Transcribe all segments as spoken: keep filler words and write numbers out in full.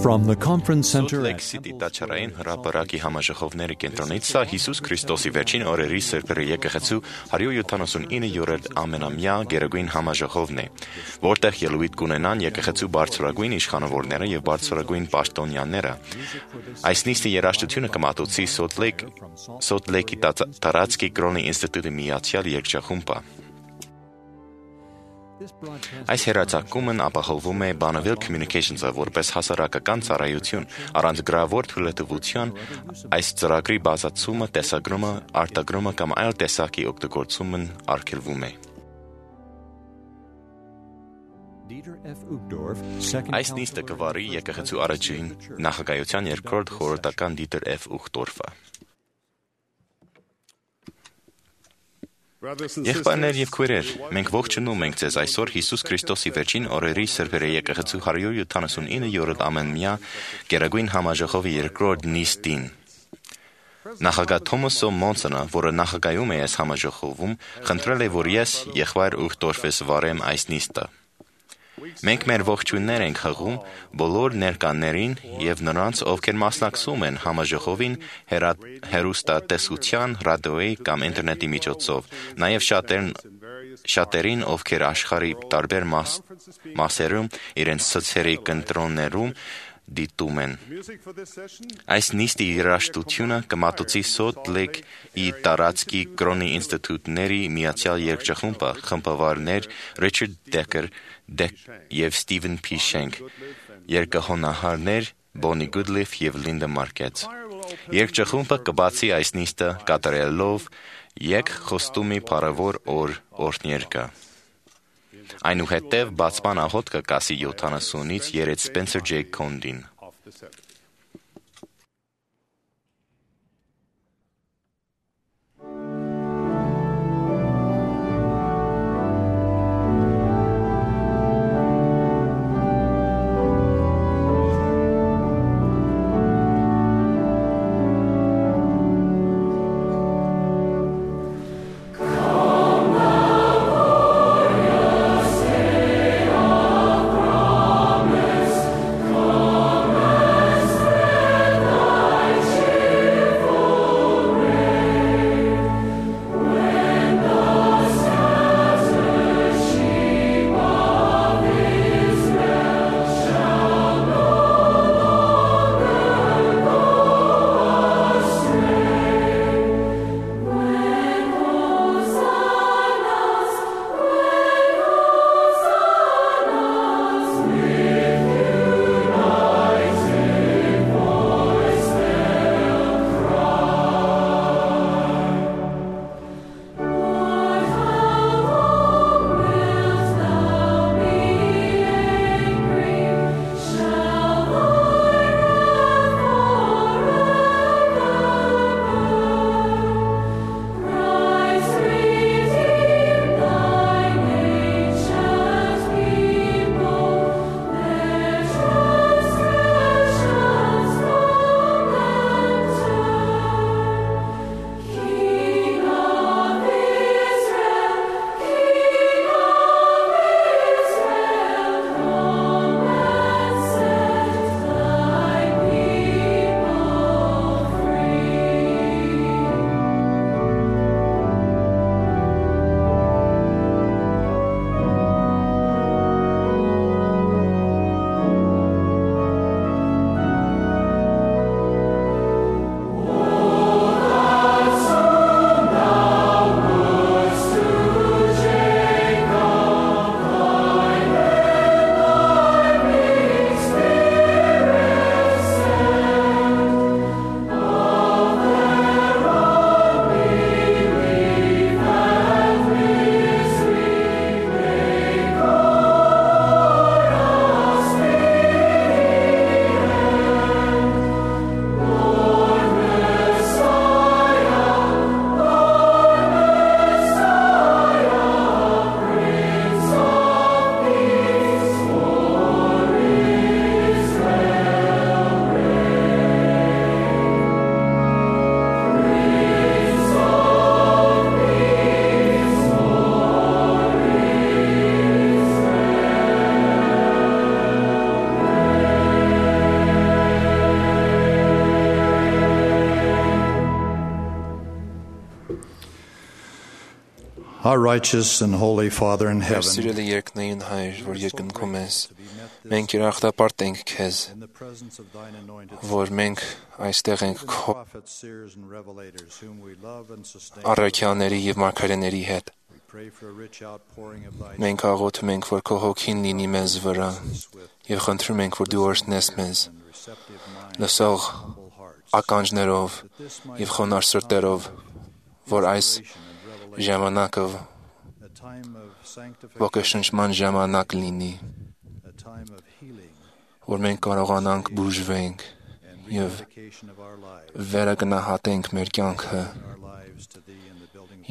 From the Conference Center Lake City Տաչարային հրապարակի համաժողովների կենտրոնից սա Հիսուս Քրիստոսի վերջին օրերի սրբերի եկեղեցու հարյուր յոթանասունիններորդ ամենամյա գերագույն համաժողովն է, որտեղ ելույթ կունենան եկեղեցու բարձրագույն իշխանավորները եւ բարձրագույն պաշտոնյաները։ Այս նիստի երաժշտությունը կմատուցի Salt Lake Salt Lake-ի տարածքի կրոնի ինստիտուտի միացյալ երգչախումբը։ Այս հեռարձակումն ապահովում է Bonneville Communications-ը որպես հասարակական ծառայություն, առանց գրավոր թույլատվության այս ծրագրի բացացումը, տեսագրումը, արտագրումը կամ այլ տեսակի օգտագործումն արգելվում է։ Այս նիստը կվարի եկեղեցու առաջին նախագահության երկրորդ խորհրդական Դիտեր F. Ուխտորֆը։ Եղբայրներ եւ քույրեր, մենք ողջունում ենք ձեզ այսօր Հիսուս Քրիստոսի վերջին օրերի սրբերի եկեղեցու հարյուր յոթանասունիններորդ ամենամյա գերագույն համաժողովի երկրորդ նիստին։ Նախագահ Թոմաս Մոնսոնը, որը նախագահում է այս համաժողովում, խնդրել է, որ ես եղբայր Ուխտորֆես վարեմ այս նիստը։ Մենք մեր ողջույններ ենք հղում բոլոր ներկաներին եւ նրանց, ովքեր մասնակցում են համաժողովին հեռուստատեսության, ռադիոյի կամ ինտերնետի միջոցով, նաեւ շատերն շատերին, ովքեր աշխարհի տարբեր մաս, մասերում իրենց սոցիալի կենտրոններում դիտում են։ Այս նիստի երաժշտությունը կմատուցի Salt Lake-ի տարածքի կրոնի ինստիտուտների միացյալ երգչախումբը, խմբավարներ Ռիչարդ Դեկեր եւ Ստիվեն Փի Շենք, երկհոնահարներ Բոնի Գուդլիֆ եւ Լինդա Մարկետ։ Երգչախումբը կբացի այս նիստը կատարելով եկ խոստումի փառավոր օր օրհներգը։ Այնուհետև բացման աղոթքը կասի յոթանասունից երեց Սպենսեր Ջեյ Քոնդին։ Come Our righteous and holy Father in heaven, Սիրելի երկնային Հայր, որ երկնքում ես, մենք երախտապարտ ենք քեզ, որ մենք այստեղ ենք քո առաքյալների եւ մարգարեների հետ։ Մենք աղոթում ենք, որ քո հոգին լինի մեզ վրա եւ խնդրում ենք, որ դու օրհնես մեզ լսող ականջներով եւ խոնարհ սրտերով, որ այս ժամանակը ոգեշնչման ժամանակ լինի, որ մենք կարողանանք բուժվենք եւ վերագնահատենք մեր կյանքը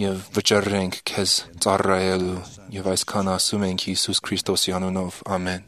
եւ վճռենք քեզ ծառայելու եւ այսքան ասում ենք Հիսուս Քրիստոսի անունով, ամեն։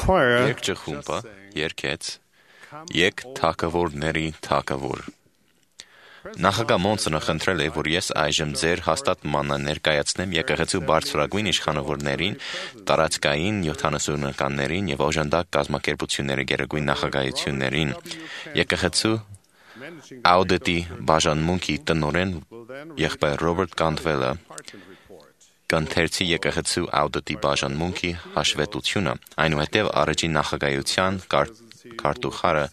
Երկճխումբը երկեց «Եկ թագավորների թագավոր»։ Նախագահ Մոնսոնը խնդրել է, որ ես այժմ ձեր հաստատմանը ներկայացնեմ եկեղեցու բարձրագույն իշխանավորներին, տարածքային յոթանասունականներին եւ օժանդակ կազմակերպությունների գերագույն նախագահություններին, եկեղեցու աուդիտի բաժանմունքի տնօրեն եղբայր Ռոբերտ Կանտվելը կընթերցի եկեղեցու աուդիտի բաժանմունքի հաշվետվությունը, այնուհետև առաջին նախագահության քարտուղարը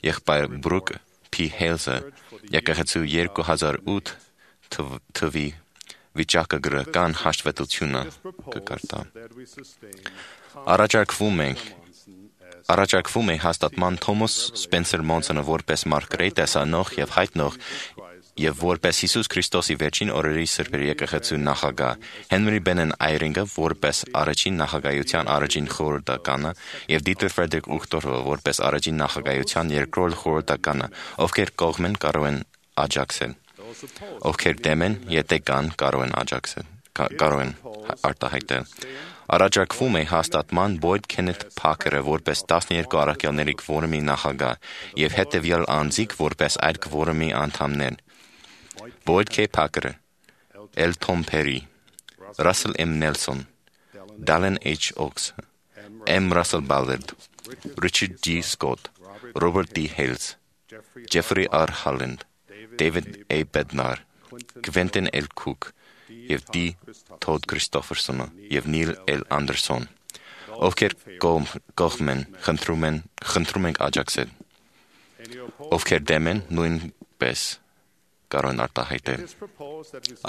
եղբայր Բրուկ Փ. Հեյլզը եկեղեցու երկու հազար ութ թվականի վիճակագրական հաշվետվությունը կկարտա։ Առաջարկվում ենք Առաջարկվում է հաստատման Թոմաս Սպենսեր Մոնսոնը որպես մարգարեի տեսանող եւ հայտնող եւ որպես Հիսուս Քրիստոսի վերջին օրերի սրբերի եկեղեցու նախագահ, Հենրի Բենեն Այրինգը որպես առաջին նախագահության առաջին խորհրդականը եւ Դիտեր Ֆրեդերիկ Ուխտորը որպես առաջին նախագահության երկրորդ խորհրդականը, ովքեր կողմեն կարող են աջակցել, ովքեր դեմ են, եթե կան, կարող են աջակցել, կարող են արտահայտել։ Առաջարկվում է հաստատման Բոյդ Քենեթ Փաքերը որպես տասներկու առաքյալների քվորումի նախագահ եւ հետեւյալ անձիկ որպես այդ քվորումի անդամներ. Բոյդ Ք. Փաքերը, L. Tom Perry, Russell M. Nelson, Dallin H. Oaks, M. Russell Ballard, Richard G. Scott, Robert D. Hales, Jeffrey R. Holland, David A. Bednar, Quentin L. Cook եւ D. Todd Christopherson եւ Neil L. Anderson, ովքեր կողմ են, խնդրում են, խնդրում ենք աջակցել, ովքեր դեմ են, նույնպես կարող են արտահայտել։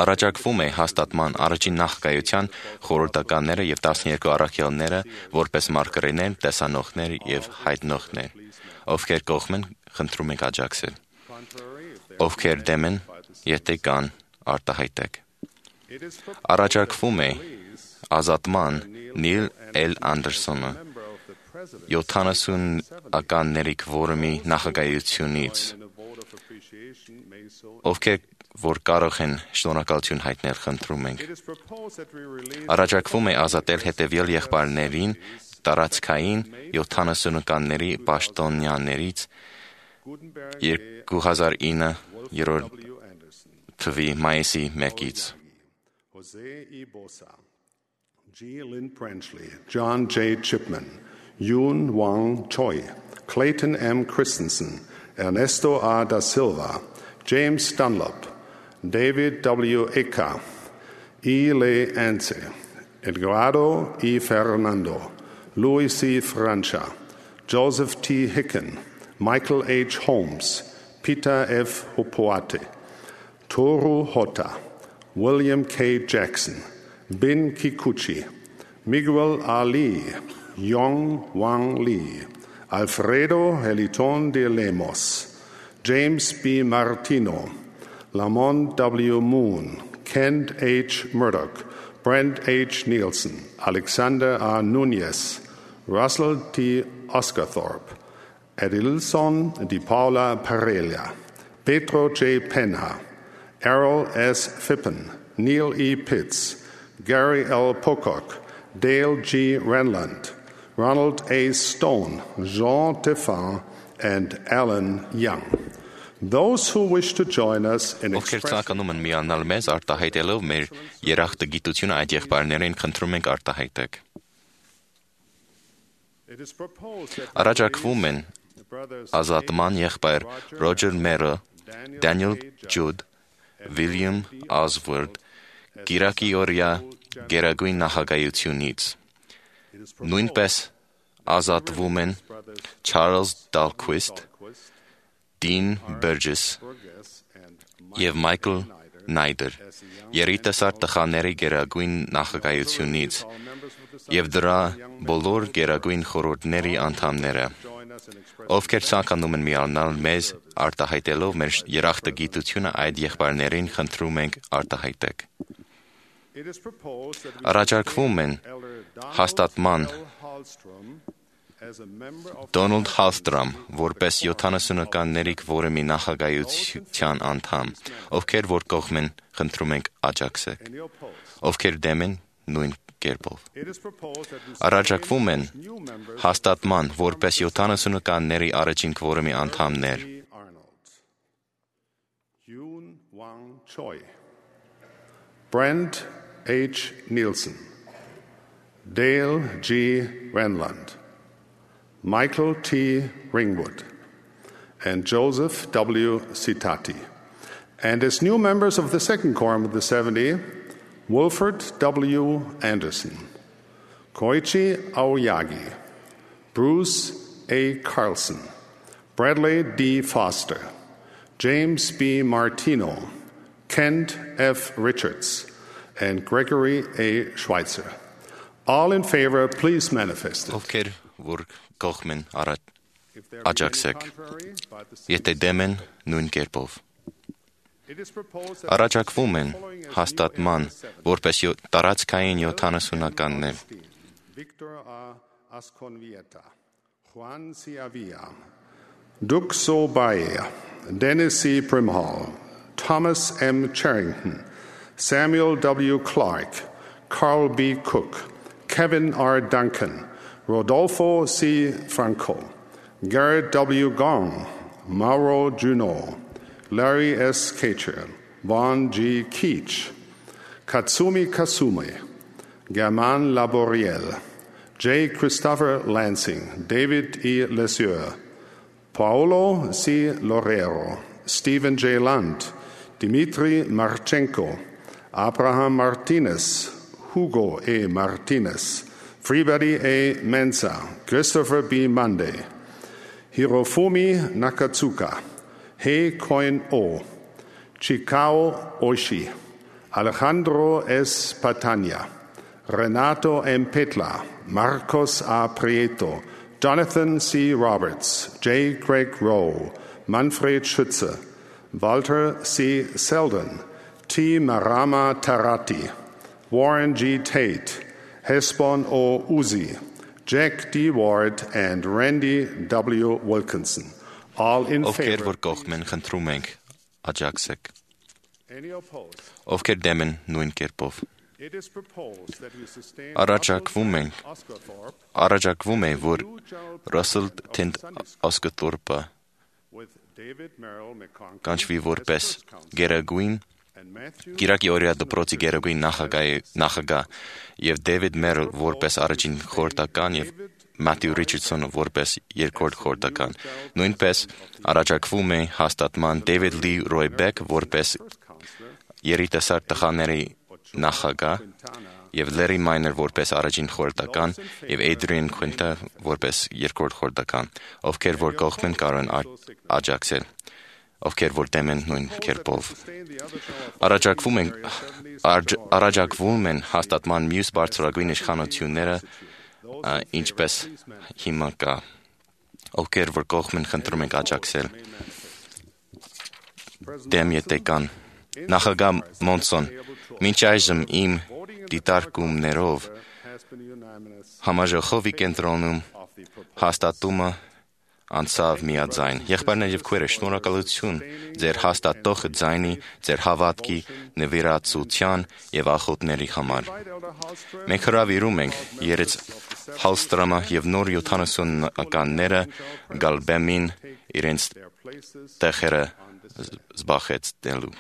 Առաջարկվում է հաստատման առաջին նախագահության խորհրդականները եւ տասներկու առաքյալները որպես մարգարեներ, տեսանողներ եւ հայտնողներ, ովքեր կողմ են, խնդրում ենք աջակցել, ովքեր դեմ են, եթե կան, արտահայտեք։ Առաջարկվում է ազատման Նիլ Էլ Անդերսոնը յոթանասունականների քվորումի նախագահությունից, ովքեր որ կարող են շնորհակալություն հայտնել, խնդրում ենք։ Առաջարկվում է ազատել հետևյալ եղբայրներին տարածքային յոթանասունականների պաշտոնյաներից երկու հազար ինը թվականի մայիսի մեկից։ Jose E. Bosa, G. Lynn Branchley, John J. Chipman, Yoon Wang Choi, Clayton M. Christensen, Ernesto R. da Silva, James Dunlop, David W. Eka, E. Le Ance, Edgardo E. Fernando, Louis C. Francia, Joseph T. Hicken, Michael H. Holmes, Peter F. Hopoate, Toru Hota, William K. Jackson, Bin Kikuchi, Miguel Ali, Yong Wang Lee, Alfredo Heliton de Lemos, James B. Martino, Lamont W. Moon, Kent H. Murdoch, Brent H. Nielsen, Alexander R. Nunez, Russell T. Oscarthorpe, Edilson Di Paula Pereira, Pedro J. Penha, Errol S. Phippen, Neil E. Pitts, Gary L. Pocock, Dale G. Renland, Ronald A. Stone, Jean Tefan, and Alan Young. Those who wish to join us in Ովքեր ցանկանում են միանալ մեզ արտահայտելով մեր երախտագիտությունը այդ եղբայրներին, խնդրում ենք արտահայտեք։ Առաջարկվում են ազատման եղբայր Ռոջեր Մերը, Դանիել Ջուդ, Վիլյամ Ասվորդ, Կիրակի օրյա գերագույն նախագահությունից։ Նույնպես ազատվում են Չարլզ Դալքվիստ, Դին Բերջես եւ Մայքլ Նայդեր, երիտասարդ տղաների գերագույն նախագահությունից եւ դրա բոլոր գերագույն խորհուրդների անդամները, ովքեր ցանկանում են միանալ մեզ արտահայտելով մեր երախտագիտությունը այդ եղբայրներին, խնդրում ենք արտահայտեք։ Առաջարկվում են հաստատման Դոնալդ Հալստրամ որպես յոթանասունականների քվորումի նախագահության անդամ, ովքեր որ կողմ են, խնդրում ենք աջակցեք, ովքեր դեմ են, նույն կերպով։ Առաջարկվում են հաստատման որպես յոթանասունականների առաջին քվորումի անդամներ Choi, Brent H. Nielsen, Dale G. Renland, Michael T. Ringwood, and Joseph W. Citati. And as new members of the second quorum of the seventy, Wilford W. Anderson, Koichi Aoyagi, Bruce A. Carlson, Bradley D. Foster, James B. Martino, Kent F. Richards, and Gregory A. Schweitzer. All in favor, please manifest it. Ովքեր որ կողմեն աջակցեք, եթե դեմ են նույն կերպով։ Առաջարկվում են հաստատման որպես տարածքային յոթանասունականներ։ Victor A. Asconvieta, Juan C. Avila, Duke So Baea, Dennis C. Primhall, Thomas M. Charrington, Samuel W. Clark, Carl B. Cook, Kevin R. Duncan, Rodolfo C. Franco, Garrett W. Gong, Mauro Juno, Larry S. Kacher, Vaughn G. Keach, Katsumi Kasume, Germain Laboriel, J. Christopher Lansing, David E. Lesieur, Paolo C. Lorero, Stephen J. Lunt, Dmitry Marchenko, Abraham Martinez, Hugo A. Martinez, Freebody A. Mensa, Christopher B. Monday, Hirofumi Nakatsuka, Hei Koin O, Chikao Oishi, Alejandro S. Patania, Renato M. Petla, Marcos A. Prieto, Jonathan C. Roberts, J. Craig Rowe, Manfred Schütze, Walter C. Selden, T. Marama Tarati, Warren G. Tate, Hesbon O. Uzi, Jack D. Ward, and Randy W. Wilkinson. All in Ովքեր favor. որ կողմեն խնդրում ենք աջակցեք, Any opposed? ովքեր դեմ են նույն կերպով։ It is proposed that we sustain Առաջարկվում ենք, Oscar Thorpe առաջարկվում է, որ Russell Tent Osgothorpe with David Merrill McConkie կանչվի as որպես first counsel, գերագույն and Matthew Կիրակի օրյա դպրոցի գերագույն նախագահ եւ Դեվիդ Մերլ որպես առաջին խորհրդական եւ Մաթյու Ռիչարդսոնը որպես երկրորդ խորհրդական։ Նույնպես առաջարկվում է հաստատման Դեվիդ Լի Ռոյբեկ որպես երիտասարդ տղաների նախագահ եւ Լերի Մայներ որպես առաջին խորհրդական եւ Էդրիան Քուինտը որպես երկրորդ խորհրդական, ովքեր որ կողմ են կարող են աջակցել, ովքեր որ դեմ են նույն կերպով։ Առաջարկվում են առաջարկվում են հաստատման մյուս բարձրագույն իշխանությունները, ինչպես հիմա կա, ովքեր որ կողմ են խնդրում ենք աջակցել։ Դեմ եթե կան նախագահ Մոնսոն, մինչ այժմ իմ դիտարկումներով համաժողովի կենտրոնում հաստատումը անցավ միաձայն։ Եղբայրներ եւ քույրեր, շնորհակալություն ձեր հաստատող ձայնի, ձեր հավատքի, նվիրատվության եւ ախոթների համար։ Մենք հրավիրում ենք երեց Հալստրամը եւ նոր յոթանասունականները գալբեմին իրենց տեղերը զբաղեցնելու։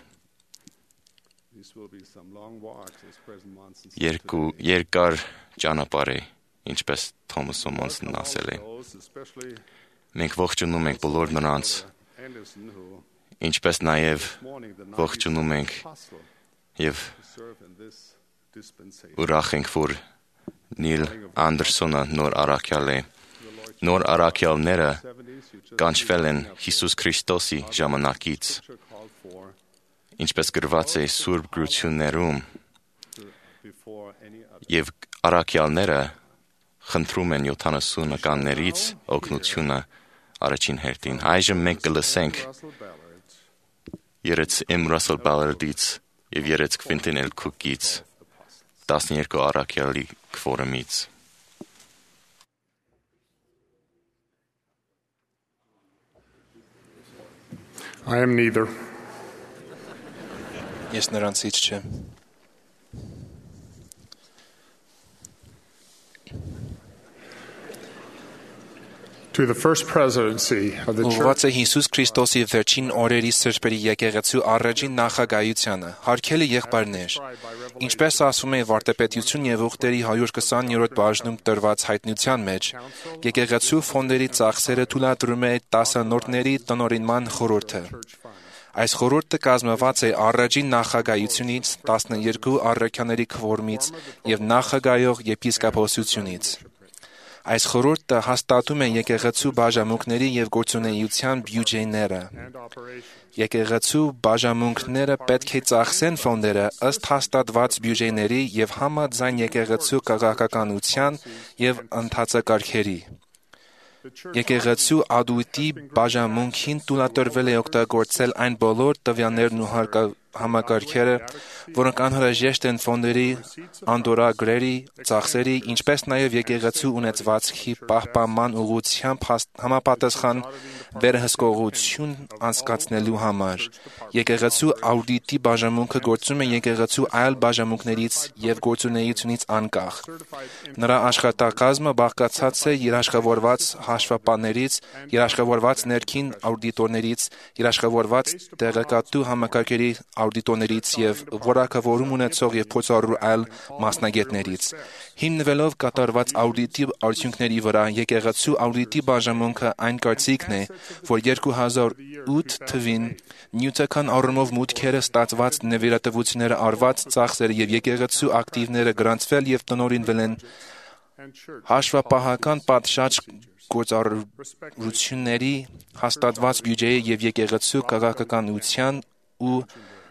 Երկու երկար ճանապարհ է, ինչպես Թոմաս Մոնսոնն ասել է։ Մենք ողջունում ենք բոլոր նրանց, ինչպես նաև ողջունում ենք եւ ուրախ ենք, որ Նիլ Անդերսոնը նոր առաքյալ է։ Նոր առաքյալները կանչվել են Հիսուս Քրիստոսի ժամանակից, ինչպես գրված է Սուրբ գրություններում, եւ առաքյալները խնդրում են յոթանասունականներից օգնությունը առաջին հերթին։ Այժմ մենք կլսենք երեց M. Russell Ballardից եւ երեց Quentin L. Cookից, տասներկու առաքյալի քվորումից։ I am neither. Ես նրանցից չեմ։ to the first presidency of the Ուղղված church. է Հիսուս Քրիստոսի վերջին օրերի սրբերի եկեղեցու առաջին նախագահությանը, հարգելի եղբայրներ, ինչպես ասվում է վարդապետություն եւ ուխտերի one twenty-րդ բաժնում տրված հայտնության մեջ, եկեղեցու ֆոնդերի ծախսերը թույլատրում է տասնորդների տնօրինման խորհուրդը։ Այս խորհուրդը կազմված է առաջին նախագահությունից, տասներկու առաքյաների քվորումից եւ նախագահող եպիսկոպոսությունից։ Այս խորհուրդը հաստատում է եկեղեցու բաժանմունքների եւ գործունեության բյուջեները։ Եկեղեցու բաժանմունքները պետք է ծախսեն ֆոնդերը ըստ հաստատված բյուջեների եւ համաձայն եկեղեցու քաղաքականության եւ ընթացակարգերի։ Եկեղեցու ադույտի բաժանմունքին թույլատրվել է օգտագործել այն բոլոր տվյալներն ու համակարգերը, որոնք անհրաժեշտ են ֆոնդերի, անդորրագրերի, ծախսերի, ինչպես նաև եկեղեցու ունեցվածքի պահպանման ուղղությամբ համապատասխան վերահսկողություն անցկացնելու համար։ Եկեղեցու աուդիտի բաժանմունքը գործում է եկեղեցու այլ բաժանմունքներից եւ գործունեությունից անկախ։ Նրա աշխատակազմը բաղկացած է երաշխավորված հաշվապահներից, երաշխավորված ներքին աուդիտորներից, երաշխավորված տեղեկատու համակարգերի աուդիտորներից եւ որակավորում ունեցող եւ փորձառու այլ մասնագետներից։ Հիմնվելով կատարված աուդիտի արդյունքների վրա, եկեղեցու աուդիտի բաժանմունքը այն կարծիքն է, որ երկու հազար ութ թվին նյութական առումով մուտքերը ստացված նվիրատվությունները արված ծախսերը եւ եկեղեցու ակտիվները գրանցվել եւ տնօրինվել են հաշվապահական պատշաճ գործառույթների հաստատված բյուջեի եւ եկեղեցու քաղաքականության ու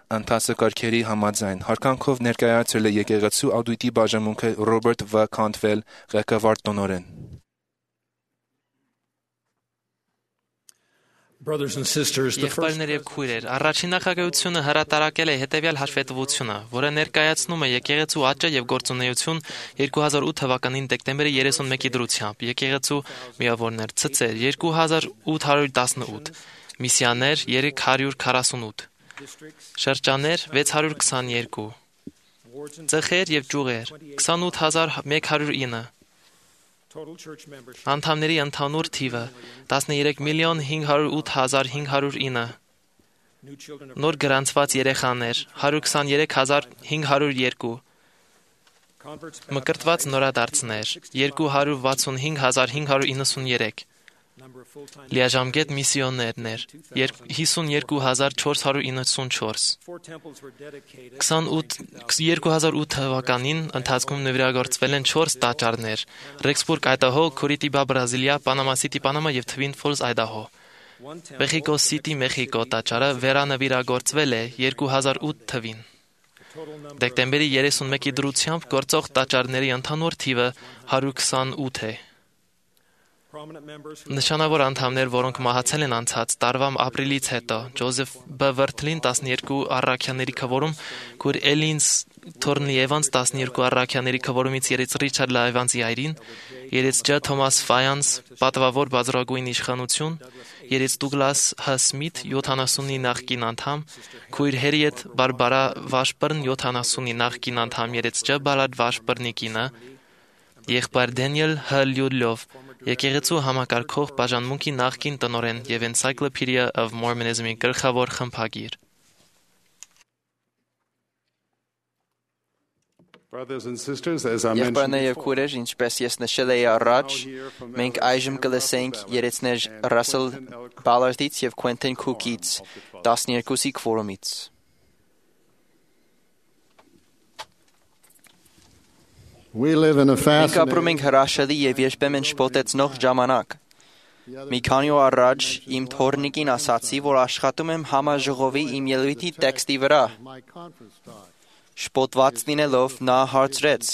ընթացակարգերի համաձայն։ Հարկանքով ներկայացրել է եկեղեցու աուդիտի բաժանմունքը Ռոբերտ Վ. Քանթվել, ղեկավար տնօրեն։ Եղբայրներ եւ քույրեր, առաջին նախագահությունը հրատարակել է հետեւյալ հաշվետվությունը, որը ներկայացնում է եկեղեցու աճը եւ գործունեություն երկու հազար ութ թվականին դեկտեմբերի երեսունմեկի դրությամբ։ Եկեղեցու միավորներ ցցեր երկու հազար ութ հարյուր տասնութ, միսիաներ երեք հարյուր քառասունութ, շրջաններ վեց հարյուր քսաներկու, ծխեր եւ ճյուղեր քսանութ հազար մեկ հարյուր ինը, անդամների ընդհանուր թիվը տասներեք միլիոն հինգ հարյուր ութ հազար հինգ հարյուր ինը, նոր գրանցված երեխաներ հարյուր քսաներեք հազար հինգ հարյուր երկու, մկրտված նորադարձներ երկու հարյուր վաթսունհինգ հազար հինգ հարյուր իննսուներեք, լիաժամկետ միսիոներներ հիսունյոթ հազար չորս հարյուր իննսունչորս, երկու հազար ութ թվականին ընթացքում նվիրագործվել են չորս տաճարներ՝ Ռեքսբուրգ, Այդահո, Քուրիտիբա, Բրազիլիա, Պանամա Սիթի, Պանամա եւ Թվին Ֆոլս, Այդահո։ Մեխիկո Սիթի, Մեխիկո տաճարը վերանվիրագործվել է երկու հազար ութ թվին։ Դեկտեմբերի երեսունմեկի դրությամբ գործող տաճարների ընդհանուր թիվը հարյուր քսանութ է։ Նշանավոր անդամներ, որոնք մահացել են անցած տարվա ապրիլից հետո, Ջոզեֆ Բ. Վրթլին տասներկու առաքյաների քվորում, քույր Էլին Թորնլի Էվանս տասներկու առաքյաների քվորումից երեց Ռիչարդ Լայվանսի այրին, երեց Ջ. Թոմաս Ֆայանս պատվավոր բազրագույն իշխանություն, երեց Դուգլաս Հ. Սմիթ յոթանասունի նախկին անդամ, քույր Հերիետ Բարբարա Վաշբըրն յոթանասունի նախկին անդամ, երեց Ջ. Բալադ Վաշբըրնի կինը, եղբայր Դենիել Հ. Լյուդլով, եկեղեցու համակարգող բաժանմունքի նախկին տնօրեն եւ Encyclopedia of Mormonism-ի գլխավոր խմբագիր։ Եղբայրներ եւ քույրեր, ինչպես ես նշել էի առաջ, մենք այժմ կլսենք երեցներ Ռասել Բալարդից եւ Քվենտին Քուքից տասներկուսի քվորումից։ Մենք ապրում ենք հրաշալի եւ երբեմն շփոթեցնող ժամանակ։ Մի քանի օր առաջ իմ թորնիկին ասացի, որ աշխատում եմ համաժողովի իմ ելույթի տեքստի վրա։ Շփոթված լինելով նա հարցրեց.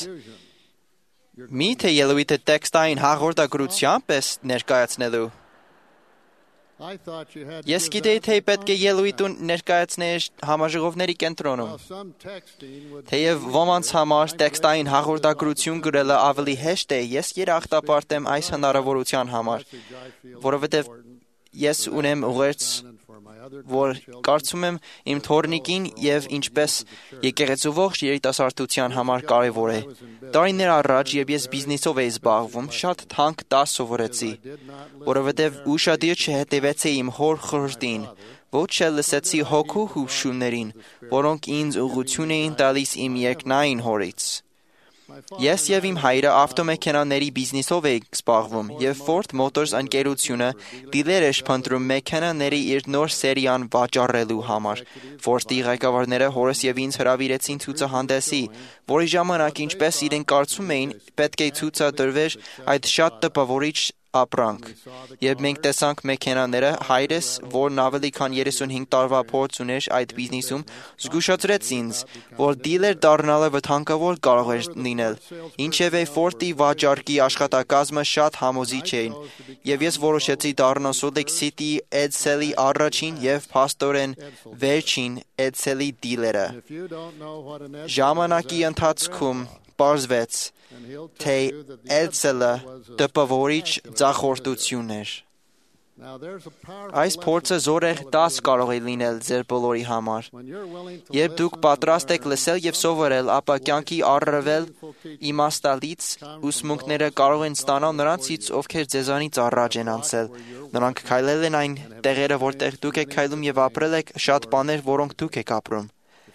«Մի՞թե ելույթը տեքստային հաղորդագրությամբ ես ներկայացնելու»։ Ես գիտեի, թե պետք է ելույթ ներկայացնել համաժողովների կենտրոնում։ Թեև ոմանց համար տեքստային հաղորդագրություն գրելը ավելի հեշտ է, ես երախտապարտ եմ այս հնարավորության համար, որովհետև ես ունեմ ուղերձ որ կարծում եմ իմ թորնիկին եւ ինչպես եկեղեցու ողջ երիտասարդության համար կարևոր է։ Տարիներ առաջ, երբ ես բիզնեսով էի զբաղվում, շատ թանկ դաս սովորեցի, որովհետեւ ուշադիր չհետևեցի իմ հոր խորհրդին, ոչ էլ լսեցի հոգու հուշումներին, որոնք ինձ ուղղություն էին տալիս իմ երկնային հորից։ Ես եւ իմ հայրը ավտոմեքենաների բիզնեսով էինք զբաղվում, եւ Ford Motors ընկերությունը դիլեր էր փնտրում մեքենաների իր նոր սերիան վաճառելու համար։ Ford-ի ղեկավարները հորս եւ ինձ հրավիրեցին ցուցահանդեսի, որի ժամանակ ինչպես իրենք կարծում էին, պետք է ցուցադրվեր այդ շատ տպավորիչ ապրանք։ Երբ մենք տեսանք մեքենաները, հայրս, որն ավելի քան երեսունհինգ տարվա փորձ ուներ այդ բիզնեսում, զգուշացրեց ինձ, որ դիլեր դառնալը վտանգավոր կարող էր լինել։ Ինչևէ Ford-ի վաճառքի աշխատակազմը շատ համոզիչ էին, եւ ես որոշեցի դառնալ Salt Lake City Edsel-ի առաջին եւ փաստորեն վերջին Edsel-ի դիլերը։ Ժամանակի ընթացքում պարզվեց, թե Edsel-ը տպավորիչ ձախորդություն էր։ Այս փորձը զորեղ դաս կարող է լինել ձեր բոլորի համար։ Երբ դուք պատրաստ եք լսել եւ սովորել, ապա կյանքի առավել իմաստալից ուսմունքները կարող են ստանալ նրանցից, ովքեր ձեզանից առաջ են անցել։ Նրանք քայլել են այն տեղերը, որտեղ դուք եք քայլում եւ ապրել եք շատ բաներ, որոնք դուք եք ապրում։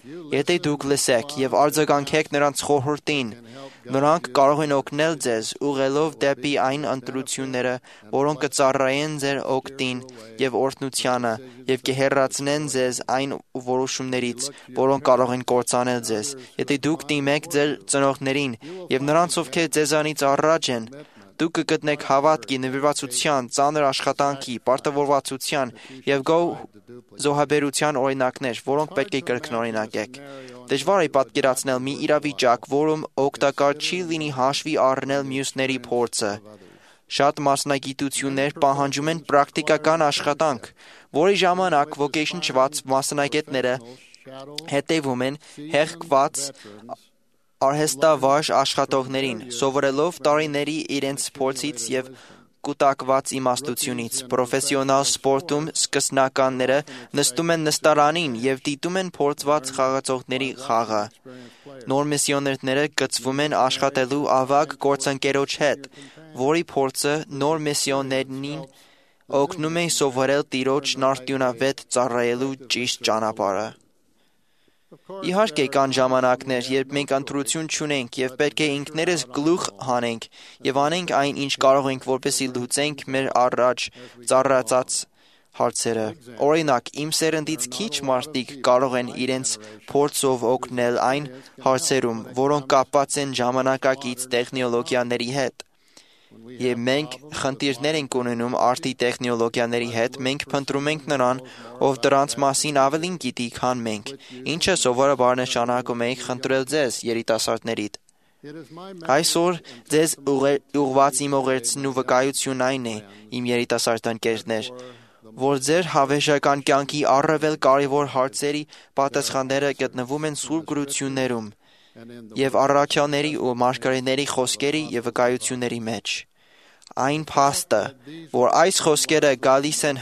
Եթե դուք լսեք եւ արձագանքեք նրանց խորհրդին, նրանք կարող են օգնել ձեզ ուղղելով դեպի այն ընտրությունները, որոնք կծառայեն ձեր օգտին եւ օրհնությանը եւ կհեռացնեն ձեզ այն որոշումներից, որոնք կարող են կործանել ձեզ։ Եթե դուք դիմեք ձեր ծնողներին եւ նրանց, ովքեր ձեզանից առաջ են, դուք կգտնեք հավատքի, նվիրվածության, ծանր աշխատանքի, պարտավորվածության եւ գոհ զոհաբերության օրինակներ, որոնք պետք է կրկնօրինակեք։ Դժվար է պատկերացնել մի իրավիճակ, որում օգտակար չի լինի հաշվի առնել մյուսների փորձը։ Շատ մասնագիտություններ պահանջում են պրակտիկական աշխատանք, որի ժամանակ ոգեշնչված մասնագետները հետևում են հեղկված արհեստավարժ աշխատողներին, սովորելով տարիների իրենց փորձից եւ կուտակված իմաստությունից։ Պրոֆեսիոնալ սպորտում սկսնականները նստում են նստարանին եւ դիտում են փորձված խաղացողների խաղը։ Նոր միսիոներները գծվում են աշխատելու ավագ գործընկերոջ հետ, որի փորձը նոր միսիոներին օգնում է սովորել Տիրոջն արդյունավետ ծառայելու ճիշտ ճանապարհը։ Իհարկե կան ժամանակներ, երբ մենք ընտրություն չունենք եւ պետք է ինքներս գլուխ հանենք եւ անենք այն, ինչ կարող ենք, որպեսզի լուծենք մեր առաջ ծառացած հարցերը։ Օրինակ, իմ սերնդից քիչ մարդիկ կարող են իրենց փորձով օգնել այն հարցերում, որոնք կապված են ժամանակակից տեխնոլոգիաների հետ։ Եվ մենք խնդիրներ ենք ունենում արդի տեխնոլոգիաների հետ, մենք փնտրում ենք նրան, ով դրանց մասին ավելին գիտի, քան մենք, ինչը սովորաբար նշանակում է խնդրել ձեզ, երիտասարդներիդ։ Այսօր ձեզ ուղղված իմ ուղերձն ու վկայությունն այն է, իմ երիտասարդ ընկերներ, որ ձեր հավերժական կյանքի առավել կարևոր հարցերի պատասխանները գտնվում են Սուրբ գրություններում եւ առաքյալների ու մարգարեների խոսքերի եւ վկայությունների մեջ։ Այն փաստը, որ այս խոսքերը գալիս են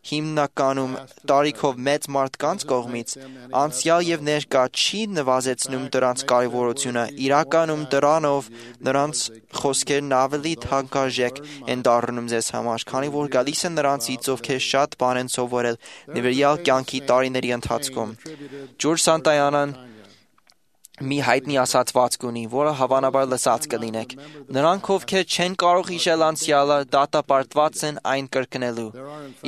հիմնականում տարիքով մեծ մարդկանց կողմից, անցյալ եւ ներկա չի նվազեցնում դրանց կարևորությունը, իրականում դրանով նրանց խոսքերն ավելի թանկարժեք են դառնում ձեզ համար, քանի որ գալիս են նրանցից, ովքեր շատ բան են սովորել նվիրյալ կյանքի տարիների ընթացքում։ Ջորջ Սանտայանան մի հայտնի ասացվածք ունի, որը հավանաբար լսած կլինեք։ Նրանք, ովքեր չեն կարող հիշել անցյալը, դատապարտված են այն կրկնելու։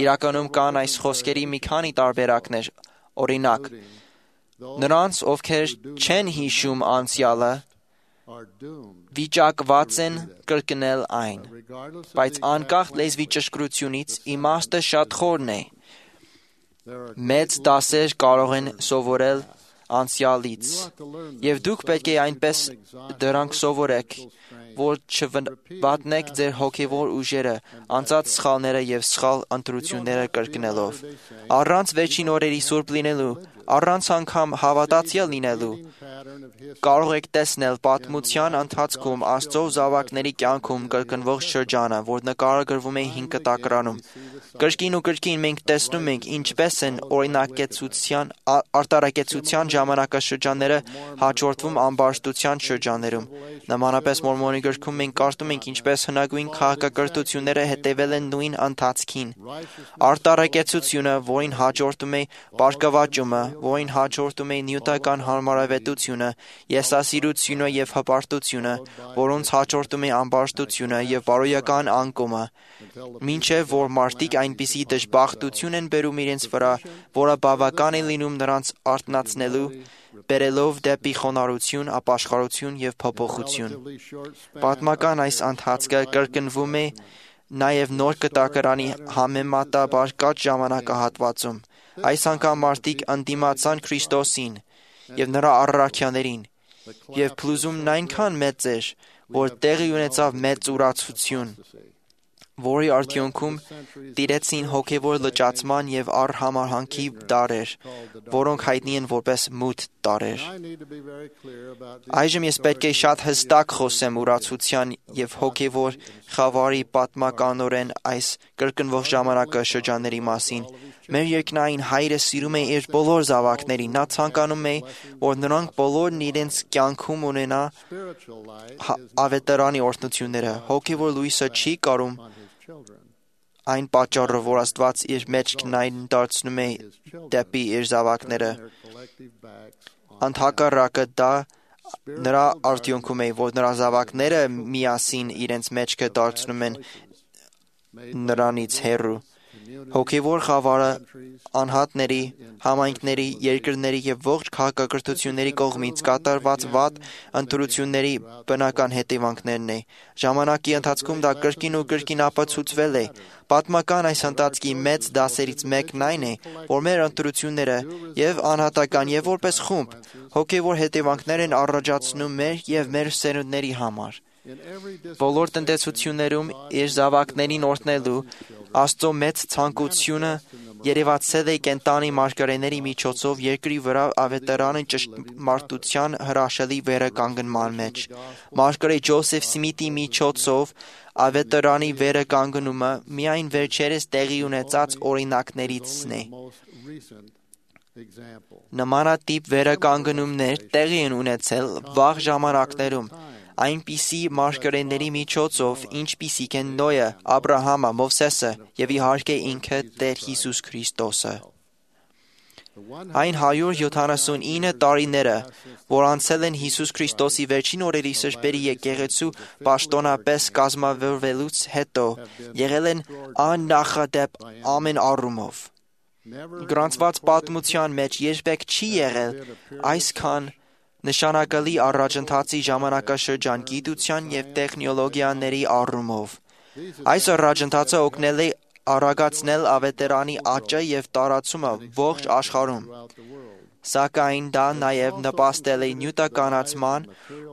Իրականում կան այս խոսքերի մի քանի տարբերակներ։ Օրինակ, նրանց, ովքեր չեն հիշում անցյալը, վիճակված են կրկնել այն, բայց անկախ լեզվի ճշգրությունից իմաստը շատ խորն է։ Մեծ դասեր կարող են սովորել անցյալից, եւ դուք պետք է այնպես դրանք սովորեք, որ չվատնեք ձեր հոգևոր ուժերը, անցած սխալները եւ սխալ ընտրությունները կրկնելով։ Առանց վերջին օրերի սուրբ լինելու, Առանց անգամ հավատացյալ լինելու կարող եք տեսնել պատմության ընթացքում Աստծո զավակների կյանքում կրկնվող շրջանը, որ նկարագրվում է հին կտակարանում։ Կրկին ու կրկին մենք տեսնում ենք ինչպես են օրինակեցության արտարակեցության ժամանակաշրջանները հաջորդվում ամբարշտության շրջաններում։ Նմանապես Մորմոնի գրքում մենք կարդում ենք ինչպես հնագույն քաղաքակրթությունները հետևել են նույն ընթացքին։ Արտարակեցությունը, որին հաջորդում է բարգավաճումը, որին հաջորդում է նյութական հարմարավետությունը, եսասիրությունը և հպարտությունը, որոնց հաջորդում է ամբարշտությունը և բարոյական անկումը, մինչև որ մարդիկ այնպիսի դժբախտություն են բերում իրենց վրա, որը բավական է լինում նրանց արթնացնելու, բերելով դեպի խոնարհություն, ապաշխարություն և փոփոխություն։ Պատմական այս ընթացքը կրկնվում է նաև նոր կտակարանի համեմատաբար կարճ ժամանակահատվածում։ Այս անգամ մարդիկ ընդդիմացան Քրիստոսին և նրա առաքյալներին, և փլուզումն այնքան մեծ էր, որ տեղի ունեցավ մեծ ուրացություն, որի արդյունքում տիրեցին հոգևոր լճացման և առհամարհանքի դարեր, որոնք հայտնի են որպես մութ դարեր։ Այժմ ես պետք է շատ հստակ խոսեմ ուրացության և հոգևոր խավարի պատմականորեն այս կրկնվող ժամանակաշրջանների մասին։ Մեր երկնային Հայրը սիրում է իր բոլոր զավակներին։ Նա ցանկանում է, որ նրանք բոլորն իրենց կյանքում ունենա ավետարանի օրհնությունները։ Հոգևոր լույսը չի կարում այն պատճառով, որ Աստված իր մեջքն դարձնում է դեպի իր զավակները։ Ընդհակառակը դա նրա արդյունքում է, որ նրա զավակները միասին իրենց մեջքը դարձնում են նրանից հեռու։ Հոգևոր խավարը անհատների, համայնքների, երկրների և ողջ քաղաքակրթությունների կողմից կատարված վատ ընտրությունների բնական հետևանքներն է։ Ժամանակի ընթացքում դա կրկին ու կրկին ապացուցվել է։ Պատմական այս ընթացքի մեծ դասերից մեկն այն է, որ մեր ընտրությունները և անհատական և որպես խումբ հոգևոր հետևանքներ են առաջացնում մեր և մեր սերունդների համար։ Բոլոր տնտեսություններում իր զավակներին օրհնելու Աստծո մեծ ցանկությունը երևացել է կենդանի մարգարեների միջոցով երկրի վրա ավետարանի ճշմարտության հրաշալի վերականգնման մեջ։ Մարգարե Ջոզեֆ Սմիթի միջոցով ավետարանի վերականգնումը միայն վերջերս տեղի ունեցած օրինակներիցն է։ Նմանատիպ վերականգնումներ տեղի են ունեցել վաղ ժամանակներում այնպիսի մարգարեների միջոցով, ինչպիսիք են Նոյը, Աբրահամը, Մովսեսը և իհարկե ինքը Տեր Հիսուս Քրիստոսը։ Այն հարյուր յոթանասունինը տարիները, որ անցել են Հիսուս Քրիստոսի վերջին օրերի սրբերի եկեղեցու պաշտոնապես կազմավորվելուց հետո, եղել են աննախադեպ ամեն առումով։ Գրանցված պատմության մեջ երբեք չի եղել այսքան նշանակալի առաջընթացի ժամանակաշրջան գիտության և տեխնոլոգիաների առումով։ Այս առաջընթացը օգնել է արագացնել ավետարանի աճը և տարածումը ողջ աշխարհում, սակայն դա նաև նպաստել է նյութականացման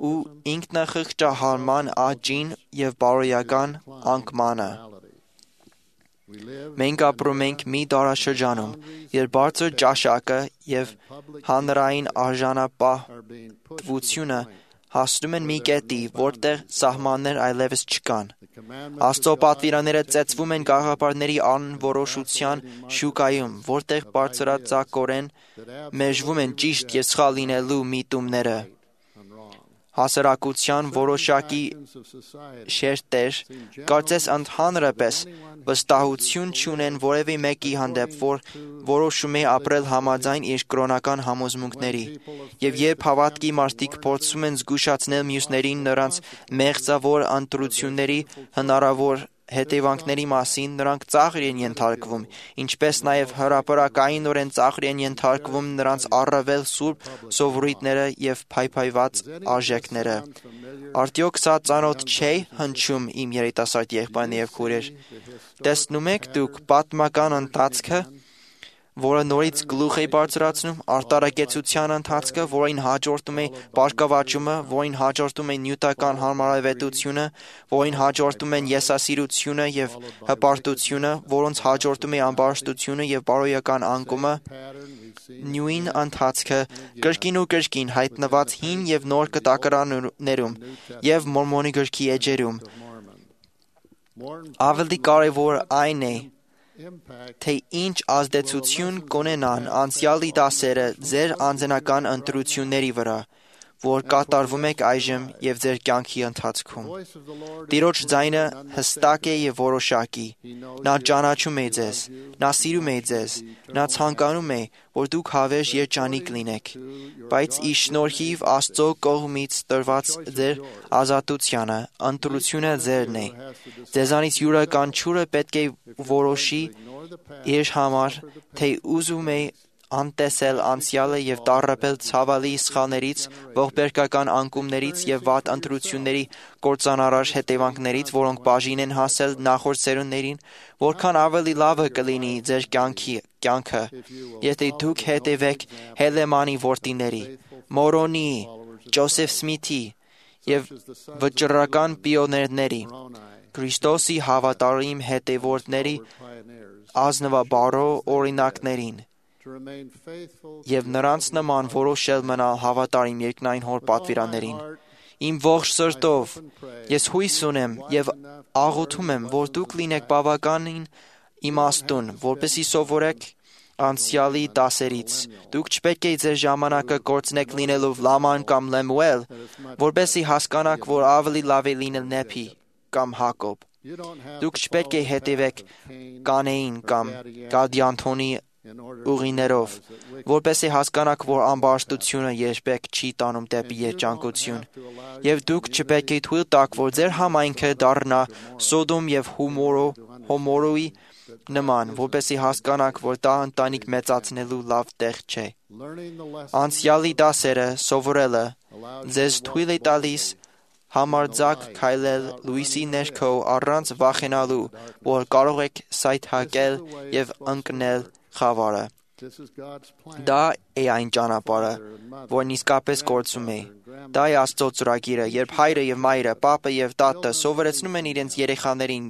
ու ինքնախղճահարման աճին և բարոյական անկմանը։ Մենք ապրում ենք մի դարաշրջանում, երբ բարձր ճաշակը և հանրային արժանապատվությունը հասնում են մի կետի, որտեղ սահմաններ այլևս չկան։ Աստծո պատվիրանները ծեծվում են գաղափարների անորոշության շուկայում, որտեղ բարձրաձակորեն մերժվում են ճիշտ և սխալ լինելու միտումները։ Հասարակության որոշակի շերտեր կարծես ընդհանրապես վստահություն չունեն որևէ մեկի հանդեպ, որ որոշում է ապրել համաձայն իր կրոնական համոզմունքների, և երբ հավատքի մարդիկ փորձում են զգուշացնել մյուսներին նրանց մեղձավոր ընտրությունների հնարավոր հետևանքների մասին, նրանք ծաղր են ենթարկվում, ինչպես նաև հրապարակայնորեն ծաղր են ենթարկվում նրանց առավել սուրբ սովորույթները և փայփայված արժեքները։ Արդյոք սա ծանոթ չէ հնչում իմ երիտասարդ եղբայրներ և քույրեր։ Տեսնում եք դուք պատմական ընթացքը, որը նորից գլուխ է բարձրացնում, արտարակեցության ընթացքը, որին հաջորդում է բարգավաճումը, որին հաջորդում է նյութական հարմարավետությունը, որին հաջորդում են եսասիրությունը և հպարտությունը, որոնց հաջորդում է ամբարշտությունը և բարոյական անկումը, նույն ընթացքը կրկին ու կրկին հայտնված հին եւ նոր կտակարաններում եւ Մորմոնի գրքի էջերում։ Ավելի կարևոր այն է, թե ինչ ազդեցություն կունենան անցյալի դասերը ձեր անձնական ընտրությունների վրա, որ կատարվում եք այժմ եւ ձեր կյանքի ընթացքում։ Տիրոջ ձայնը հստակ է եւ որոշակի։ Նա ճանաչում է ձեզ, նա սիրում է ձեզ, նա ցանկանում է, որ դուք հավերժ երջանիկ լինեք, բայց ի շնորհիվ Աստծո կողմից տրված ձեր ազատությանը, ընտրությունը ձերն է։ Ձեզանից յուրաքանչյուրը պետք է որոշի իր համար, թե ուզում է անտեսել անցյալը եւ տառապել ցավալի սխալներից, ողբերգական անկումներից եւ վատ ընտրությունների կործանարար հետևանքներից, որոնք բաժին են հասել նախորդ սերունդներին, որքան ավելի լավը կլինի ձեր կյանքի կյանքը, եթե դուք հետևեք Հելեմանի որդիների, Մորոնի, Ջոսեֆ Սմիթի եւ վճռական պիոներների, Քրիստոսի հավատարիմ հետևորդների ազնվաբարո օրինակներին եւ նրանց նման որոշել մնալ հավատարիմ երկնային հոր պատվիրաններին։ Իմ ողջ սրտով ես հույս ունեմ եւ աղոթում եմ, որ դուք լինեք բավականին իմաստուն, որպեսզի սովորեք անցյալի դասերից։ Դուք չպետք է ձեր ժամանակը կորցնեք լինելով Լաման կամ Լեմուել, որպեսզի հասկանաք, որ ավելի լավ է լինել Նեփի կամ Հակոբ։ Դուք չպետք է հետևեք Կանեին կամ Գադյանթոնի ուղիներով, որպեսզի հասկանաք, որ ամբարշտությունը երբեք չի տանում դեպի երջանկություն, եւ դուք չպետք է թույլ տաք, որ ձեր համայնքը դառնա Սոդոմ եւ Հոմորոյի նման, որպեսզի հասկանաք, որ դա ընտանիք մեծացնելու լավ տեղ չէ։ Անցյալի դասերը սովորելը ձեզ թույլ է տալիս համարձակ քայլել լույսի ներքո առանց վախենալու, որ կարող եք սայթաքել եւ ընկնել խավարը։ Դա է այն ճանապարհը, որն իսկապես գործում է։ Դա է Աստծո ծրագիրը, երբ հայրը եւ մայրը, պապը եւ տատը սովորեցնում են իրենց երեխաներին,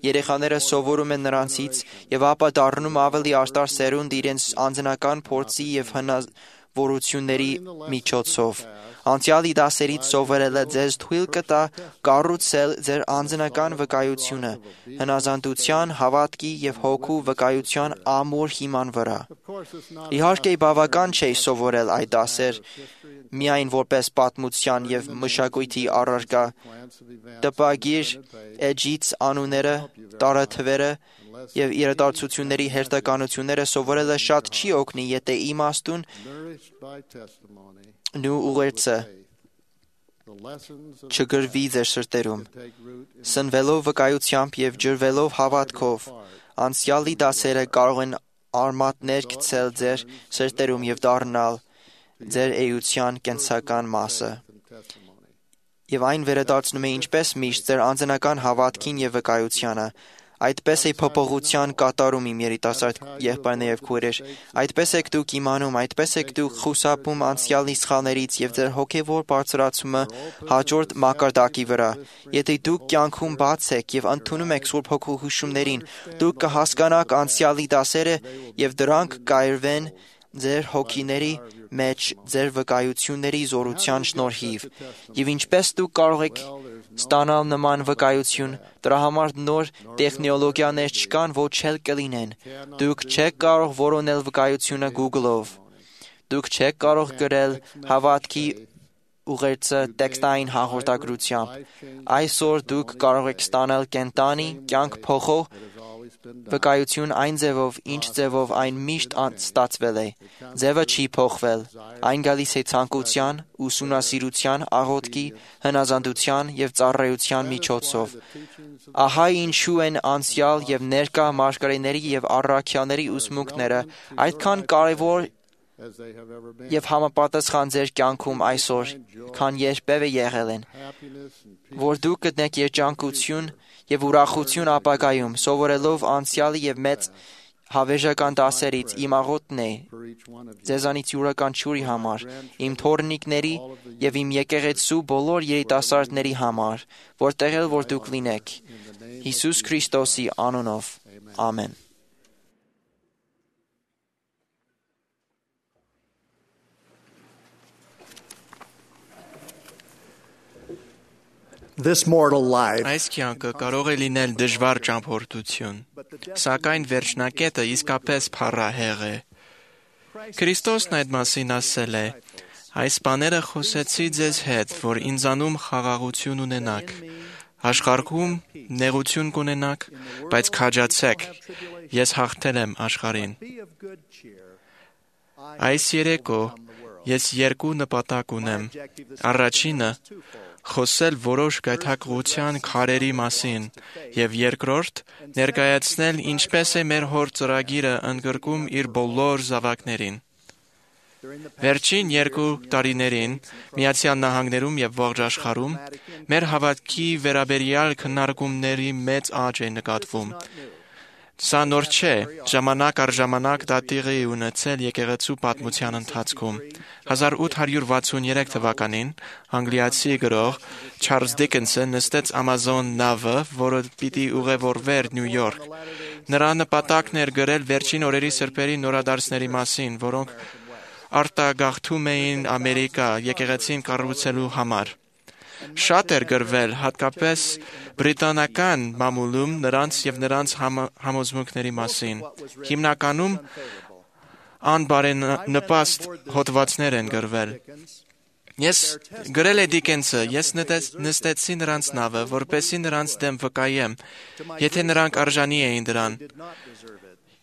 երեխաները սովորում են նրանցից եւ ապա դառնում ավելի արտար սերունդ իրենց անձնական փորձի եւ հնարավորությունների միջոցով։ Անցյալի դասերից սովորելը ձեզ թույլ կտա կառուցել ձեր անձնական վկայությունը հնազանդության, հավատքի եւ հոգու վկայության ամուր հիման վրա։ Իհարկե, բավական չէ սովորել այդ դասեր միայն որպես պատմության եւ մշակույթի առարկա, տպագիր էջից անունները, տարեթվերը եւ իրադարձությունների հերթականությունները սովորելը շատ չի օգնի, եթե իմաստուն նու ուղերձը չգրվի ձեր սրտերում։ Սնվելով վկայությամբ եւ ջրվելով հավատքով, անցյալի դասերը կարող են արմատներ գցել ձեր սրտերում եւ դառնալ ձեր էության կենսական մասը։ Եվ այն վերադարձնում է ինչպես միշտ ձեր անձնական հավատքին եւ վկայությանը։ Այդպես է փոփոխության կատարում իմ երիտասարդ եղբայրներ եւ քույրեր։ Այդպես եք դուք իմանում, այդպես եք դուք խուսափում անցյալի սխալներից եւ ձեր հոգեվոր բարձրացումը հաջորդ մակարդակի վրա։ Եթե դուք կյանքում բաց եք եւ ընդունում եք Սուրբ Հոգու հուշումներին, դուք կհասկանաք անցյալի դասերը եւ դրանք կայրվեն ձեր հոգիների մեջ ձեր վկայությունների զորության շնորհիվ։ Եվ ինչպես դուք կարող եք ստանալ նման վկայություն, դրա համար նոր տեխնոլոգիաներ չկան, ոչ էլ կլինեն։ Դուք չեք կարող որոնել վկայությունը Google-ով։ Դուք չեք կարող գրել հավատքի ուղերձը տեքստային հաղորդագրությամբ։ Այսօր դուք կարող եք ստանալ կենտանի, կյանք փոխող վկայություն այն ձևով, ինչ ձևով այն միշտ ստացվել է։ Ձևը չի փոխվել։ Այն գալիս է ցանկության, ուսումնասիրության, աղոթքի, հնազանդության եւ ծառայության միջոցով։ Ահա ինչու են անցյալ եւ ներկա մարգարեների եւ առաքյալների ուսմունքները այդքան կարեւոր եւ համապատասխան ձեր կյանքում այսօր, քան երբևէ եղել են, որ դուք գտնեք երջանկություն եւ ուրախություն ապագայում, սովորելով անցյալի եւ մեծ հավերժական դասերից իմ աղոթն է ձեզանից յուրաքանչյուրի համար, իմ թոռնիկների եւ իմ եկեղեցու բոլոր երիտասարդների համար, որտեղ էլ որ դուք լինեք, Հիսուս Քրիստոսի անունով, ամեն։ This mortal life Այս կյանքը կարող է լինել դժվար ճամփորդություն, սակայն վերջնակետը իսկապես փառահեղ է։ Քրիստոսն այդ մասին ասել է. «Այս բաները խոսեցի ձեզ հետ, որ ինձանում խաղաղություն ունենաք։ Աշխարհում նեղություն կունենաք, բայց քաջացեք, ես հաղթել եմ աշխարհին»։ Այս երեկո ես երկու նպատակ ունեմ։ Առաջինը խոսել որոշ գայթակղության քարերի մասին, եւ երկրորդ ներկայացնել ինչպես է մեր հոր ծրագիրը ընդգրկում իր բոլոր զավակներին։ Վերջին երկու տարիներին Միացյալ Նահանգներում եւ ողջ աշխարհում մեր հավատքի վերաբերյալ քննարկումների մեծ աճ է նկատվում։ Սա նոր չէ, ժամանակ առ ժամանակ դա տեղի է ունեցել եկեղեցու պատմության ընթացքում։ հազար ութ հարյուր վաթսուներեք թվականին անգլիացի գրող Չարլզ Դիկենսը նստեց Ամազոն նավը, որը պիտի ուղևորվեր Նյու Յորք։ Նրա նպատակն էր գրել վերջին օրերի սրբերի նորադարձների մասին, որոնք արտագաղթում էին Ամերիկա եկեղեցին կառուցելու համար։ Շատ էր գրվել հատկապես բրիտանական մամուլում նրանց եւ նրանց համոզմունքների մասին։ Հիմնականում անբարենպաստ հոդվածներ են գրվել։ Ես գրել է Դիկենսը, ես նստեցի նրանց նավը, որպեսզի նրանց դեմ վկայեմ, եթե նրանք արժանի էին դրան։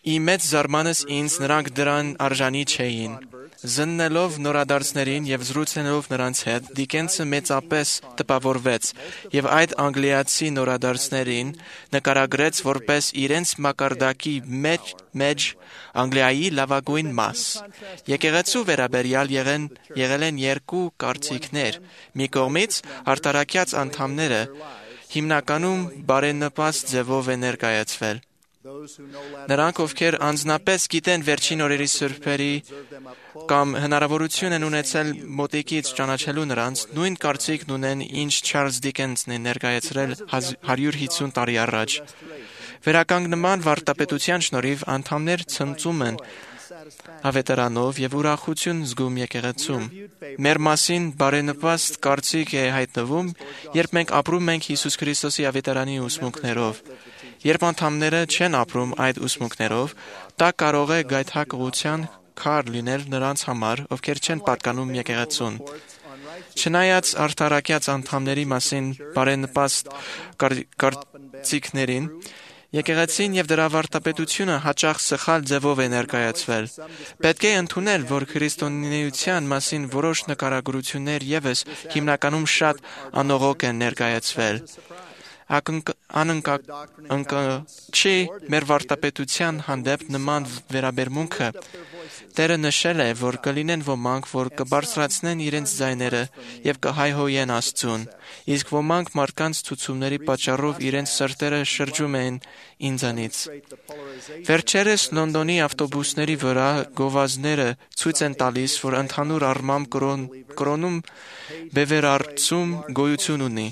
Ի մեծ զարմանս ինձ նրանք դրան արժանի չէին։ Զննելով նորադարձներին եւ զրուցելով նրանց հետ, Դիկենսը մեծապես տպավորվեց եւ այդ անգլիացի նորադարձներին նկարագրեց որպես իրենց մակարդակի մեջ, մեջ Անգլիայի լավագույն մաս։ Եկեղեցու վերաբերյալ եղեն, եղել են երկու կարծիքներ։ Մի կողմից արտարակյաց անդամները հիմնականում բարենպաստ ձևով են ներկայացվել։ Նրանք, ովքեր անձնապես գիտեն վերջին օրերի սրբերի կամ հնարավորություն են ունեցել մոտիկից ճանաչելու նրանց, նույն կարծիքն ունեն, ինչ Չարլզ Դիկենսն է ներկայացրել հարյուր հիսուն տարի առաջ։ Վերականգնման վարդապետության շնորհիվ անդամներ ցնծում են ավետարանով եւ ուրախություն զգում եկեղեցում։ Մեր մասին բարենպաստ կարծիք է հայտնվում, երբ մենք ապրում ենք Հիսուս Քրիստոսի ավետարանի ուսմունքներով։ Երբ անդամները չեն ապրում այդ ուսմունքներով, դա կարող է գայթակղության քար լինել նրանց համար, ովքեր չեն պատկանում եկեղեցուն։ Չնայած արդարակյաց անդամների մասին բարենպաստ կարծիքներին, եկեղեցին եւ դրա վարդապետությունը հաճախ սխալ ձևով է ներկայացվել։ Պետք է ընդունել, որ քրիստոնեության մասին որոշ նկարագրություններ եւս հիմնականում շատ անողոք են ներկայացվել։ Անընկճի մեր վարդապետության հանդեպ նման վերաբերմունքը Տերը նշել է, որ կլինեն ոմանք, որ կբարձրացնեն իրենց ձայները եւ կհայհոյեն Աստծուն, իսկ ոմանք մարդկանց ցուցումների պատճառով իրենց սրտերը շրջում են ինձանից։ Վերջերս Լոնդոնի ավտոբուսների վրա գովազդները ցույց են տալիս, որ ընդհանուր առմամբ կրոնում բևեռացում գոյություն ունի։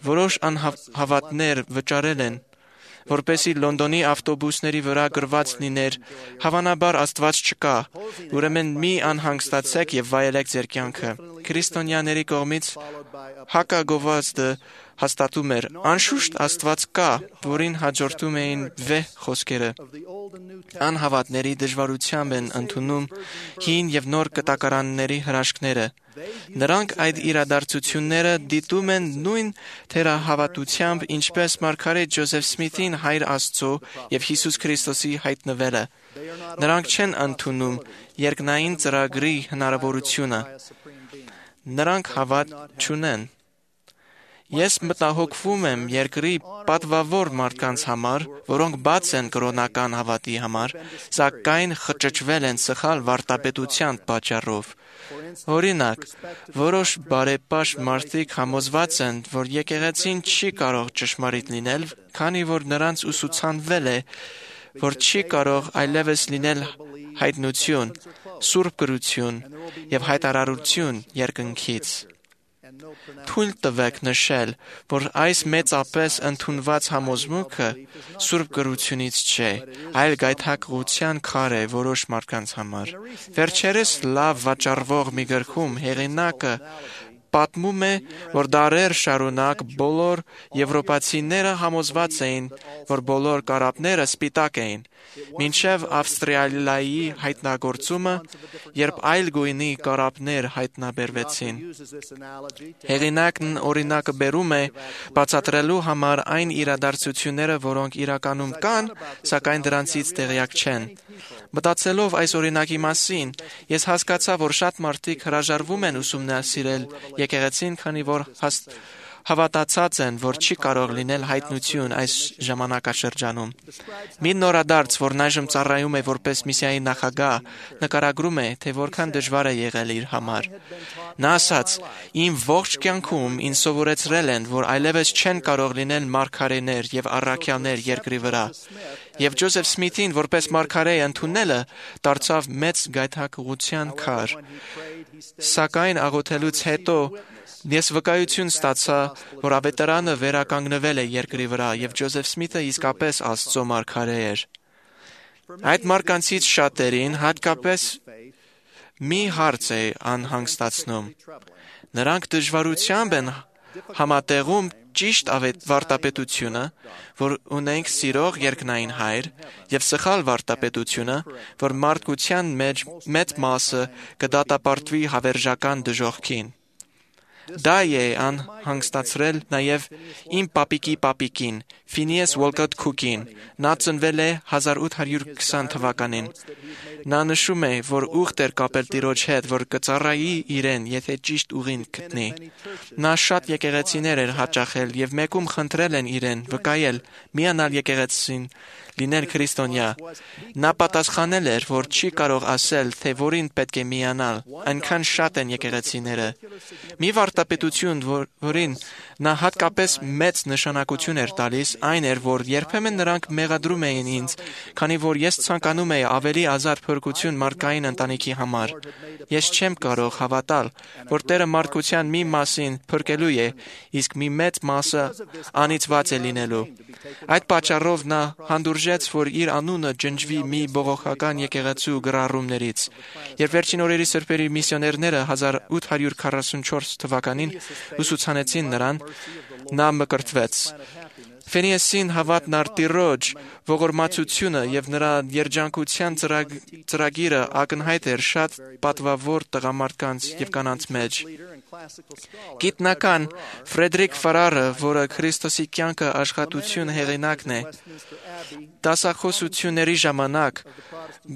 Որոշ անհավատներ վճարել են, որպեսզի Լոնդոնի ավտոբուսների վրա գրված լիներ. «Հավանաբար Աստված չկա, ուրեմն մի անհանգստացեք եւ վայելեք ձեր կյանքը»։ Քրիստոնյաների կողմից հակագովազդը հաստատում էր. «Անշուշտ Աստված կա», որին հաջորդում էին վեհ խոսքերը։ Անհավատների դժվարությամբ են ընդունում հին եւ նոր կտակարանների հրաշքները։ Նրանք այդ իրադարձությունները դիտում են նույն թերահավատությամբ, ինչպես մարգարետ Ջոզեֆ Սմիթին Հայր Աստծո եւ Հիսուս Քրիստոսի հայտնվելը։ Նրանք չեն ընդունում երկնային ծրագրի հնարավորությունը։ Նրանք հավատ չունեն։ Ես մտահոգվում եմ երկրի պատվավոր մարդկանց համար, որոնք բաց են կրոնական հավատի համար, սակայն խճճվել են սխալ վարդապետության պատճառով։ Օրինակ, որոշ բարեպաշտ մարդիկ համոզված են, որ եկեղեցին չի կարող ճշմարիտ լինել, քանի որ նրանց ուսուցանվել է, որ չի կարող այլևս լինել հայտնություն, սուրբ գրություն եւ հայտարարություն երկնքից։ Թույլ տվեք նշել, որ այս մեծապես ընդունված համոզմունքը սուրբ գրությունից չէ, այլ գայթակղության քար է որոշ մարդկանց համար։ Վերջերս լավ վաճառվող մի գրքում հեղինակը պատմում է, որ դարեր շարունակ բոլոր եվրոպացիները համոզված էին, որ բոլոր կարապները սպիտակ էին, մինչև Ավստրալիայի հայտնագործումը, երբ այլ գույնի կարապներ հայտնաբերվեցին։ Հեղինակն օրինակը բերում է բացատրելու համար այն իրադարձությունները, որոնք իրականում կան, սակայն դրանցից տեղյակ չեն։ Մտածելով այս օրինակի մասին, ես հասկացա, որ շատ մարդիկ հրաժարվում են ուսումնասիրել եկեղեցին, քանի որ հաս- հավատացած են, որ չի կարող լինել հայտնություն այս ժամանակաշրջանում։ Մի նորադարձ, որն այժմ ծառայում է որպես միսիայի նախագահ, նկարագրում է, թե որքան դժվար է եղել իր համար։ Նա ասաց. «Իմ ողջ կյանքում ինձ սովորեցրել են, որ այլևս չեն կարող լինել մարգարեներ եւ առաքյալներ երկրի վրա, եւ Ջոզեֆ Սմիթին որպես մարգարե ընդունելը դարձավ մեծ գայթակղության քար։ Սակայն աղոթելուց հետո ես վկայություն ստացա, որ ավետարանը վերականգնվել է երկրի վրա, եւ Ջոզեֆ Սմիթը իսկապես Աստծո մարգարե էր»։ Այդ մարկանցից շատերին հատկապես մի հարց է անհանգստացնում։ Նրանք դժվարությամբ են համատեղում ճիշտ վարտապետությունը, որ ունենք սիրող երկնային Հայր, եւ սխալ վարտապետությունը, որ մարդկության մեջ մեծ մասը կդատապարտվի հավերժական դժոխքին։ Դա է անհանգստացրել նաև իմ պապիկի պապիկին, Ֆինիես Ուոլկոթ Քուքին։ Նա ծնվել է հազար ութ հարյուր քսան թվականին։ Նա նշում է, որ ուխտ էր կապել Տիրոջ հետ, որ կծառայի իրեն, եթե ճիշտ ուղին գտնի։ Նա շատ եկեղեցիներ էր հաճախել եւ մեկում խնդրել են իրեն վկայել, միանալ եկեղեցին, լինել քրիստոնյա։ Նա պատասխանել էր, որ չի կարող ասել, թե որին պետք է միանալ, այնքան շատ են եկեղեցիները։ Մի վարտապետություն, որ, որին նա հատկապես մեծ նշանակություն էր տալիս, այն էր, որ երբեմն նրանք մեղադրում էին ինձ, քանի որ ես ցանկանում էի ավելի ազատ փրկություն մարդկային ընտանիքի համար։ Ես չեմ կարող հավատալ, որ Տերը մարդկության մի մասին փրկելու է, իսկ մի մեծ մասը անիծված է լինելու։ Այդ պատճառով նա հանդուրժեց, որ իր անունը ջնջվի մի բողոքական եկեղեցու գրառումներից։ Երբ վերջին օրերի սրբերի միսիոներները հազար ութ հարյուր քառասունչորս թվականին ուսուցանեցին նրան, նա մկրտվեց։ Ֆենիեսին հավատն առ Տիրոջ ողորմածությունը եւ նրա երջանկության ծրագ, ծրագիրը ակնհայտ էր շատ պատվավոր տղամարդկանց եւ կանանց մեջ։ Գիտնական Ֆրեդերիկ Ֆարարը, որը Քրիստոսի կյանքը աշխատություն հեղինակն է, դասախոսությունների ժամանակ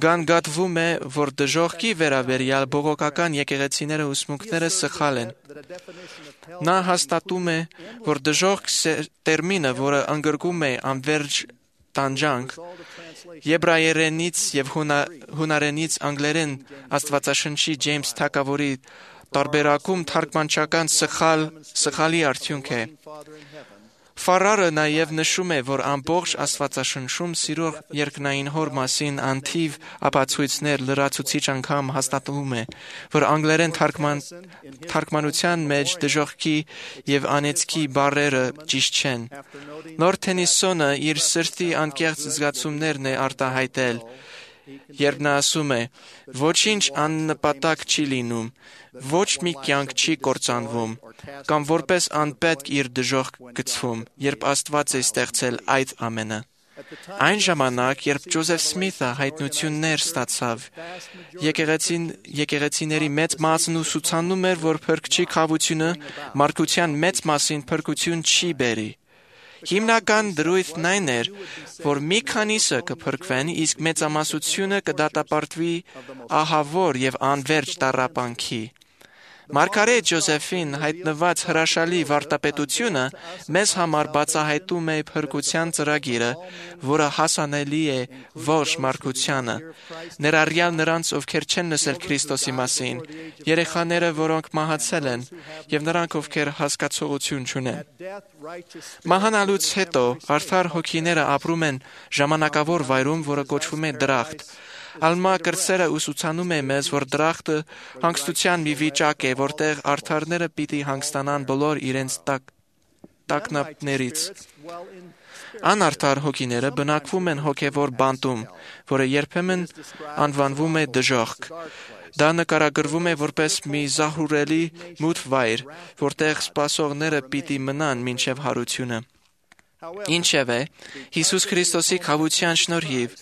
գանգատվում է, որ դժոխքի վերաբերյալ բողոքական եկեղեցիները ուսմունքները սխալ են։ Նա հաստատում է, որ դժոխք տերմինը, որը ընդգրկում է անվերջ տանջանք, եբրայերենից եւ հունարենից անգլերեն Աստվածաշնչի Ջեյմս Թագավորի տարբերակում թարգմանչական սխալ սխալի արդյունք է։ Ֆարարը նաև նշում է, որ ամբողջ Աստվածաշնչում սիրող երկնային Հոր մասին անթիվ ապացույցներ լրացուցիչ անգամ հաստատվում է, որ անգլերեն թարգման, թարգմանության մեջ դժոխքի եւ անեծքի բառերը ճիշտ չեն։ Լորդ Թենիսոնը իր սրտի անկեղծ զգացումներն է արտահայտել, երբ նա ասում է. «Ոչինչ աննպատակ չի լինում, ոչ մի կյանք չի կործանվում, կամ որպես անպետք իր դժոխք գցվում, երբ Աստված է ստեղծել այդ ամենը»։ Այն ժամանակ, երբ Ջոզեֆ Սմիթը հայտնություններ ստացավ, եկեղեցին, եկեղեցիների մեծ մասն ուսուցանում էր, որ փրկչի քավությունը մարդկության մեծ մասին փրկություն չի բերի։ Հիմնական դրույթն այն էր, որ մի քանիսը կփրկվեն, իսկ մեծամասնությունը կդատապարտվի ահավոր եւ անվերջ տառապանքի։ Մարգարե Ջոզեֆին հայտնված հրաշալի վարտապետությունը մեզ համար բացահայտում է փրկության ծրագիրը, որը հասանելի է ողջ մարդկությանը, ներառյալ նրանց, ովքեր չեն լսել Քրիստոսի մասին, երեխաները, որոնք մահացել են, եւ նրանք, ովքեր հասկացողություն չունեն։ Մահանալուց հետո արդար հոգիները ապրում են ժամանակավոր վայրում, որը կոչվում է դրախտ։ Ալմա կրծերը ուսուցանում է մեզ, որ դրախտը հանգստության մի վիճակ է, որտեղ արդարները պիտի հանգստանան բոլոր իրենց տակ, տակնապներից։ Անարդար հոգիները բնակվում են հոգևոր բանտում, որը երբեմն անվանվում է դժոխք։ Դա նկարագրվում է որպես մի զահուրելի մութ վայր, որտեղ սպասողները պիտի մնան մինչև հարությունը։ Ինչևէ, Հիսուս Քրիստոսի քավության շնորհիվ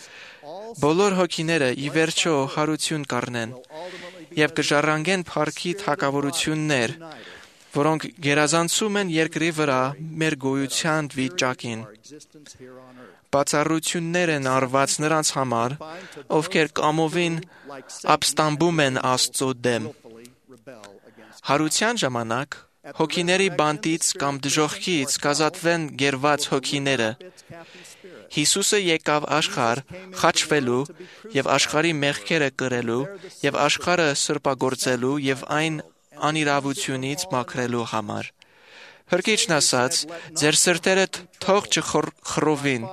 բոլոր հոգիները ի վերջո հարություն կառնեն եւ կժառանգեն փառքի թագավորություններ, որոնք գերազանցում են երկրի վրա մեր գոյության վիճակին։ Բացառություններ են արված նրանց համար, ովքեր կամովին ապստամբում են Աստծո դեմ։ Հարության ժամանակ հոգիների բանտից կամ դժոխքից կազատվեն գերված հոգիները։ Հիսուսը եկավ աշխարհ խաչվելու եւ աշխարհի մեղքերը կրելու եւ աշխարհը սրբագործելու եւ այն անիրավությունից մաքրելու համար։ Հրկիչն ասաց, ձեր սրտերը թող չխռովին։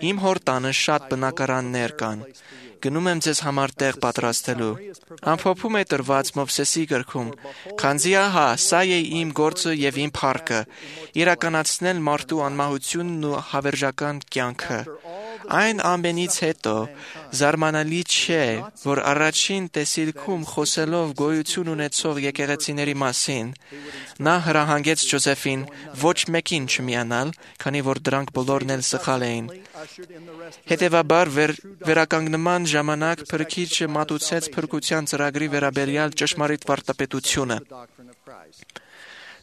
Իմ հոր տանը շատ բնակարաններ կան։ Գնում եմ ձեզ համար տեղ պատրաստելու։ Ամփոփում է տրված Մովսեսի գրքում, քանզի ահա, սա է իմ գործը եւ իմ փառքը, իրականացնել մարդու անմահությունն ու հավերժական կյանքը։ Այն ամենից հետո զարմանալի չէ, որ առաջին տեսիլքում խոսելով գոյություն ունեցող եկեղեցիների մասին, նա հրահանգեց Ջոզեֆին ոչ մեկին չմիանալ, քանի որ դրանք բոլորն էլ սխալ էին։ Հետևաբար վեր, վերականգնման ժամանակ Փրկիչը մատուցեց փրկության ծրագրի վերաբերյալ ճշմարիտ վարդապետությունը։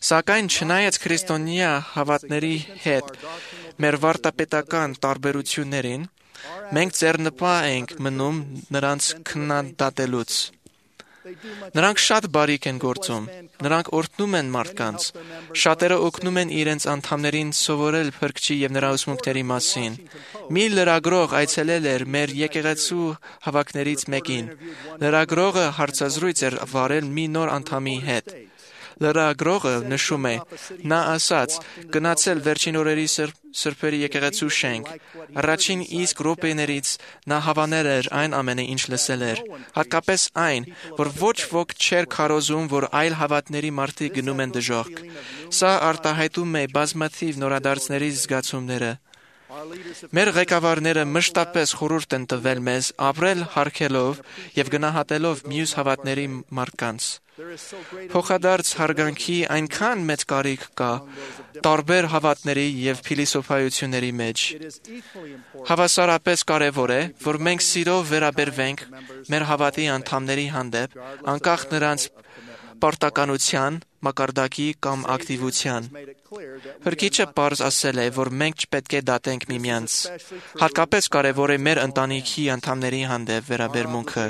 Սակայն չնայած քրիստոնյա հավատների հետ մեր վարդապետական տարբերություններին, մենք ձեռնպահ ենք մնում նրանց քննադատելուց։ Նրանք շատ բարիք են գործում, նրանք օրհնում են մարդկանց, շատերը օգնում են իրենց անդամներին սովորել Փրկչի եւ նրա ուսմունքների մասին։ Մի լրագրող այցելել էր մեր եկեղեցու հավաքներից մեկին։ Լրագրողը հարցազրույց էր վարել մի նոր անդամի հետ։ Լրագրողը նշում է, նա ասաց, գնացել վերջին օրերի սրբերի եկեղեցու շենք։ Առաջին իսկ րոպեներից նա հավանել էր այն ամենը, ինչ լսել էր, հատկապես այն, որ ոչ ոք չէր քարոզում, որ այլ հավատների մարդիկ գնում են դժոխք։ Սա արտահայտում է բազմաթիվ նորադարձների զգացումները։ Մեր ղեկավարները մշտապես խորհուրդ են տվել մեզ ապրել հարգելով եւ գնահատելով մյուս հավատների մարդկանց։ Փոխադարձ հարգանքի այնքան մեծ կարիք կա տարբեր հավատների եւ փիլիսոփայությունների մեջ։ Հավասարապես կարևոր է, որ մենք սիրով վերաբերվենք մեր հավատի անդամների հանդեպ, անկախ նրանց պարտականության, մակարդակի կամ ակտիվության։ Փրկիչը պարզ ասել է, որ մենք չպետք է դատենք միմյանց։ Հատկապես կարևոր է մեր ընտանիքի անդամների հանդեպ վերաբերմունքը։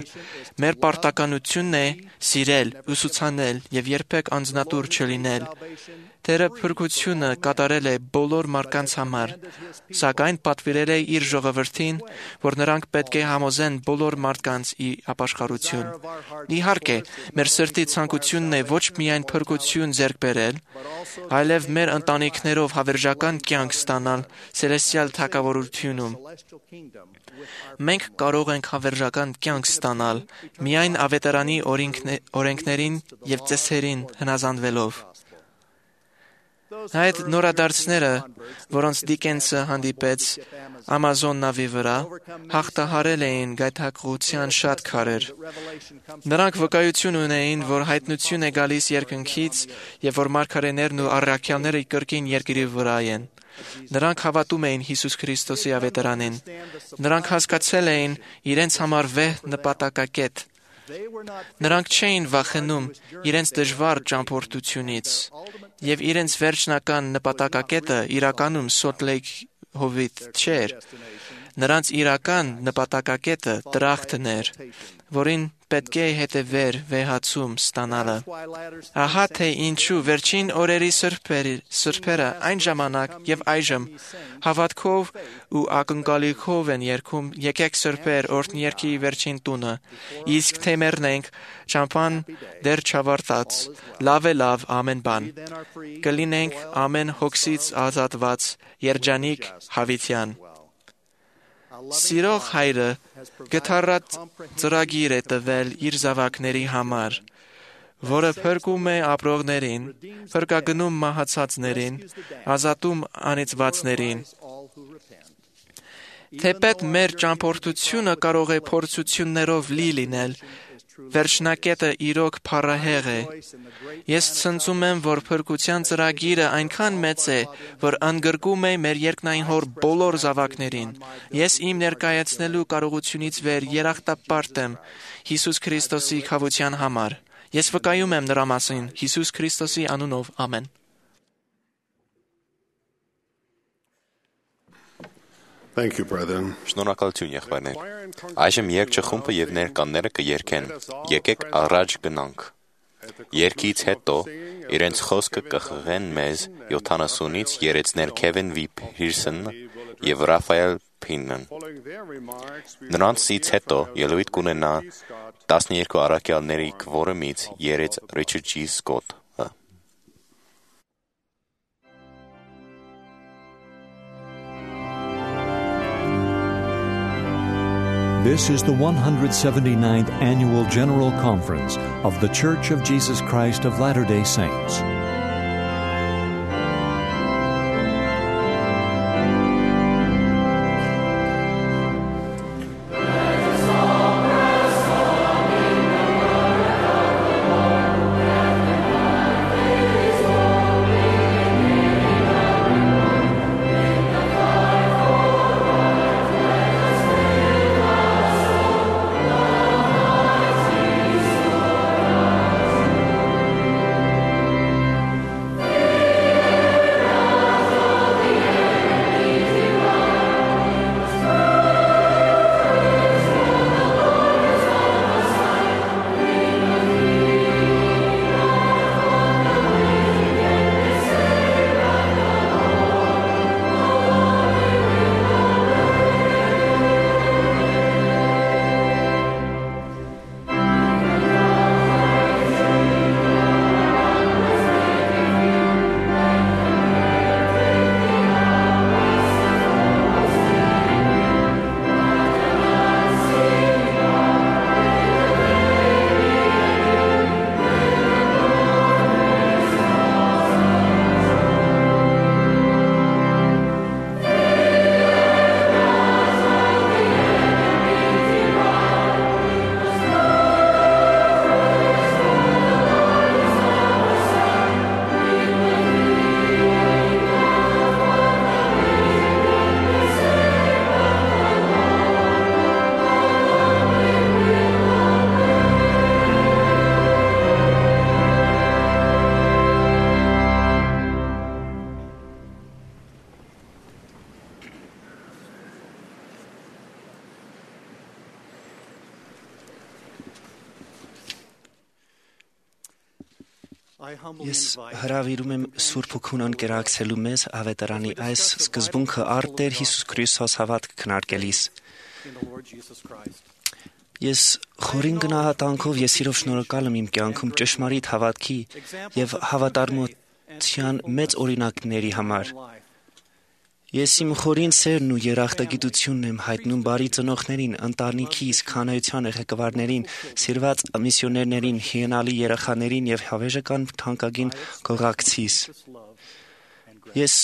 Մեր պարտականությունն է սիրել, ուսուցանել եւ երբեք անձնատուր չլինել։ Տերը փրկությունը կատարել է բոլոր մարդկանց համար, սակայն պատվիրել է իր ժողովրդին, որ նրանք պետք է համոզեն բոլոր մարդկանց ի ապաշխարություն։ Իհարկե, մեր սրտի ցանկությունն է ոչ միայն փրկություն ձեռք բերել, այլև մեր ընտանիքներով հավերժական կյանք ստանալ ցելեստիալ թագավորությունում։ Մենք կարող ենք հավերժական կյանք ստանալ միայն ավետարանի օրենքներին եւ ծեսերին հնազանդվելով։ Այդ նորադարձները, որոնց Դիկենսը հանդիպեց Ամազոն նավի վրա, հաղթահարել էին գայթակղության շատ քարեր։ Նրանք վկայություն ունեին, որ հայտնություն է գալիս երկնքից եւ որ մարգարեներն ու առաքյալները կրկին երկրի վրա են։ Նրանք հավատում էին Հիսուս Քրիստոսի ավետարանին։ Նրանք հասկացել էին իրենց համար վեհ նպատակակետ։ Նրանք չէին վախենում իրենց դժվար ճամփորդությունից, եւ իրենց վերջնական նպատակակետը իրականում Սոլտ Լեյք հովիտ չէր։ Նրանց իրական նպատակակետը դրախտն էր, որին պետք է հետևեր վեհացում ստանալը։ Ահա թե ինչու վերջին օրերի սրբերը այն ժամանակ եւ այժմ հավատքով ու ակնկալիքով են երգում եկեք սրբեր օրհնյերքի վերջին տունը, իսկ թե մեռնենք ճամփան դեռ չավարտած, լավ է լավ ամեն բան, կլինենք ամեն հոգսից ազատված երջանիկ հավիտյան։ Սիրող հայրը գթառատ ծրագիր է տվել իր զավակների համար, որը փրկում է ապրողներին, փրկագնում մահացածներին, ազատում անիծվածներին։ Թեպետ մեր ճամփորդությունը կարող է փորձություններով լի լինել, վերջնակետը իրոք փառահեղ է։ Ես ցնծում եմ, որ փրկության ծրագիրը այնքան մեծ է, որ ընդգրկում է մեր երկնային Հոր բոլոր զավակներին։ Ես իմ ներկայացնելու կարողությունից վեր երախտապարտ եմ Հիսուս Քրիստոսի քավության համար։ Ես վկայում եմ նրա մասին Հիսուս Քրիստոսի անունով, ամեն։ Thank you, brethren. Շնորհակալություն, եղբայրներ։ Այժմ երգչը խումբը եւ ներկաները կերկեն։ Եկեք առաջ գնանք։ Երգից հետո իրենց խոսքը կխղեն մեզ յոթանասունից երեցներ Քևին Վի Փիրսն եւ Ռաֆայել Փինն։ Նրանցից հետո ելույթ կունենա տասներկու առաքյալների քվորումից երեց Ռիչարդ Ջի Սկոթ։ This is the one hundred seventy-ninth Annual General Conference of The Church of Jesus Christ of Latter-day Saints. Ես հրավիրում եմ Սուրբ Հոգուն անկերակցելու մեզ ավետարանի այս սկզբունքը առ Տեր Հիսուս Քրիստոս հավատք քննարկելիս։ Ես խորին գնահատանքով ես իրով շնորհակալ եմ իմ կյանքում ճշմարիտ հավատքի եւ հավատարմության մեծ օրինակների համար։ Ես իմ խորին սերն ու երախտագիտությունն եմ հայտնում բարի ծնողներին, ընտանիքիս, քանայության ղեկավարներին, սիրված միսիոներներին, հիանալի երեխաներին եւ հավերժական թանկագին գողակցիս։ Ես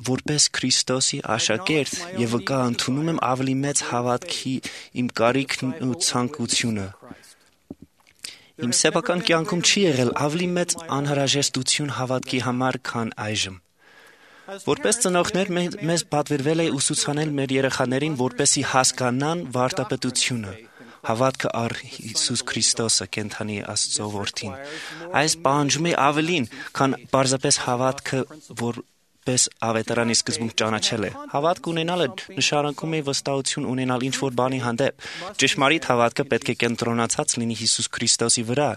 որպես Քրիստոսի աշակերտ եւ վկա ընդունում եմ ավելի մեծ հավատքի իմ կարիքն ու ցանկությունը։ Իմ սեփական կյանքում չի եղել ավելի մեծ անհրաժեշտություն հավատքի համար, քան այժմ։ Որպես ծնողներ մեզ պատվիրվել է ուսուցանել մեր երեխաներին, որպեսզի հասկանան վարդապետությունը, հավատքը առ Հիսուս Քրիստոսը, կենդանի Աստծո որդին։ Այս պահանջում է ավելին, քան պարզապես հավատքը, որպես ավետարանի սկզբունք ճանաչել է։ Հավատք ունենալը նշանակում է վստահություն ունենալ ինչ-որ բանի հանդեպ։ Ճշմարիտ հավատքը պետք է կենտրոնացած լինի Հիսուս Քրիստոսի վրա։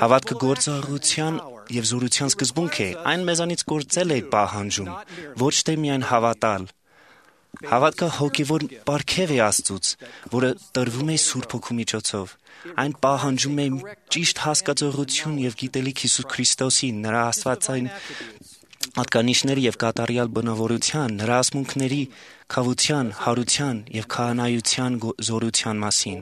Հավատքը գործողության եւ զորության սկզբունք է, այն մեզանից գործել է պահանջում, ոչ թե միայն հավատալ։ Հավատքը հոգևոր պարգև է Աստծուց, որը տրվում է Սուրբ Հոգու միջոցով։ Այն պահանջում է ճիշտ հասկացողություն եւ գիտելիք Հիսուս Քրիստոսի, նրա աստվածային ատկանիշների եւ կատարյալ բնավորության, նրա ասմունքների, քավության, հարության եւ քահանայության զորության մասին։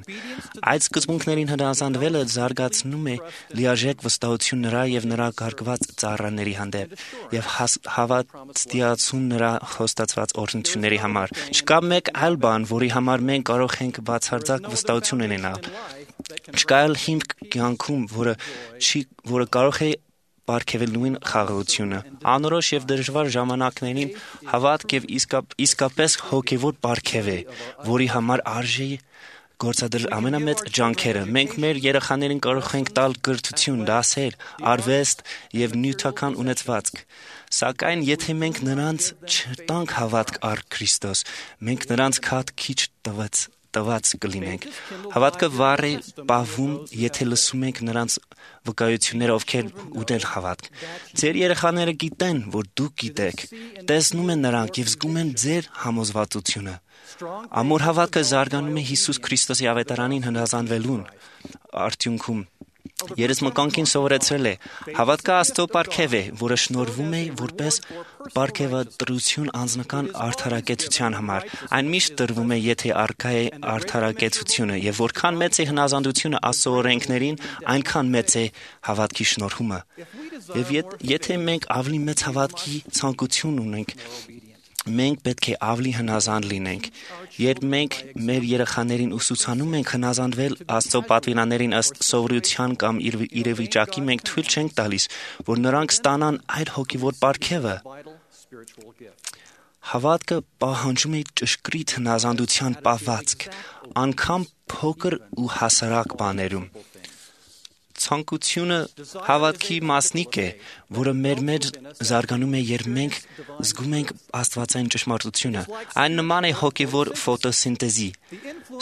Այդ սկզբունքներին հնազանդվելը զարգացնում է լիարժեք վստահություն նրա եւ նրա գարգված ծառաների հանդեպ եւ հավատացիություն նրա խոստացված օրհնությունների համար։ Չկա մեկ այլ բան, որի համար մենք կարող ենք բացարձակ վստահություն ունենալ։ Չկա էլ հիմք կյանքում, որը չի, որը կարող է պարգևել նույն խաղաղությունը։ Անորոշ եւ դժվար ժամանակներին հավատք եւ իսկապ, իսկապես հոգեվոր պարգև է, որի համար արժի գործադրել ամենամեծ ջանքերը։ Մենք մեր երեխաներին կարող ենք տալ կրթություն, դասեր, արվեստ եւ նյութական ունեցվածք։ Սակայն եթե մենք նրանց չտանք հավատք առ Քրիստոս, մենք նրանց քադ քիչ տված տված կլինենք։ Հավատքը վառ է պահվում, եթե լսում ենք նրանց վկայությունները, ովքեր ուտել հավատք։ Ձեր երեխաները գիտեն, որ դուք գիտեք, տեսնում են նրանք եւ զգում են ձեր համոզվածությունը։ Ամուր հավատքը զարգանում է Հիսուս Քրիստոսի ավետարանին հնազանդվելուն արդյունքում։ Երեսմականքին սովորեցրել է. հավատքը Աստծո պարգև է, որը շնորհվում է որպես պարգևատրություն անձնական արդարակեցության համար։ Այն միշտ տրվում է, եթե առկա է արդարակեցությունը, եւ որքան մեծ է հնազանդությունը Աստծո օրենքներին, այնքան մեծ է հավատքի շնորհումը։ Եվ եթե մենք ավելի մեծ հավատքի ցանկություն ունենք, մենք պետք է ավելի հնազանդ լինենք։ Երբ մենք մեր երեխաներին ուսուցանում ենք հնազանդվել Աստծո պատվիրաններին ըստ սովորության կամ իրավիճակի, մենք թույլ չենք տալիս, որ նրանք ստանան այդ հոգևոր պարգևը։ Հավատքը պահանջում է ճշգրիտ հնազանդության պահվածք, անգամ փոքր ու հասարակ բաներում։ Ցանկությունը հավատքի մասնիկ է, որը մեր մեջ զարգանում է, երբ մենք զգում ենք աստվածային ճշմարտությունը։ Այն նման է հոգևոր ֆոտոսինտեզի։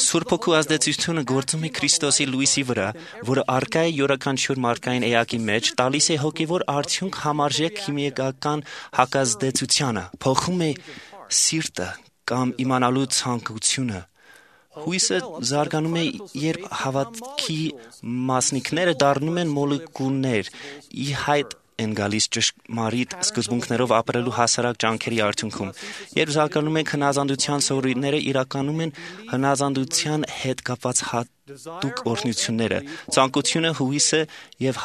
Սուրբ Հոգու ազդեցությունը գործում է Քրիստոսի լույսի վրա, որը առկա է յուրաքանչյուր մարդկային էակի մեջ, տալիս է հոգևոր արդյունք համարժեք քիմիական հակազդեցությանը, փոխում է սիրտը կամ իմանալու ցանկությունը։ Հույսը զարգանում է, երբ հավատքի մասնիկները դառնում են մոլեկուլներ, ի հայտ են գալիս ճշմարիտ սկզբունքներով ապրելու հասարակ ջանքերի արդյունքում։ Երբ զարգանում են հնազանդության սովորույթները, իրականում են հնազանդության հետ կապված հատուկ օրհնությունները։ Ցանկությունը, հույսը եւ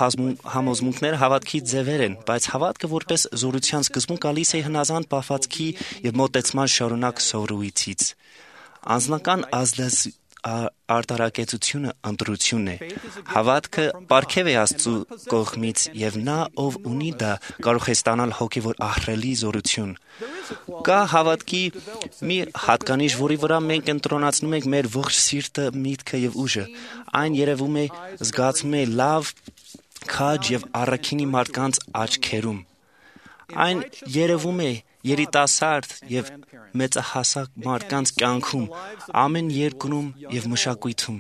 համոզմունքները հավատքի ձևեր են, բայց հավատքը որպես զորության սկզբունք գալիս է հնազանդ պահվածքի եւ մոտեցման շարունակ սովորույթից։ Անձնական ազդես արտարակեցությունը ընտրությունն է։ Հավատքը պարգև է Աստծո կողմից եւ նա, ով ունի դա, կարող է ստանալ հոգեվոր ահռելի զորություն։ Կա հավատքի մի հատկանիշ, որի վրա մենք ընտրոնացնում ենք մեր ողջ սիրտը, միտքը եւ ուժը։ Այն երևում է, զգացվում է լավ, քաջ եւ առաքինի մարդկանց աչքերում։ Այն երևում է երիտասարդ եւ մեծահասակ մարդկանց կյանքում, ամեն երկրում եւ մշակույթում,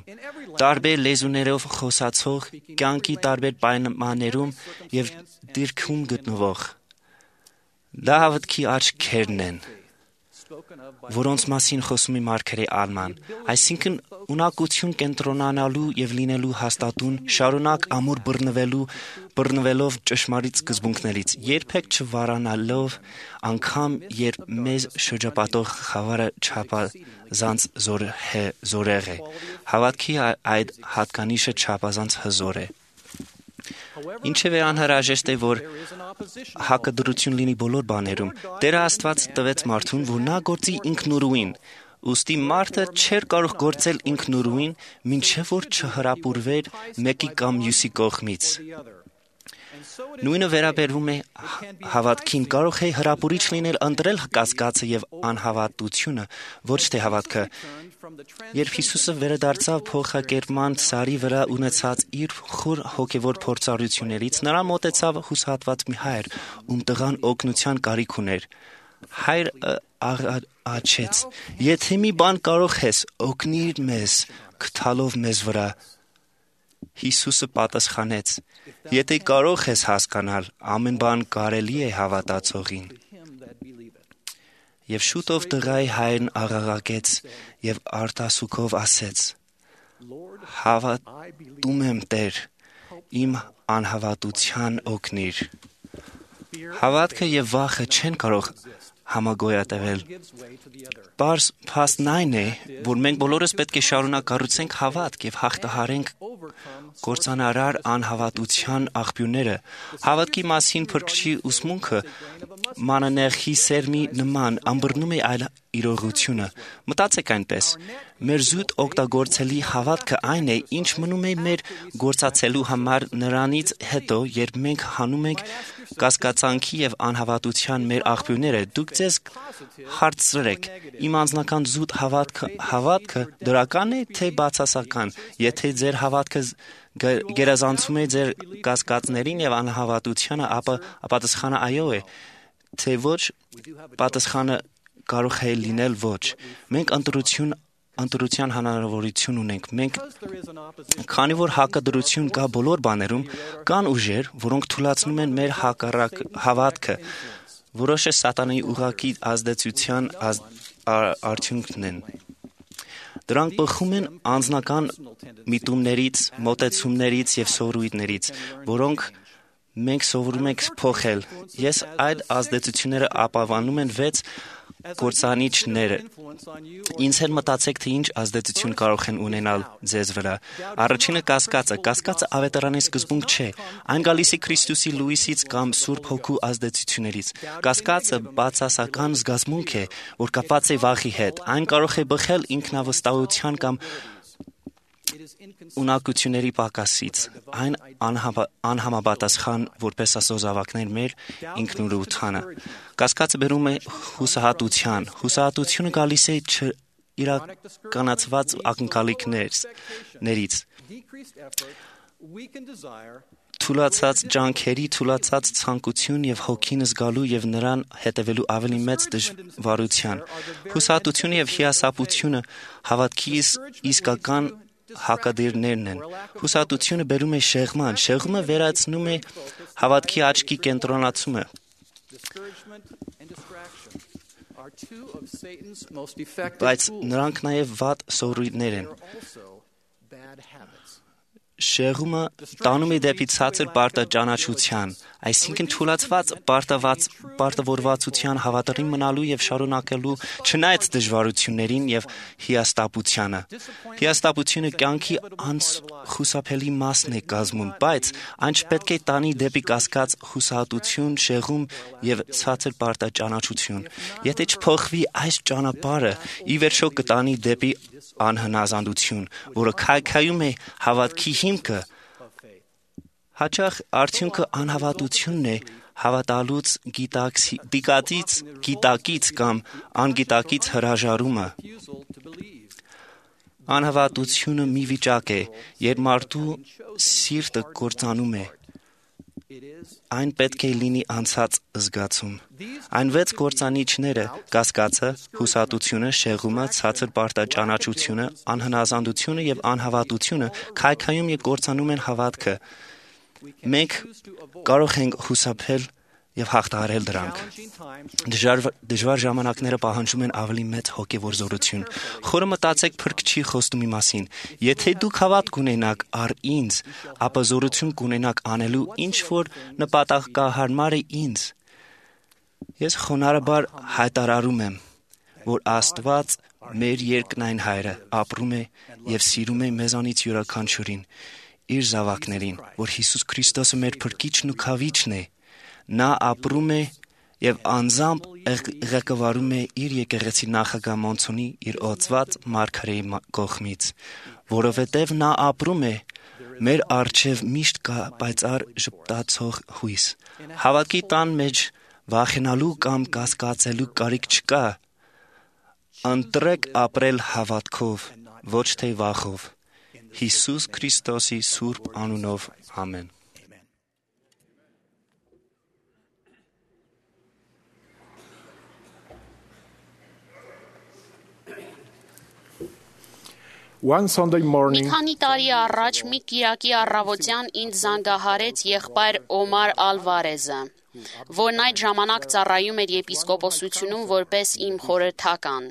տարբեր լեզուներով խոսացող, կյանքի տարբեր պայմաններում եւ դիրքում գտնվող։ Դա հավատքի աչքերն են, որոնց մասին խոսում է Մարգարե Ալման, այսինքն ունակություն կենտրոնանալու եւ լինելու հաստատուն, շարունակ ամուր բռնվելու, բռնվելով ճշմարիտ սկզբունքներից, երբեք չվարանալով, անգամ երբ մեզ շրջապատող խավարը չափազանց զորեղ է։ Հավատքի այդ հատկանիշը չափազանց հզոր է։ Ինչևէ անհրաժեշտ է, որ հակադրություն լինի բոլոր բաներում։ Տերը Աստված տվեց մարդուն, որ նա գործի ինքնուրույն, ուստի մարդը չէր կարող գործել ինքնուրույն, մինչև որ չհրապուրվեր մեկի կամ մյուսի կողմից։ Նույնը վերաբերվում է հավատքին, կարող է հրապուրիչ լինել ընտրել կասկածը եւ անհավատությունը, ոչ թե հավատքը։ Երբ Հիսուսը վերադարձավ փոխակերպման սարի վրա ունեցած իր խոր հոգևոր փորձառություններից, նրան մոտեցավ հուսահատված մի հայր, ում տղան օգնության կարիք ուներ։ Հայրը աղաչեց. «Եթե մի բան կարող ես, օգնիր մեզ, գթալով մեզ վրա»։ Հիսուսը պատասխանեց. «Եթե կարող ես հասկանալ, ամեն բան կարելի է հավատացողին»։ Եվ շուտով տղայի հայրն աղաղակեց եւ արտասուքով ասեց. «Հավատում եմ, Տեր, իմ անհավատության օգնիր»։ Հավատքը եւ վախը չեն կարող համագոյատևել։ Պարզ փաստն այն է, որ մենք բոլորս պետք է շարունակ կառուցենք հավատք եւ հաղթահարենք կործանարար անհավատության աղբյուրները։ Հավատքի մասին փրկչի ուսմունքը մանանեխի սերմի նման ըմբռնում է այլ իրողությունը։ Մտածեք այնպես. մեր զուտ օգտագործելի հավատքը այն է, ինչ մնում է մեր գործածելու համար նրանից հետո, երբ մենք հանում ենք կասկածանքի եւ անհավատության մեր աղբյուրները։ Դուք ձեզ հարցրեք. իմ անձնական զուտ հավատքը հավատքը դրական է թե բացասական։ Եթե ձեր հավատքը գերազանցում է ձեր կասկածներին եւ անհավատությանը, ապա պատասխանը այո է, թե ոչ, պատասխանը կարող է լինել ոչ։ Մենք ընտրություն ընտրության հնարավորություն ունենք։ Մենք քանի որ հակադրություն կա բոլոր բաներում, կան ուժեր, որոնք թուլացնում են մեր հակառակ հավատքը, որոշ է սատանայի ուղղակի ազդեցության ազդ, արդյունքն են։ Դրանք բխում են անձնական միտումներից, մոտեցումներից եւ սովորույթներից, որոնք մենք սովորում ենք փոխել։ Ես այդ ազդեցությունները ապավանում են վեց կործանիչները։ Ինձ հետ մտածեք, թե ինչ ազդեցություն կարող են ունենալ ձեզ վրա։ Առաջինը կասկածը։ Կասկածը ավետարանի սկզբունք չէ։ Այն գալիս է Քրիստոսի լույսից կամ Սուրբ Հոգու ազդեցություններից։ Կասկածը բացասական զգացմունք է, որ կապված է վախի հետ։ Այն կարող է բխել ինքնավստահության կամ ունակությունների պակասից։ Այն անհամա, անհամապատասխան որպես Աստծո զավակներ մեր ինքնուրույնությանը։ Կասկածը բերում է հուսահատության։ Հուսահատությունը գալիս է իրականացված ակնկալիքներից։ Թուլացած ջանքերի, թուլացած ցանկություն եւ հոգին զգալու եւ նրան հետևելու ավելի մեծ դժվարության։ Հուսահատությունը եւ հիասապությունը հավատքի իսկական հակադիրներն են։ Հուսահատությունը բերում է շեղման, շեղումը վերացնում է հավատքի աչքի կենտրոնացումը։ Բայց նրանք նաև վատ սովորույթներ են։ Շեղումը տանում է դեպի ցածր պարտաճանաչության, այսինքն թուլացված պարտավորվածության հավատարիմ մնալու եւ շարունակելու չնայած դժվարություններին եւ հիասթափությանը։ Հիասթափությունը կյանքի անխուսափելի մասն է կազմում, բայց այն չպետք է տանի դեպի կասկած, հուսահատություն, շեղում եւ ցածր պարտաճանաչություն։ Եթե չփոխվի այս ճանապարհը, ի վերջո կտանի դեպի անհնազանդություն, որը քայքայում է հավատքի հիմքը։ Հաճախ արդյունքը անհավատությունն է, հավատալուց գիտակից, գիտակից կամ անգիտակից հրաժարումը։ Անհավատությունը մի վիճակ է, երբ մարդու սիրտը կործանում է։ Այն պետք է լինի անցած զգացում։ Այն վեց կործանիչները՝ կասկածը, հուսահատությունը, շեղումը, ցածր պարտաճանաչությունը, անհնազանդությունը եւ անհավատությունը քայքայում եւ կործանում են հավատքը։ Մենք կարող ենք խուսափել եւ հաղթահարել դրանք։ Դժվար, դժվար ժամանակները պահանջում են ավելի մեծ հոգեվոր զորություն։ Խորը մտածեք Փրկչի խոստումի մասին։ Եթե դուք հավատ կունենաք առ ինձ, ապա զորություն կունենաք անելու ինչ որ նպատակահարմար է ինձ։ Ես խոնարհաբար հայտարարում եմ, որ Աստված, մեր երկնային Հայրը, ապրում է եւ սիրում է մեզանից յուրաքանչյուրին, իր զավակներին, որ Հիսուս Քրիստոսը մեր Փրկիչն ու Քավիչն է։ Նա ապրում է եւ անձամբ ղեկավարում է իր եկեղեցի նախագահ Մոնցոնի իր օծված մարգարեի կողմից, որովհետեւ նա ապրում է, մեր առջև միշտ կա պայծառ ժպտացող հույս։ Հավատքի տան մեջ վախենալու կամ կասկածելու կարիք չկա։ Ընտրեք ապրել հավատքով, ոչ թե վախով։ Հիսուս Քրիստոսի սուրբ անունով, ամեն։ One Sunday morning, մի քանի տարի առաջ մի կիրակի առավոտյան ինձ զանգահարեց եղբայր Օմար Ալվարեզը, որն այդ ժամանակ ծառայում էր եպիսկոպոսությունում որպես իմ խորհրդական։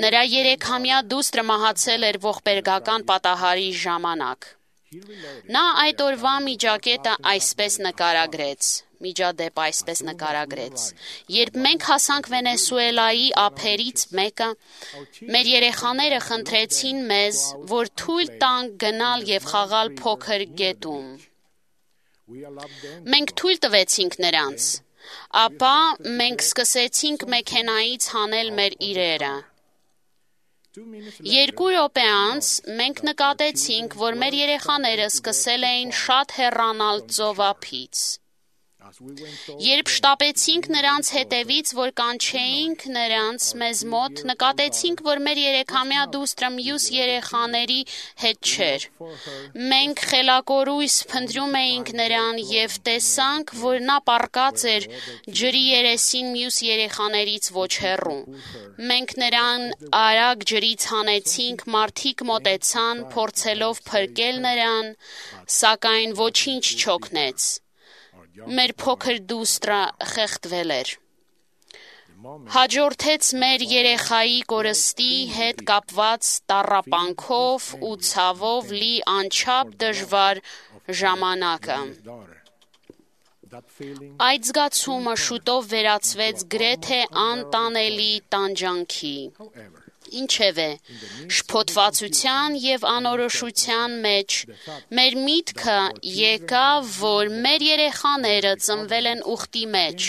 Նրա երեքամյա դուստրը մահացել էր ողբերգական պատահարի ժամանակ։ Նա այդ օրվա միջակետը այսպես նկարագրեց, միջադեպ այսպես նկարագրեց. երբ մենք հասանք Վենեսուելայի ափերից մեկը, մեր երեխաները խնդրեցին մեզ, որ թույլ տանք գնալ եւ խաղալ փոքր գետում։ Մենք թույլ տվեցինք նրանց, Ապա մենք սկսեցինք մեքենայից հանել մեր իրերը։ Երկու րոպե անց մենք նկատեցինք, որ մեր երեխաները սկսել էին շատ հեռանալ ծովափից։ Երբ շտապեցինք նրանց հետևից, որ կանչեինք նրանց մեզ մոտ, նկատեցինք, որ մեր երեքամյա դուստրը մյուս երեխաների հետ չէր։ Մենք խելակորույս փնտրում էինք նրան և տեսանք, որ նա պառկած էր ջրի երեսին մյուս երեխաներից ոչ հեռու։ Մենք նրան արագ ջրից հանեցինք, մարդիկ մոտեցան, փորձելով փրկել նրան, սակայն ոչինչ չօգնեց։ Մեր փոքր դուստրը խեղդվել էր։ Հաջորդեց մեր երեխայի կորստի հետ կապված տառապանքով ու ցավով լի անչափ դժվար ժամանակը։ Այդ զգացումը շուտով վերածվեց գրեթե անտանելի տանջանքի։ Ինչևէ, շփոթվածության և անորոշության մեջ մեր միտքը եկավ, որ մեր երեխաները ծնվել են ուխտի մեջ,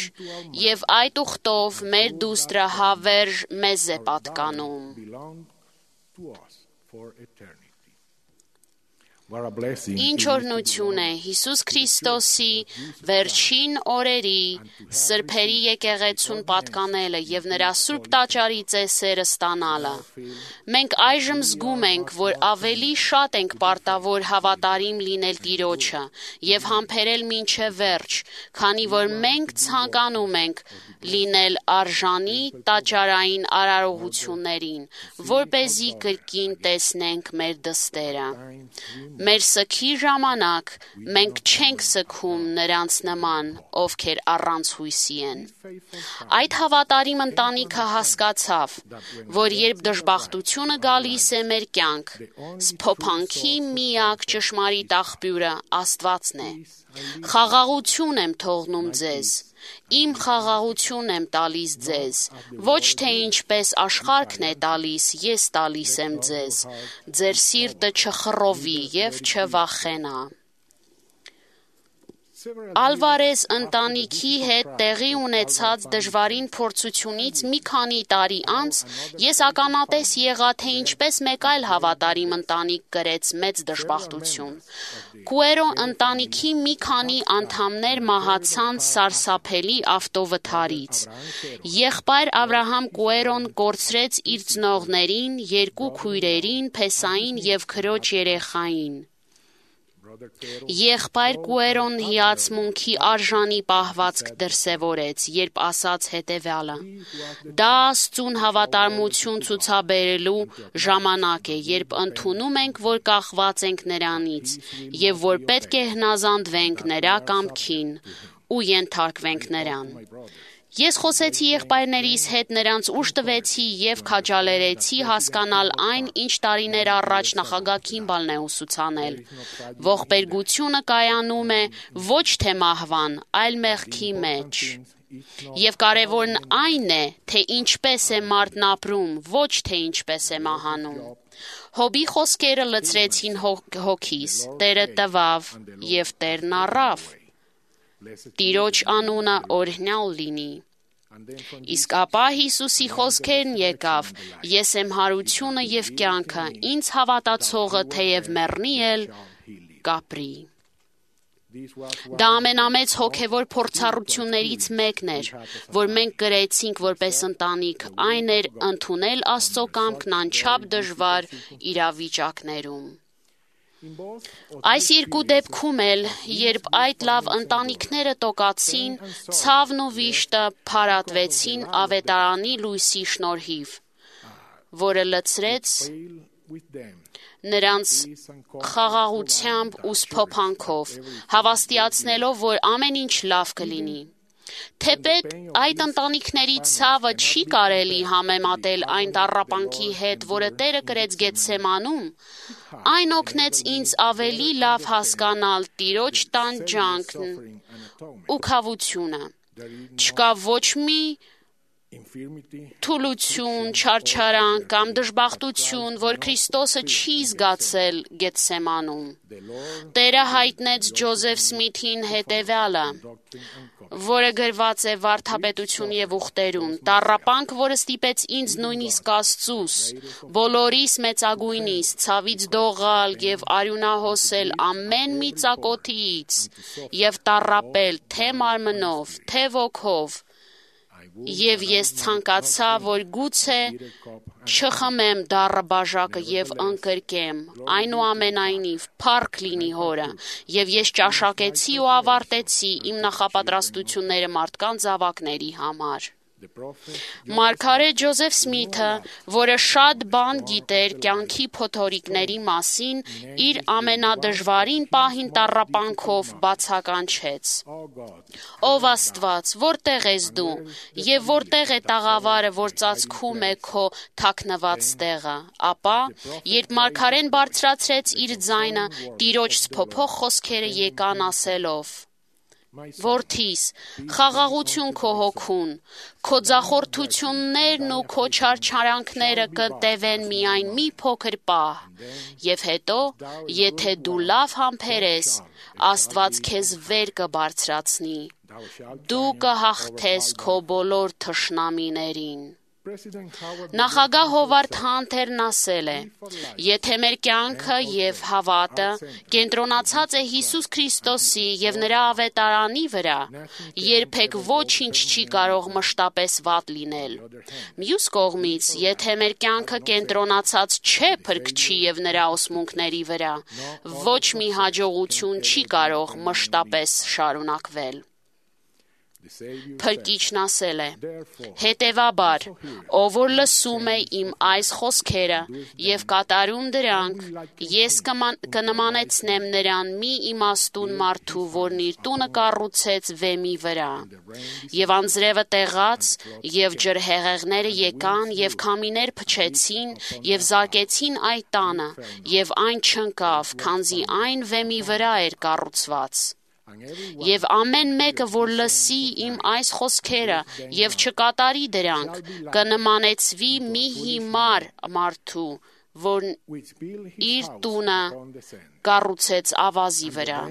և այդ ուխտով մեր դուստրը հավերժ մեզ է պատկանում։ Ինչ օրհնություն է Հիսուս Քրիստոսի վերջին օրերի սրբերի եկեղեցուն պատկանելը և նրա սուրբ տաճարի ծեսերը ստանալը։ Մենք այժմ զգում ենք, որ ավելի շատ ենք պարտավոր հավատարիմ լինել Տիրոջը և համբերել մինչև վերջ, քանի որ մենք ցանկանում ենք լինել արժանի տաճարային արարողություններին, որպեսզի կրկին տեսնենք մեր դստերը։ Մեր սգի ժամանակ մենք չենք սգում նրանց նման, ովքեր առանց հույսի են։ Այդ հավատարիմ ընտանիքը հասկացավ, որ երբ դժբախտությունը գալիս է մեր կյանք, սփոփանքի միակ ճշմարիտ աղբյուրը Աստվածն է։ Խաղաղություն եմ թողնում ձեզ, իմ խաղաղություն եմ տալիս ձեզ, ոչ թե ինչպես աշխարհն է տալիս, ես տալիս եմ ձեզ, ձեր սիրտը չխռովի և չվախենա։ Ալվարեզ ընտանիքի հետ տեղի ունեցած դժվարին փորձությունից մի քանի տարի անց ես ականատես եղա, թե ինչպես մեկ այլ հավատարիմ ընտանիք կրեց մեծ դժբախտություն։ Կուերո ընտանիքի մի քանի անդամներ մահացան սարսափելի ավտովթարից։ Եղբայր Աբրահամ Կուերոն կորցրեց իր ծնողներին, երկու քույրերին, փեսային և քրոջ երեխային։ Եղբայր Կուերոն հիացմունքի արժանի պահվածք դրսևորեց, երբ ասաց հետևյալը. «Դա Աստծուն հավատարմություն ցուցաբերելու ժամանակ է, երբ ընդունում ենք, որ կախված ենք Նրանից, և որ պետք է հնազանդվենք Նրա կամքին ու ենթարկվենք Նրան»։ Ես խոսեցի եղբայրներիս հետ, նրանց ուժ տվեցի և քաջալերեցի հասկանալ այն, ինչ տարիներ առաջ նախագահ Քիմբալն է ուսուցանել։ Ողբերգությունը կայանում է ոչ թե մահվան, այլ մեղքի մեջ։ Եվ կարևորն այն է, թե ինչպես է մարդն ապրում, ոչ թե ինչպես է մահանում։ Հոբի խոսքերը լցրեցին հոգիս, Տերը տվավ և Տերն առավ։ Տիրոջ անունը օրհնյալ լինի։ Իսկ ապա Հիսուսի խոսքերն եկավ. «Ես եմ հարությունը և կյանքը, ինձ հավատացողը թեև մեռնի էլ կապրի»։ Դա ամենամեծ հոգևոր փորձառություններից մեկն էր, որ մենք կրեցինք որպես ընտանիք, այն էր ընդունել Աստծո կամքն անչափ դժվար իրավիճակներում։ Այս երկու դեպքում էլ, երբ այդ լավ ընտանիքները տոկացին, ցավն ու վիշտը փարատվեցին ավետարանի լույսի շնորհիվ, որը լցրեց նրանց խաղաղությամբ ու սփոփանքով, հավաստիացնելով, որ ամեն ինչ լավ կլինի։ Թեպետ այդ ընտանիքների ցավը չի կարելի համեմատել այն տառապանքի հետ, որը Տերը կրեց Գեթսեմանում, այն օգնեց ինձ ավելի լավ հասկանալ Տիրոջ տանջանքն ու քավությունը։ Չկա ոչ մի թուլություն, չարչարանք կամ դժբախտություն, որ Քրիստոսը չի զգացել Գեթսեմանում։ Տերը հայտնեց Ջոզեֆ Սմիթին հետևյալը. որը գրված է Վարդապետություն եւ ուխտերում, տառապանք, որը ստիպեց ինձ նույնիսկ Աստծուս, բոլորիս մեծագույնիս, ցավից դողալ եւ արյունահոսել ամեն մի ծակոթիից եւ տառապել թե մարմնով, թե ոգով, եւ ես ցանկացա, որ գուցե չխմեմ դառը բաժակը եւ ընկրկեմ, այնուամենայնիվ փառք լինի Հորը, եւ ես ճաշակեցի ու ավարտեցի իմ նախապատրաստությունները մարդկանց զավակների համար։ Մարգարե Ջոզեֆ Սմիթը, որը շատ բան գիտեր կյանքի փոթորիկների մասին, իր ամենադժվարին պահին տառապանքով բացականչեց. Ով Աստված, որտեղ ես դու, եւ որտեղ է տաղավարը, որ ծածկում է քո թաքնված տեղը, ապա, երբ մարգարեն բարձրացրեց իր ձայնը, Տիրոջ սփոփող խոսքերը եկան ասելով. Որդիս, խաղաղություն քո հոգուն, քո ձախորդություններն ու քո չարչարանքները կտևեն միայն մի փոքր պահ, եւ հետո, եթե դու լավ համբերես, Աստված քեզ վեր կբարձրացնի, դու կհաղթես քո բոլոր թշնամիներին։ Նախագահ Հովարդ Հանթերն ասել է. Եթե մեր կյանքը եւ հավատը կենտրոնացած է Հիսուս Քրիստոսի եւ նրա ավետարանի վրա, երբեք ոչինչ չի կարող մշտապես վատ լինել։ Մյուս կողմից, եթե մեր կյանքը կենտրոնացած չէ Փրկչի եւ նրա ոսմունքների վրա, ոչ մի հաջողություն չի կարող մշտապես շարունակվել։ Փրկիչն ասել է. հետևաբար, ով որ լսում է իմ այս խոսքերը եւ կատարում դրանք, ես կնմանեցնեմ նրան մի իմաստուն մարդու, որն իր տունը կառուցեց վեմի վրա, եւ անձրևը տեղաց, եւ ջրհեղեղները եկան եւ քամիներ փչեցին եւ զարկեցին այդ տանը, եւ այն չընկավ, քանզի այն վեմի վրա էր կառուցված։ Եվ ամեն մեկը, որ լսի իմ այս խոսքերը եւ չկատարի դրանք, կնմանեցվի մի հիմար մարդու, որն իր տունը կառուցեց ավազի վրա։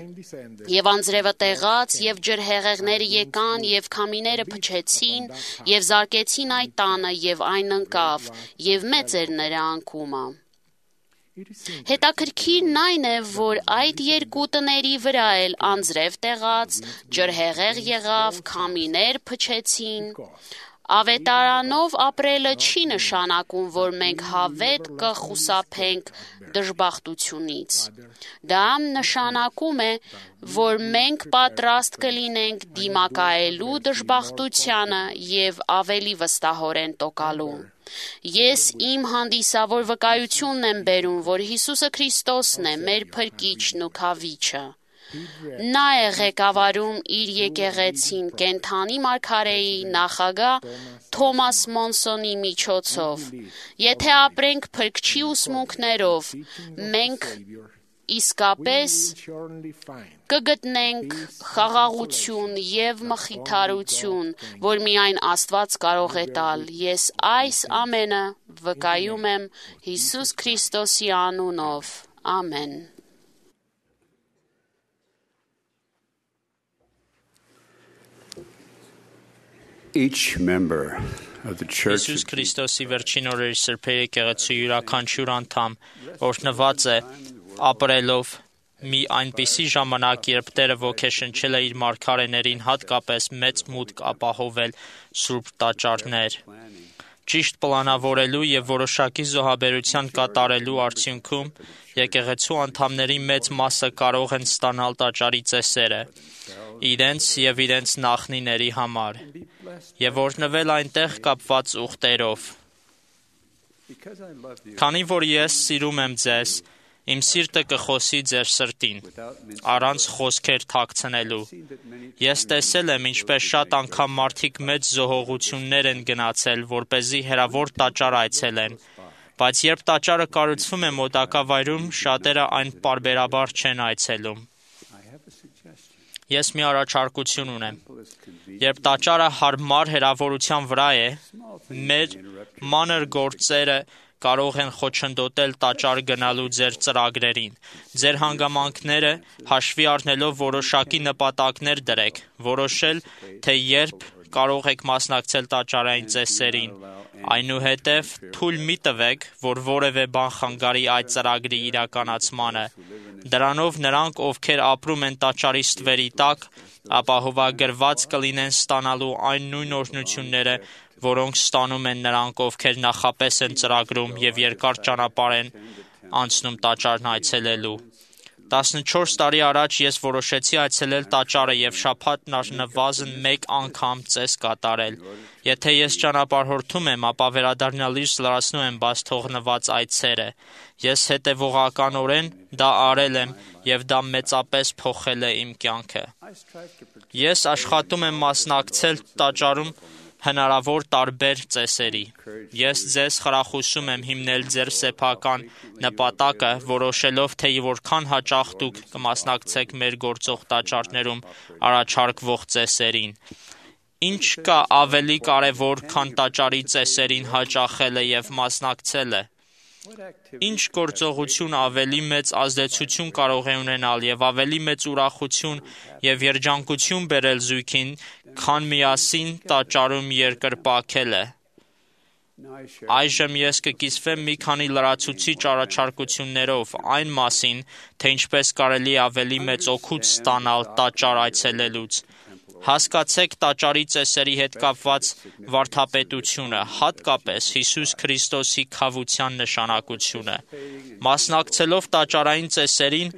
Եվ անձրևը տեղաց, եւ ջրհեղեղները եկան, եւ քամիները փչեցին, եւ զարկեցին այդ տանը, եւ այն ընկավ, եւ մեծ էր նրա անկումը։ Հետաքրքիրն այն է, որ այդ երկու տների վրա էլ անձրև տեղաց, ջրհեղեղ եղավ, քամիներ փչեցին։ Ավետարանով ապրելը չի նշանակում, որ մենք հավետ կխուսափենք դժբախտությունից։ Դա նշանակում է, որ մենք պատրաստ կլինենք դիմակայելու դժբախտությանը եւ ավելի վստահորեն տոկալու։ Ես իմ հանդիսավոր վկայությունն եմ բերում, որ Հիսուսը Քրիստոսն է, մեր Փրկիչն ու Քավիչը։ Նա է ղեկավարում իր եկեղեցին կենդանի մարգարեի նախագահ Թոմաս Մոնսոնի միջոցով։ Եթե ապրենք Փրկչի ուսմունքներով, մենք իսկապես կգտնենք խաղաղություն եւ մխիթարություն, որ միայն Աստված կարող է տալ։ Ես այս ամենը վկայում եմ Հիսուս Քրիստոսի անունով։ Ամեն։ Each member of the Church Հիսուս Քրիստոսի վերջին օրերի սրբերի եկեղեցու յուրաքանչյուր անդամ օրհնված է ապրելով մի այնպիսի ժամանակ, երբ Տերը ոգեշնչել է իր մարգարեներին հատկապես մեծ մուտք ապահովել սուրբ տաճարներ։ Ճիշտ պլանավորելու եւ որոշակի զոհաբերության կատարելու արդյունքում եկեղեցու անդամների մեծ մասը կարող են ստանալ տաճարի ծեսերը իրենց եւ իրենց նախնիների համար եւ օրհնվել այնտեղ կապված ուխտերով։ Քանի որ ես սիրում եմ ձեզ, իմ սիրտը կխոսի ձեր սրտին, առանց խոսքեր թաքցնելու։ Ես տեսել եմ, ինչպես շատ անգամ մարդիկ մեծ զոհողություններ են գնացել, որպեսզի հեռավոր տաճար այցելեն, բայց երբ տաճարը կառուցվում է մոտակավայրում, շատերը այն պարբերաբար չեն այցելում։ Ես մի առաջարկություն ունեմ։ Երբ տաճարը հարմար հեռավորության վրա է, մեր մանր գործերը կարող են խոչընդոտել տաճար գնալու ձեր ծրագրերին։ Ձեր հանգամանքները հաշվի առնելով որոշակի նպատակներ դրեք, որոշել, թե երբ կարող եք մասնակցել տաճարային ծեսերին։ Այնուհետև թույլ մի տվեք, որ որևէ բան խանգարի այդ ծրագրի իրականացմանը։ Դրանով նրանք, ովքեր ապրում են տաճարի ստվերի տակ, ապահովագրված կլինեն ստանալու այն նույն օրհնությունները, որոնք ստանում են նրանք, ովքեր նախապես են ծրագրում և երկար ճանապարհ են անցնում տաճարն այցելելու։ տասնչորս տարի առաջ ես որոշեցի այցելել տաճարը և շաբաթն առնվազն մեկ անգամ ծես կատարել։ Եթե ես ճանապարհորդում եմ, ապա վերադառնալիս լրացնում եմ բաց թողնված այցերը։ Ես հետևողականորեն դա արել եմ և դա մեծապես փոխել է իմ կյանքը։ Ես աշխատում եմ մասնակցել տաճարում հնարավոր տարբեր ծեսերի։ Ես ձեզ խրախուսում եմ հիմնել ձեր սեփական նպատակը, որոշելով, թե որքան հաճախ դուք կմասնակցեք մեր գործող տաճարներում առաջարկվող ծեսերին։ Ինչ կա ավելի կարևոր, քան տաճարի ծեսերին հաճախելը և մասնակցելը։ Ինչ գործողություն ավելի մեծ ազդեցություն կարող է ունենալ և ավելի մեծ ուրախություն և երջանկություն բերել զույգին, քան միասին տաճարում երկրպագելը։ Այժմ ես կկիսվեմ մի քանի լրացուցիչ առաջարկություններով այն մասին, թե ինչպես կարելի է ավելի մեծ օգուտ ստանալ տաճար այցելելուց։ Հասկացեք տաճարի ծեսերի հետ կապված վարդապետությունը, հատկապես Հիսուս Քրիստոսի քավության նշանակությունը։ Մասնակցելով տաճարային ծեսերին,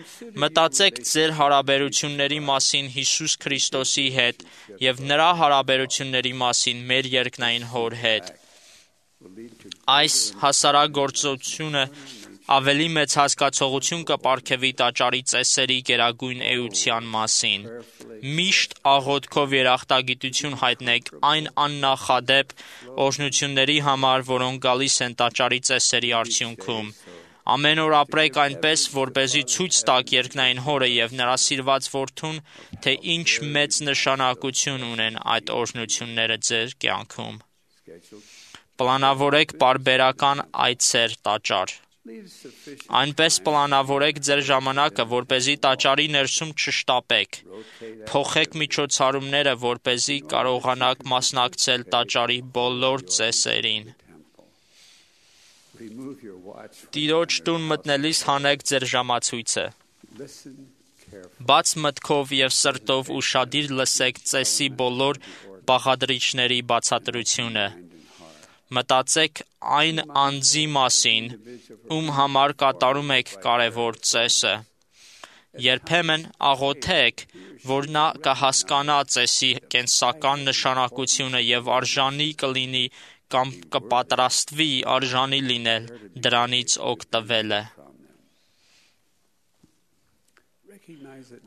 մտածեք ձեր հարաբերությունների մասին Հիսուս Քրիստոսի հետ և նրա հարաբերությունների մասին մեր երկնային Հոր հետ։ Այս հասարակ գործողությունը ավելի մեծ հասկացողություն կպարգևի տաճարի ծեսերի գերագույն էության մասին։ Միշտ աղոթքով երախտագիտություն հայտնեք այն աննախադեպ օրհնությունների համար, որոնք գալիս են տաճարի ծեսերի արդյունքում։ Ամեն օր ապրեք այնպես, որպեսզի ցույց տաք երկնային Հորը և նրա սիրված որդուն, թե ինչ մեծ նշանակություն ունեն այդ օրհնությունները ձեր կյանքում։ Պլանավորեք պարբերական այցեր տաճար։ Այնպես պլանավորեք ձեր ժամանակը, որպեսզի տաճարի ներսում չշտապեք։ Փոխեք միջոցառումները, որպեսզի կարողանաք մասնակցել տաճարի բոլոր ծեսերին։ Տիրոջ տուն մտնելիս հանեք ձեր ժամացույցը։ Բաց մտքով և սրտով ուշադիր լսեք ծեսի բոլոր բաղադրիչների բացատրությունը։ Մտածեք այն անձի մասին, ում համար կատարում եք կարևոր ծեսը։ Երբեմն աղոթեք, որ նա կհասկանա ծեսի կենսական նշանակությունը և արժանի կլինի կամ կպատրաստվի արժանի լինել դրանից օգտվելը։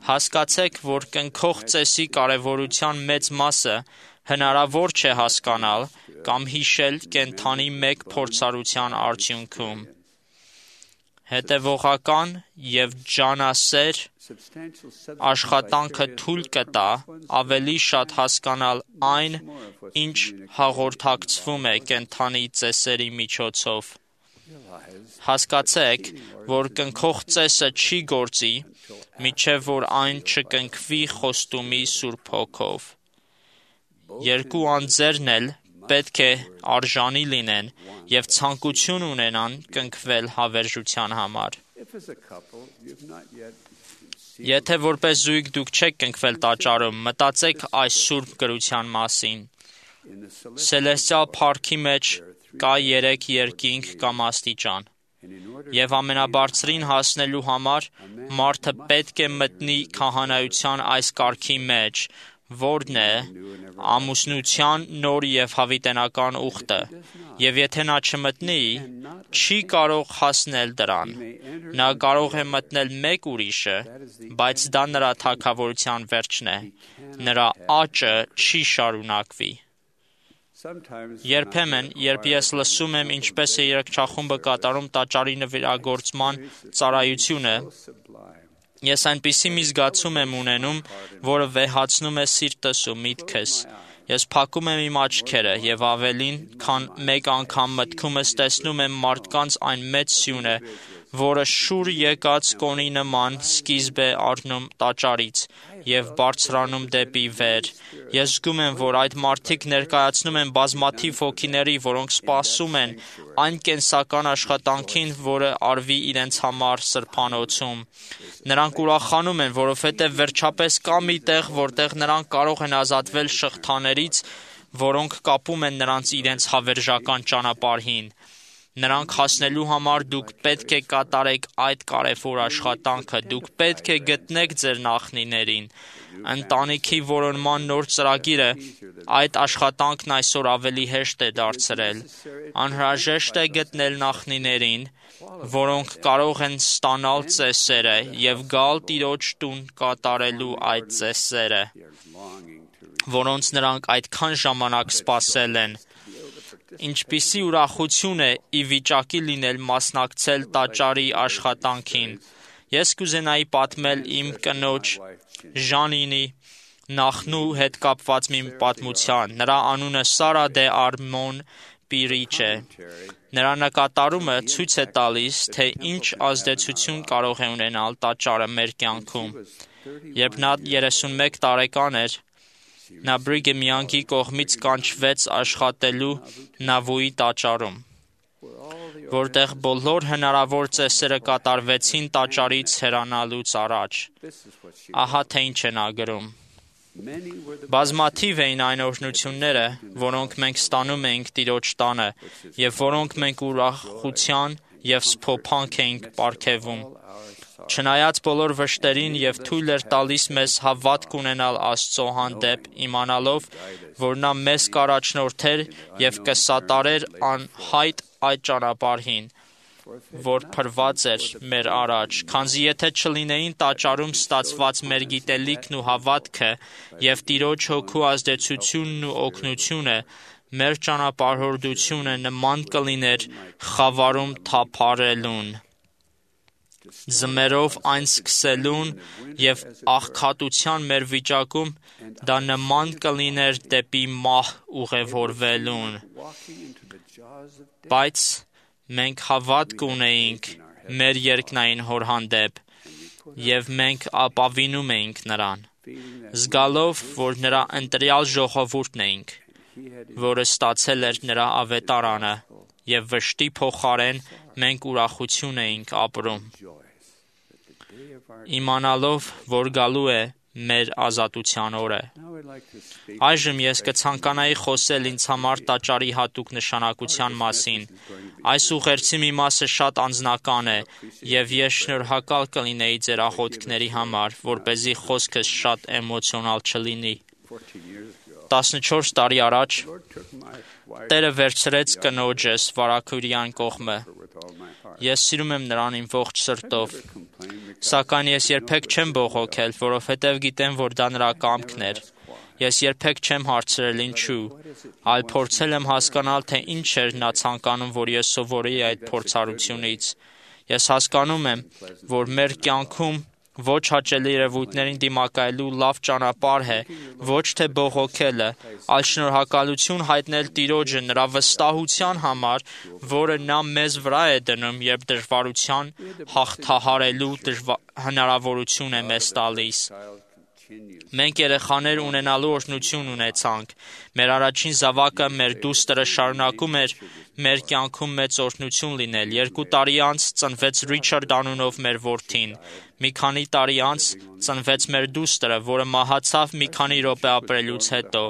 Հասկացեք, որ կնքող ծեսի կարևորության մեծ մասը հնարավոր չէ հասկանալ կամ հիշել կենդանի մեկ փորձառության արդյունքում։ Հետևողական և ջանասեր աշխատանքը թույլ կտա ավելի շատ հասկանալ այն, ինչ հաղորդակցվում է կենդանի ծեսերի միջոցով։ Հասկացեք, որ կնքող ծեսը չի գործի, մինչև որ այն չկնքվի խոստումի Սուրբ Հոգով։ Երկու անձերն էլ պետք է արժանի լինեն և ցանկություն ունենան կնքվել հավերժության համար։ Եթե որպես զույգ դուք չեք կնքվել տաճարում, մտածեք այս սուրբ գրության մասին։ Սելեստիալ փառքի մեջ կա երեք երկինք կամ աստիճան, և ամենաբարձրին հասնելու համար մարդը պետք է մտնի քահանայության այս կարգի մեջ, որն է ամուսնության նոր և հավիտենական ուխտը, և եթե նա չմտնի, չի կարող հասնել դրան։ Նա կարող է մտնել մեկ ուրիշը, բայց դա նրա թագավորության վերջն է։ Նրա աճը չի շարունակվի։ Երբեմն, երբ ես լսում եմ, ինչպես է երգչախումբը կատարում տաճարի նվիրագործման ծառայությունը, ես այնպիսի մի զգացում եմ ունենում, որը վեհացնում է սիրտս ու միտքս, Ես փակում եմ իմ աչքերը եւ ավելին, քան մեկ անգամ մտքումս տեսնում եմ մարդկանց այն մեծ սյունը, որը շուր եկած կոնի նման սկիզբ է առնում տաճարից եւ բարձրանում դեպի վեր։ Ես զգում եմ, որ այդ մարդիկ ներկայացնում են բազմաթիվ հոգիների, որոնք սպասում են այն կենսական աշխատանքին, որը արվի իրենց համար սրբանոցում։ Նրանք ուրախանում են, որովհետև վերջապես կա մի տեղ, որտեղ նրանք կարող են ազատվել շղթաներից, որոնք կապում են նրանց իրենց հավերժական ճանապարհին։ Նրանք հասնելու համար դուք պետք է կատարեք այդ կարևոր աշխատանքը, դուք պետք է գտնեք ձեր նախնիներին։ Ընտանիքի որոնման նոր ծրագիրը այդ աշխատանքն այսօր ավելի հեշտ է դարձրել։ Անհրաժեշտ է գտնել նախնիներին, որոնք կարող են ստանալ ծեսերը եւ գալ Տիրոջ տուն կատարելու այդ ծեսերը, որոնց նրանք այդքան ժամանակ սպասել են։ Ինչպիսի ուրախություն է ի վիճակի լինել մասնակցել տաճարի աշխատանքին։ Ես կուզենայի պատմել իմ կնոջ Ժանինի նախնու հետ կապված մի պատմության։ Նրա անունը Սարա դե Արմոն Պիրիչ է։ Նրա նկատառումը ցույց է տալիս, թե ինչ ազդեցություն կարող է ունենալ տաճարը մեր կյանքում։ Երբ նա երեսունմեկ տարեկան էր, նա Բրիգեմ Յանգի կողմից կանչվեց աշխատելու Նավոյի տաճարում, որտեղ բոլոր հնարավոր ծեսերը կատարվեցին տաճարից հեռանալուց առաջ։ Ահա թե ինչ է նա գրում. Բազմաթիվ էին այն օրհնությունները, որոնք մենք ստանում էինք Տիրոջ տանը, եւ որոնք մենք ուրախության եւ սփոփանք էինք պարգևում։ Չնայած բոլոր վշտերին եւ թույլ էր տալիս մեզ հավատք ունենալ Աստծո հանդեպ, իմանալով, որ նա մեզ կառաջնորդեր եւ կսատարեր անհայտ այդ ճանապարհին, որ փրված էր մեր առաջ, քանզի եթե չլինեին տաճարում ստացված մեր գիտելիքն ու հավատքը եւ Տիրոջ հոգու ազդեցությունն ու օգնությունը, մեր ճանապարհորդությունը նման կլիներ խավարում թափառելուն, ձմերով այն սկսելուն եւ աղքատության մեր վիճակում դա նման կլիներ դեպի մահ ուղևորվելուն։ Բայց մենք հավատք ունեինք մեր երկնային հոր հանդեպ եւ մենք ապավինում էինք նրան, զգալով, որ նրա ընտրյալ ժողովուրդն էինք, որը ստացել էր նրա ավետարանը եւ վշտի փոխարեն մենք ուրախություն էինք ապրում, իմանալով, որ գալու է մեր ազատության օրը։ Այժմ ես կցանկանայի խոսել ինձ համար տաճարի հատուկ նշանակության մասին։ Այս ուղերձի մի մասը շատ անձնական է, եւ ես շնորհակալ կլինեի ձեր աղոթքների համար, որպեսզի խոսքս շատ էմոցիոնալ չլինի։ տասնչորս տարի առաջ Տերը վերցրեց կնոջս Վարագուրյան կողմը։ Ես սիրում եմ նրան իմ ողջ սրտով, սակայն ես երբեք չեմ բողոքել, որովհետև գիտեմ, որ դա նրա կամքն էր։ Ես երբեք չեմ հարցրել ինչու, այլ փորձել եմ հասկանալ, թե ինչ էր նա ցանկանում, որ ես սովորեի այդ փորձառությունից։ Ես հասկանում եմ, որ մեր կյանքում ոչ հաճելի երևույթներին դիմակայելու լավ ճանապարհ է, ոչ թե բողոքելը, այլ շնորհակալություն հայտնել Տիրոջը նրա վստահության համար, որը նա մեզ վրա է դնում, երբ դժվարության հաղթահարելու հնարավորություն է մեզ տալիս։ Մենք երեխաներ ունենալու օրհնություն ունեցանք։ Մեր առաջին զավակը, մեր դուստրը, շարունակում էր մեր կյանքում մեծ օրհնություն լինել։ Երկու տարի անց ծնվեց Ռիչարդ անունով մեր որդին։ Մի քանի տարի անց ծնվեց մեր դուստրը, որը մահացավ մի քանի րոպե ապրելուց հետո։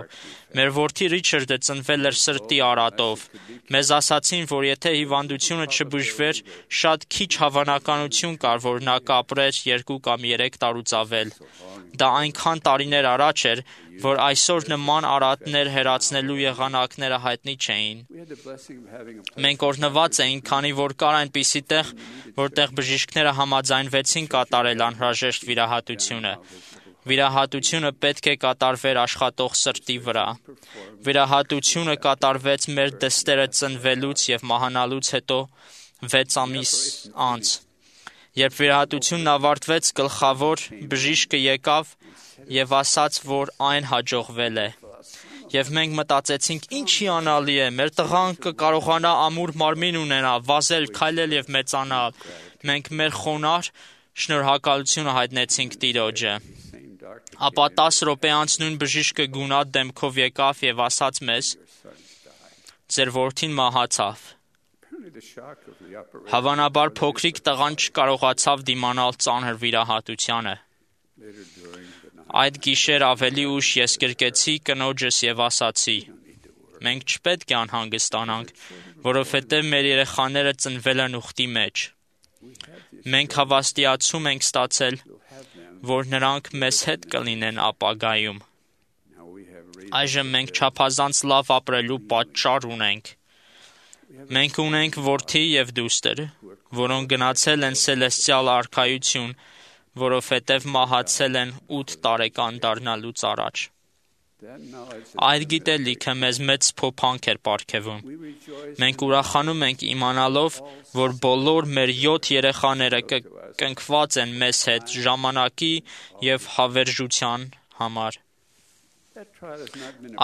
Մեր որդի Ռիչարդը ծնվել էր սրտի արատով։ Մեզ ասացին, որ եթե հիվանդությունը չբուժվեր, շատ քիչ հավանականություն կար, որ նա կապրեր երկու կամ երեք տարուց ավել։ Դա այնքան տարիներ առաջ էր, որ այսօր նման արատներ հեռացնելու եղանակները հայտնի չէին։ Մենք օրհնված էինք, քանի որ կար այնպիսի տեղ, որտեղ բժիշկները համաձայնվեցին կատարել անհրաժեշտ վիրահատությունը։ Վիրահատությունը պետք է կատարվեր աշխատող սրտի վրա։ Վիրահատությունը կատարվեց մեր դստերը ծնվելուց եւ մահանալուց հետո վեց ամիս անց։ Երբ վիրահատությունն ավարտվեց, գլխավոր բժիշկը եկավ եւ ասաց, որ այն հաջողվել է։ Եվ մենք մտածեցինք, ինչի անալի է, մեր տղան կկարողանա ամուր մարմին ունենա, վազել, քայլել եւ մեծանալ։ Մենք մեր խոնար շնորհակալությունը հայտնեցինք Տիրոջը։ Ապա տասը րոպե անց նույն բժիշկը գունատ դեմքով եկավ եւ ասաց մեզ. «Ձեր որդին մահացավ»։ Հավանաբար փոքրիկ տղան չկարողացավ դիմանալ ծանր վիրահատությանը։ Այդ գիշեր ավելի ուշ ես գրկեցի կնոջս եւ ասացի. «Մենք չպետք է անհանգստանանք, որովհետեւ մեր երեխաները ծնվել են ուխտի մեջ։ Մենք հավաստիացում ենք ստացել, որ նրանք մեզ հետ կլինեն ապագայում։ Այժմ մենք չափազանց լավ ապրելու պատճառ ունենք։ Մենք ունենք որդի եւ դուստր, որոնք գնացել են Սելեստիալ արքայություն, որովհետև մահացել են ութ տարեկան դառնալուց առաջ։ Այդ գիտելիքը մեզ մեծ փոփանք էր պարգևում։ Մենք ուրախանում ենք իմանալով, որ բոլոր մեր յոթ երեխաները կնքված են մեզ հետ ժամանակի եւ հավերժության համար։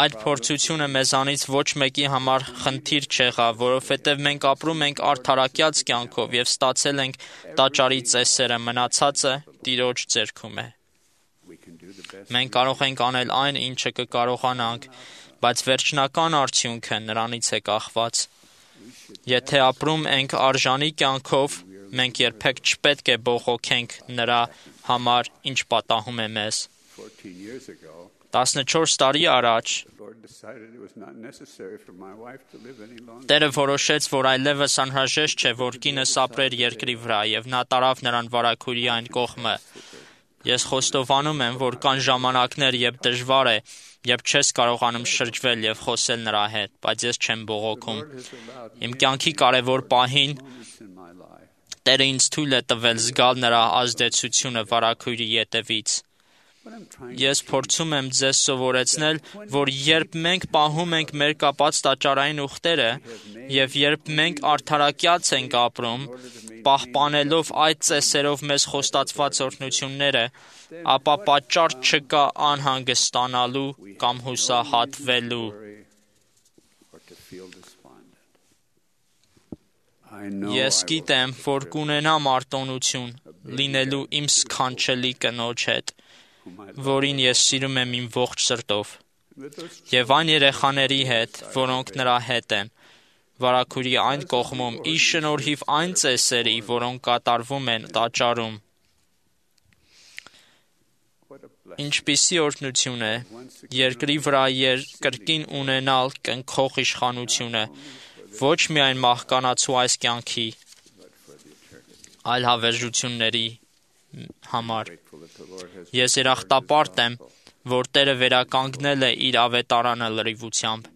Այդ փորձությունը մեզանից ոչ մեկի համար խնդիր չեղավ, որովհետև մենք ապրում ենք արդարակյաց կյանքով եւ ստացել ենք տաճարի ծեսերը, մնացածը Տիրոջ ձեռքում է։ Մենք կարող ենք անել այն, ինչը կկարողանանք, բայց վերջնական արդյունքը նրանից է կախված։ Եթե ապրում ենք արժանի կյանքով, մենք երբեք չպետք է բողոքենք նրա համար, ինչ պատահում է մեզ։ տասնչորս տարի առաջ Տերը որոշեց, որ այլևս անհրաժեշտ չէ, որ կինս ապրեր երկրի վրա, եւ նա տարավ նրան վարագույրի այն կողմը։ Ես խոստովանում եմ, որ կան ժամանակներ, երբ դժվար է, երբ չես կարողանում շրջվել եւ խոսել նրա հետ, բայց ես չեմ բողոքում։ Իմ կյանքի կարևոր պահին Տերը ինձ թույլ է տվել զգալ նրա ազդեցությունը վարագույրի ետևից։ Ես փորձում եմ ձեզ սովորեցնել, որ երբ մենք պահում ենք մեր կապած տաճարային ուխտերը եւ երբ մենք արդարակյաց ենք ապրում, պահպանելով այդ ծեսերով մեզ խոստացված օրհնությունները, ապա պատճառ չկա անհանգստանալու կամ հուսահատվելու։ Ես գիտեմ, որ կունենամ արտոնություն լինելու իմ սքանչելի կնոջ հետ, որին ես սիրում եմ իմ ողջ սրտով, եւ այն երեխաների հետ, որոնք նրա հետ են, վարագույրի այն կողմում, ի շնորհիվ այն ծեսերի, որոնք կատարվում են տաճարում։ Ինչպիսի օրհնություն է երկրի վրա կրկին ունենալ կնքող իշխանությունը, ոչ միայն մահկանացու այս կյանքի, այլ հավերժությունների համար։ Ես երախտապարտ եմ, որ Տերը վերականգնել է իր ավետարանը լրիվությամբ,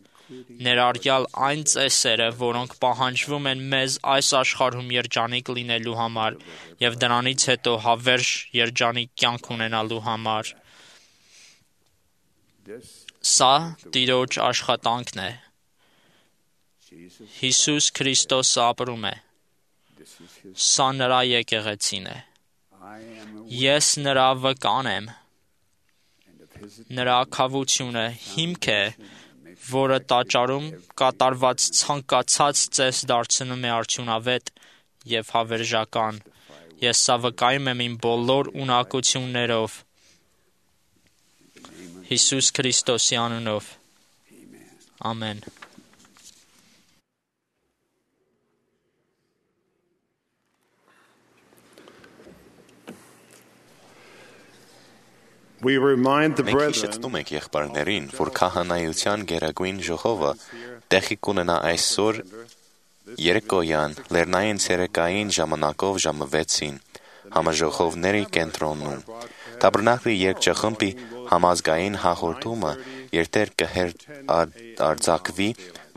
ներառյալ այն ծեսերը, որոնք պահանջվում են մեզ այս աշխարհում երջանիկ լինելու համար եւ դրանից հետո հավերժ երջանիկ կյանք ունենալու համար։ Սա Տիրոջ աշխատանքն է։ Հիսուս Քրիստոսը ապրում է։ Սա նրա եկեղեցին է։ Ես նրա վկան եմ։ Նրա քավությունը հիմք է, որը տաճարում կատարված ցանկացած ծես դարձնում է արդյունավետ եւ հավերժական։ Ես սա վկայում եմ իմ բոլոր ունակություններով։ Հիսուս Քրիստոսի անունով։ Ամեն։ Մենք հիշեցնում ենք եղբայրներին, որ քահանայության գերագույն ժողովը տեղի կունենա այսօր երեկոյան լեռնային ցերեկային ժամանակով ժամը վեցին համաժողովների կենտրոնում։ Տաբերնակլի երգչախմբի համազգային հաղորդումը երթեր կհեռարձակվի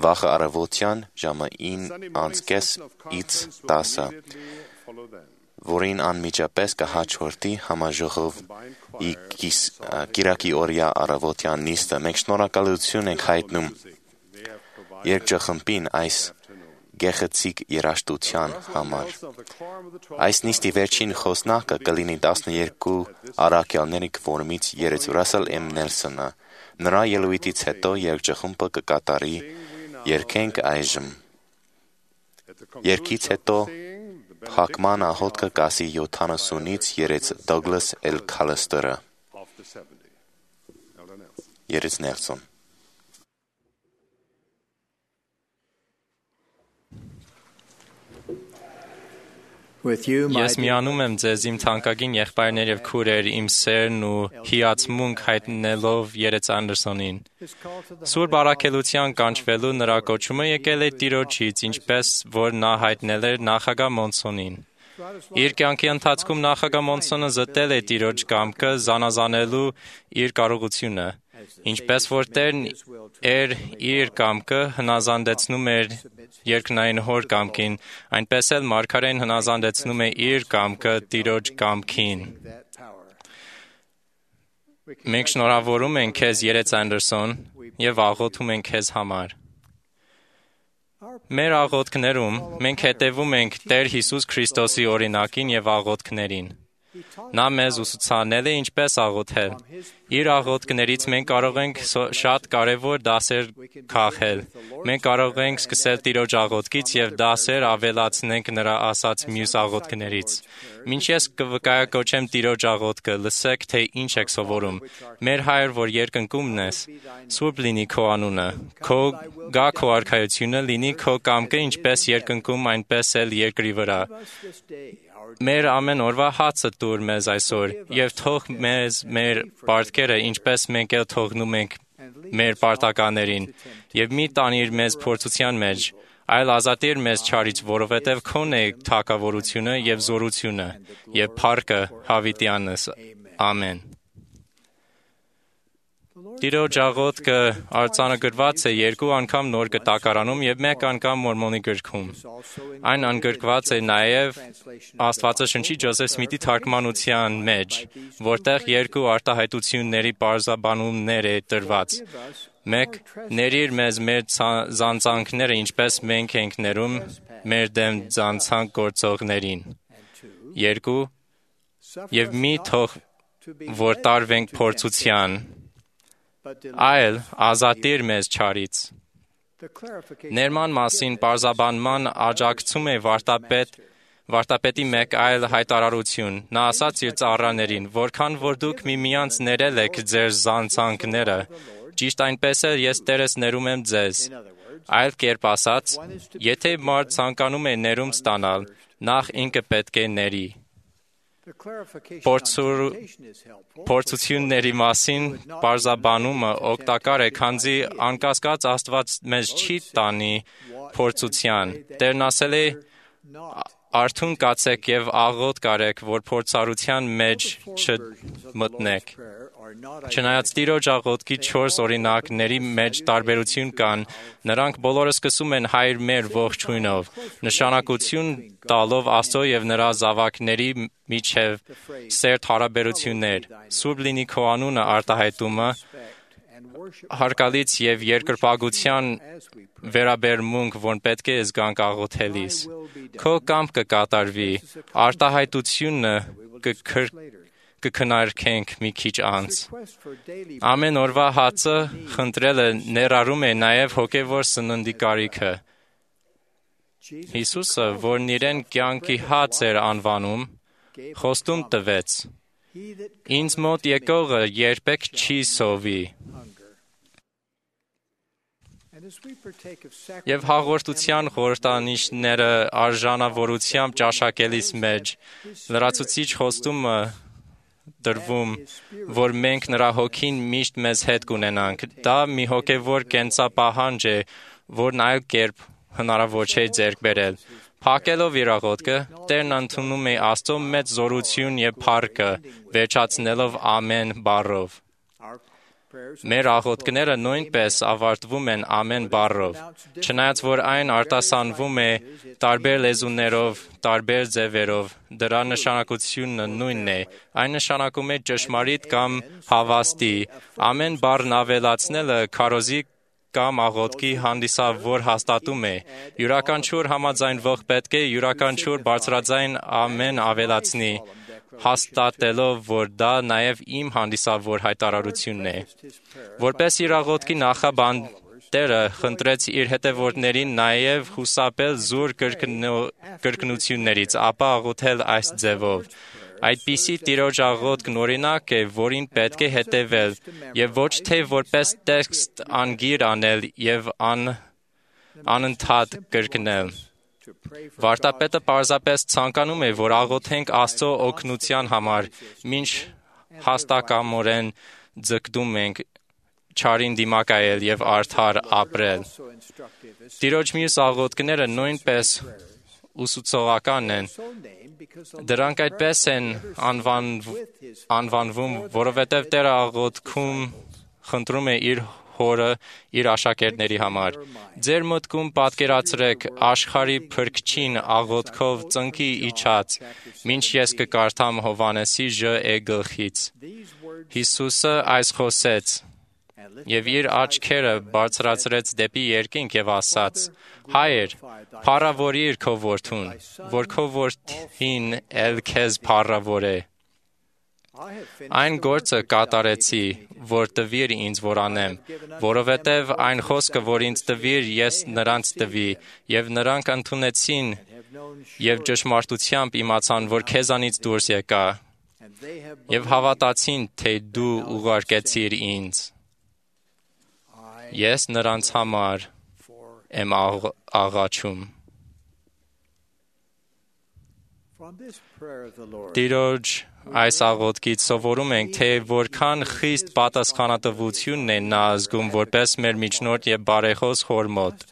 վաղ առավոտյան ժամը ինից տասը, որին անմիջապես կհաջորդի համաժողովի կիրակի օրյա առավոտյան նիստը։ Մենք շնորհակալություն ենք հայտնում երգչախմբին այս գեղեցիկ երաժշտության համար։ Այս նիստի վերջին խոսնակը կլինի տասներկու առաքյալների կվորումից երեց Ռասել M. Նելսոնը, Նրա ելույթից հետո երգչախումբը կկատարի «Երգենք այժմ»։ Երգից հետո փակման աղոթքը կասի յոթանասունից երեց Դոգլաս Էլ Քալստերը։ Երեց Նելսոն։ Ես միանում եմ ձեզ իմ թանկագին եղբայրներ եւ քուրեր, իմ սերն ու հիացմունք հայտնելով Երեց Անդերսոնին։ Սուրբ առաքելության կանչվելու նրա կոչումը եկել է Տիրոջից, ինչպես որ նա հայտնել էր նախագահ Մոնսոնին։ Իր կյանքի ընթացքում նախագահ Մոնսոնը զտել է Տիրոջ կամքը զանազանելու իր կարողությունը, ինչպես որ Տերն էր իր կամքը հնազանդեցնում էր երկնային հոր կամքին, այնպես էլ մարգարեն հնազանդեցնում է իր կամքը Տիրոջ կամքին։ Մենք շնորհավորում ենք քեզ, Երեց Անդերսոն, եւ աղոթում ենք քեզ համար։ Մեր աղոթքներում մենք հետևում ենք Տեր Հիսուս Քրիստոսի օրինակին եւ աղոթքներին։ Նա մեզ ուսուցանել է ինչպես աղոթել։ Իր աղոթքներից մենք կարող ենք շատ կարևոր դասեր քաղել։ Մենք կարող ենք սկսել Տիրոջ աղոթքից եւ դասեր ավելացնենք նրա ասած մյուս աղոթքներից։ Մինչ ես կվկայակոչեմ Տիրոջ աղոթքը, լսեք, թե ինչ եք սովորում։ Մեր Հայր, որ երկնքումն ես, սուրբ լինի քո անունը, քո գա քո արքայությունը, լինի քո կամքը ինչպես երկնքում, այնպես էլ երկրի վրա։ Մեր ամեն օրվա հացը տուր մեզ այսօր, եւ թող մեզ մեր պարտքերը, ինչպես մենք էլ թողնում ենք մեր պարտականներին, եւ մի տանիր մեզ փորձության մեջ, այլ ազատիր մեզ չարից, որովհետեւ քոն է թագավորությունը եւ զորությունը եւ փառքը հավիտյանս։ Ամեն։ Տիրոջ աղոթքը արձանագրված է երկու անգամ Նոր Կտակարանում եւ մեկ անգամ Մորմոնի գրքում։ Այն ընդգրկված է նաեւ Աստվածաշնչի Ջոզեֆ Սմիթի թարգմանության մեջ, որտեղ երկու արտահայտությունների բարձաբանումներ է տրված։ Մեկ, ներիր մեզ մեր զանցանքները, ինչպես մենք ենք ներում մեր դեմ զանցանք գործողներին։ Երկու, եւ մի թող որ տարվենք փորձության, այլ ազատիր մեզ չարից։ Ներման մասին պարզաբանման աջակցում է վարտապետ Վարտապետի մեկ այլ հայտարարություն։ Նա ասաց իր ծառաներին, որքան որ դուք միմյանց ներել եք ձեր զանցանքները, ճիշտ այնպես էլ ես Տերս ներում եմ ձեզ։ Այլ կերպ ասած, եթե մարդ ցանկանում է ներում ստանալ, նախ ինքը պետք է ների։ Փորձությունների մասին պարզաբանումը օգտակար է, քանզի անկասկած Աստված մեզ չի տանի փորձության։ Տերն ասել է. «Արթուն կացեք եւ աղոթք արեք, որ փորձառության մեջ չմտնեք»։ Չնայած Տիրոջ աղոթքի չորս օրինակների մեջ տարբերություն կան, նրանք բոլորը սկսում են Հայր մեր ողջույնով, նշանակություն տալով Աստծո եւ նրա զավակների միջև սերտ հարաբերություններ։ Սուրբ լինի քո անունը արտահայտումը հարգալից եւ երկրպագության վերաբերմունք, որ պետք է զգանք աղոթելիս։ Քո կամքը կկատարվի, արտահայտությունը կքննարկենք մի քիչ անց։ Ամեն օրվա հացը խնդրելը ներառում է նաև հոգևոր սննդի կարիքը։ Հիսուսը, որն իրեն կյանքի հաց էր անվանում, խոստում տվեց. «Ինձ մոտ եկողը երբեք չի սովի»։ Եվ հաղորդության խորհրդանիշները արժանավորությամբ ճաշակելիս մեջ լրացուցիչ խոստումը դրվում, որ մենք նրա հոգին միշտ մեզ հետ կունենանք։ Դա մի հոգևոր կենսապահանջ է, որն այլ կերպ հնարավոր չէ ձեռք բերել։ Փակելով իր աղոթքը, Տերն ընդունում է Աստծո մեծ զորություն եւ փառքը, վերջացնելով ամեն բառով։ Մեր աղոթքները նույնպես ավարտվում են ամեն բառով, չնայած որ այն արտասանվում է տարբեր լեզուներով, տարբեր ձևերով, դրա նշանակությունը նույնն է, այն նշանակում է ճշմարիտ կամ հավաստի, ամեն բառն ավելացնելը քարոզի կամ աղոթքի հանդիսավոր հաստատում է, յուրաքանչյուր համաձայնվող պետք է յուրաքանչյուր բարձրաձայն ամեն ավելացնի, հաստատելով, որ դա նաև իմ հանդիսավոր հայտարարությունն է։ Որպես իր աղոթքի նախաբան Տերը խնդրեց իր հետևորդներին նաև խուսափել զուր կրկնություններից, ապա աղոթել այս ձևով. Այդպիսի Տիրոջ աղոթքն օրինակ է, որին պետք է հետևել, եւ ոչ թե որպես տեքստ անգիր անել եւ ան, անընդհատ կրկնել։ Վարդապետը պարզապես ցանկանում է, որ աղոթենք Աստծո օգնության համար, մինչ հաստակամորեն ձգտում ենք չարին դիմակայել եւ արդար ապրել։ Տիրոջ մյուս աղոթքները նույնպես ուսուցողական են։ Դրանք այդպես են անվան, անվանվում, որովհետև Տերը աղոթքում խնդրում է իր Հորը իր աշակերտների համար։ Ձեր մտքում պատկերացրեք աշխարհի Փրկչին աղոթքով ծնկի իջած, մինչ ես կկարդամ Հովհաննեսի Ž գլխից։ Հիսուսը այս խոսեց եւ իր աչքերը բարձրացրեց դեպի երկինք եւ ասաց. Հայր, փառավորիր քո որդուն, որ քո որդին էլ քեզ փառավոր է։ Այն գործը կատարեցի, որ տվիր ինձ որ անեմ, որովհետև այն խոսքը, որ ինձ տվիր, ես նրանց տվի, եւ նրանք ընդունեցին եւ ճշմարտությամբ իմացան, որ քեզանից դուրս եկա, եւ հավատացին, թե դու ուղարկեցիր ինձ։ Ես նրանց համար եմ աղաչում։ Տիրոջ այս աղոթքից սովորում ենք, թե որքան խիստ պատասխանատվությունն է նա զգում որպես մեր միջնորդ եւ բարեխոս Հոր մոտ։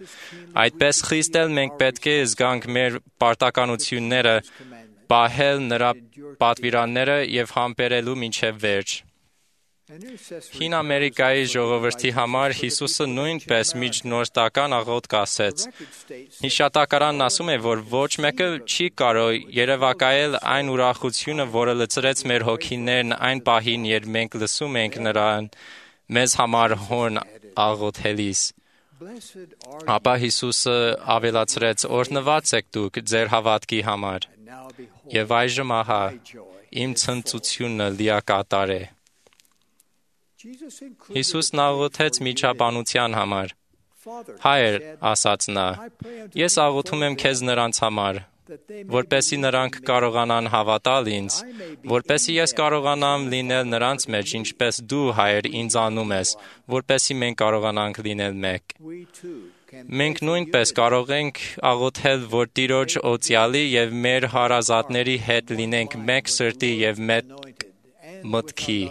Այդպես խիստ էլ մենք պետք է զգանք մեր պարտականությունները, պահել նրա պատվիրանները եւ համբերելու մինչեւ վերջ։ Հին Ամերիկայի ժողովրդի համար Հիսուսը նույնպես միջնորդական աղոթք ասեց։ Հիշատակարանն ասում է, որ ոչ մեկը չի կարող երևակայել այն ուրախությունը, որը լցրեց մեր հոգիներն այն պահին, երբ մենք լսում ենք նրան մեզ համար հորն աղոթելիս։ Ապա Հիսուսը ավելացրեց. «Օրհնված եք դուք ձեր հավատքի համար, եւ այժմ ահա իմ ցնծությունը լիակատար է»։ Հիսուսն աղոթեց միջաբանության համար։ Հայր, ասաց նա, ես աղոթում եմ քեզ նրանց համար, որպեսզի նրանք կարողանան հավատալ ինձ, որպեսզի ես կարողանամ լինել նրանց մեջ, ինչպես դու, Հայր, ինձ անում ես, որպեսզի մենք կարողանանք լինել մեկ։ Մենք նույնպես կարող ենք աղոթել, որ Տիրոջ օծյալի եւ մեր հարազատների հետ լինենք մեկ սրտի եւ մեկ մտքի։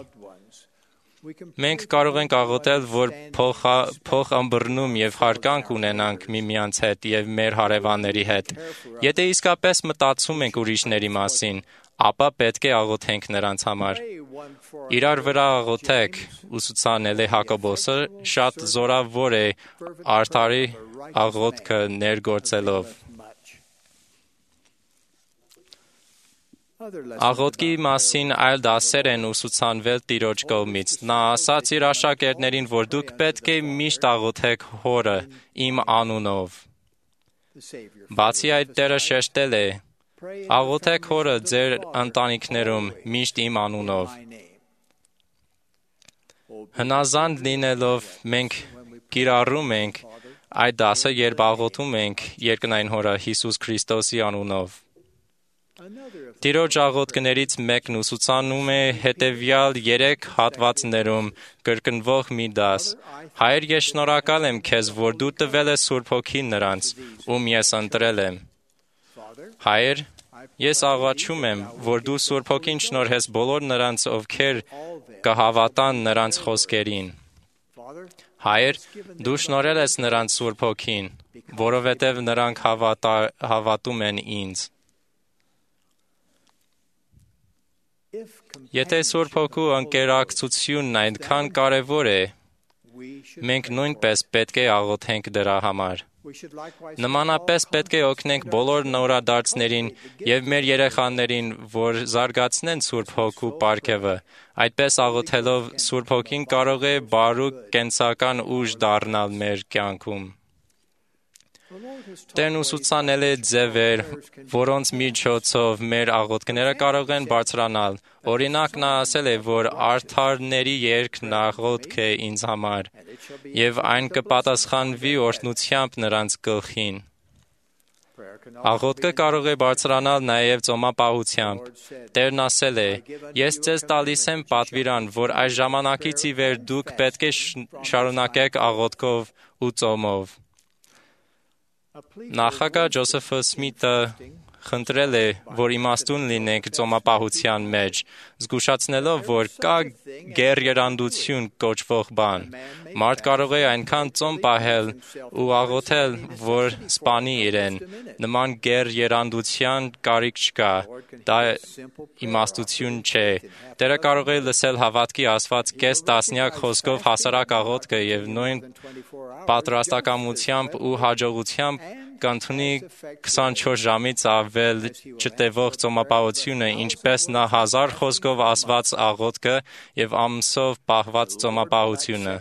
Մենք կարող ենք աղոթել, որ փոխըմբռնում եւ հարկանք ունենանք միմյանց հետ եւ մեր հարևանների հետ։ Եթե իսկապես մտածում ենք ուրիշների մասին, ապա պետք է աղոթենք նրանց համար։ Իրար վրա աղոթեք, ուսուցանել է Հակոբոսը, շատ զորավոր է արդարի աղոթքը ներգործելով։ Աղոթքի մասին այլ դասեր են ուսուցանվել Տիրոջ կողմից։ Նա ասաց իր աշակերտներին, որ դուք պետք է միշտ աղոթեք Հորը իմ անունով։ Բացի այդ, Տերը շեշտել է. աղոթեք Հորը ձեր ընտանիքներում միշտ իմ անունով։ Հնազանդ լինելով մենք կիրառում ենք այդ դասը, երբ աղոթում ենք երկնային Հորը Հիսուս Քրիստոսի անունով։ Տիրոջ աղոթքներից մեկն ուսուցանում է հետևյալ երեք հատվածներում կրկնվող մի դաս. Հայր, ես շնորհակալ եմ քեզ, որ դու տվել ես Սուրբ Հոգին նրանց, ում ես ընտրել եմ։ Հայր, ես աղաչում եմ, որ դու Սուրբ Հոգին շնորհես բոլոր նրանց, ովքեր կհավատան նրանց խոսքերին։ Հայր, դու շնորհել ես նրանց Սուրբ Հոգին, որովհետև նրանք հավատա, հավատում են ինձ։ Եթե Սուրբ Հոգու ընկերակցությունն այնքան կարևոր է, մենք նույնպես պետք է աղոթենք դրա համար։ Նմանապես պետք է օգնենք բոլոր նորադարձներին եւ մեր երեխաներին, որ զարգացնեն Սուրբ Հոգու պարգևը։ Այդպես աղոթելով Սուրբ Հոգին կարող է բարու կենսական ուժ դառնալ մեր կյանքում։ Տերն ուսուցանել է ձևեր, որոնց միջոցով մեր աղոթքները կարող են բարձրանալ։ Օրինակ, նա ասել է, որ արդարների երգն աղոթք է ինձ համար, եւ այն կպատասխանվի օրհնությամբ նրանց գլխին։ Աղոթքը կարող է բարձրանալ նաև ծոմապահությամբ։ Տերն ասել է. «Ես ձեզ տալիս եմ պատվիրան, որ այս ժամանակից ի վեր դուք պետք է շարունակեք աղոթքով ու ծոմով»։ Նախագահ Ջոզեֆ Սմիթը խնդրել է, որ իմաստուն լինենք ծոմապահության մեջ, զգուշացնելով, որ կա գերերանդություն կոչվող բան։ Մարդ կարող է այնքան ծոմ պահել ու աղոթել, որ սպանի իրեն։ Նման գերերանդության կարիք չկա։ Դա իմաստություն չէ։ Տերը կարող է լսել հավատքի ասված կես տասնյակ խոսքով հասարակ աղոթքը եւ նույն պատրաստակամությամբ ու հաջողությամբ կընդունի քսանչորս ժամից ավել չտևող ծոմապահությունը, ինչպես նա հազար խոսքով ասված աղոթքը եւ ամսով պահված ծոմապահությունը։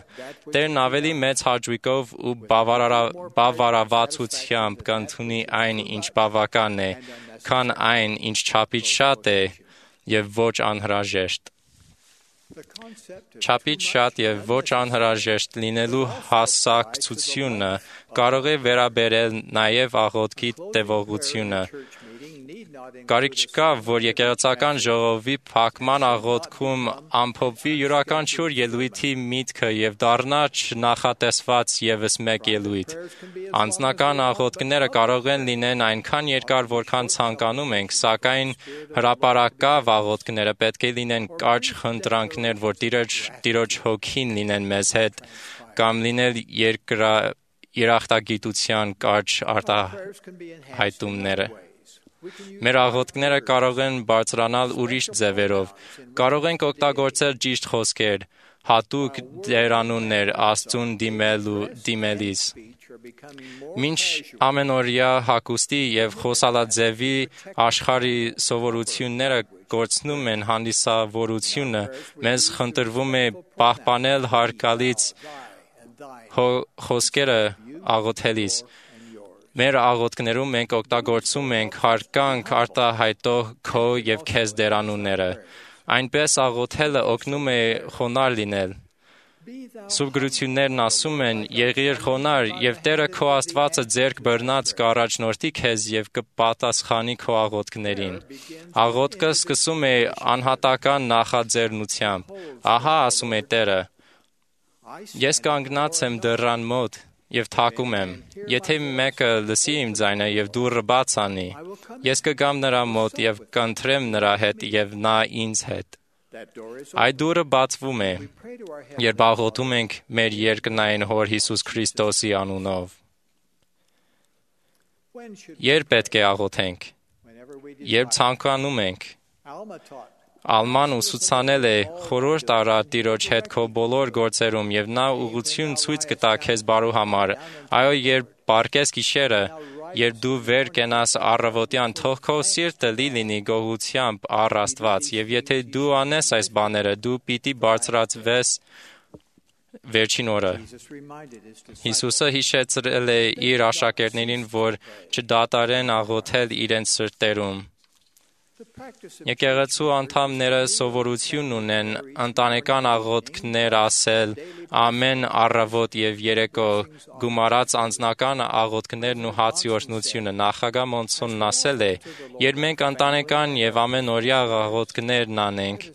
Տերն ավելի մեծ հաճույքով ու բավարարվածությամբ կընդունի այն, ինչ բավական է, քան այն, ինչ չափից շատ է եւ ոչ անհրաժեշտ։ Չափից շատ եւ ոչ անհրաժեշտ լինելու հասկացությունը կարող է վերաբերել նաեւ աղոթքի տևողությունը։ Կարիք չկա, որ եկեղեցական ժողովի փակման աղոթքում ամփոփվի յուրաքանչյուր ելույթի միտքը եւ դառնա չնախատեսված եւս մեկ ելույթ։ Անձնական աղոթքները կարող են լինեն այնքան երկար, որքան ցանկանում ենք, սակայն հրապարակավ աղոթքները պետք է լինեն կարճ խնդրանքներ, որ Տիրոջ, Տիրոջ հոգին լինեն մեզ հետ, կամ լինել երկրա, երախտագիտության կարճ արտահայտումները։ Մեր աղոթքները կարող են բարձրանալ ուրիշ ձևերով։ Կարող ենք օգտագործել ճիշտ խոսքեր, հատուկ դերանուններ Աստծուն դիմելու դիմելիս։ Մինչ ամենօրյա հագուստի եւ խոսալաձևի աշխարհի սովորությունները կորցնում են հանդիսավորությունը, մեզ խնդրվում է պահպանել հարկալից խոսքերը աղոթելիս։ Մեր աղոթքներում մենք օգտագործում ենք հարկանք արտահայտող քո եւ քեզ դերանունները։ Այնպես աղոթելը օգնում է խոնարհ լինել։ Սուրբ գրություններն ասում են. «Եղիր խոնարհ, եւ Տերը քո Աստվածը ձեռք բռնած կառաջնորդի քեզ եւ կպատասխանի քո աղոթքներին»։ Աղոթքը սկսում է անհատական նախաձեռնությամբ։ Ահա ասում է Տերը. «Ես կանգնած եմ դռան մոտ եւ թակում եմ։ Եթե մեկը լսի իմ ձայնը եւ դուռը բաց անի, ես կգամ նրա մոտ եւ կընտրեմ նրա հետ եւ նա ինձ հետ»։ Այդ դուռը բացվում է, երբ աղոթում ենք մեր երկնային Հոր Հիսուս Քրիստոսի անունով։ Երբ պետք է աղոթենք։ Երբ ցանկանում ենք։ Ալման ուսուցանել է. «Խորհուրդ արա Տիրոջ հետ քո բոլոր գործերում եւ նա ուղղություն ցույց կտա քեզ բարու համար»։ Այո, երբ պառկես գիշերը, երբ դու վեր կենաս առավոտյան, թող քո սիրտը լի լինի գոհությամբ առ Աստված, եւ եթե դու անես այս բաները, դու պիտի բարձրացվես վերջին օրը։ Հիսուսը հիշեցրել է իր աշակերտներին, որ չդադարեն աղոթել իրենց սրտերում։ Եկեղեցու անդամները սովորություն ունեն ընտանեկան աղոթքներ ասել ամեն առավոտ եւ երեկո, գումարած անձնական աղոթքներն ու հացի օրհնությունը։ Նախագահ Մոնսոնն ասել է. «Երբ մենք ընտանեկան եւ ամենօրյա աղոթքներն անենք,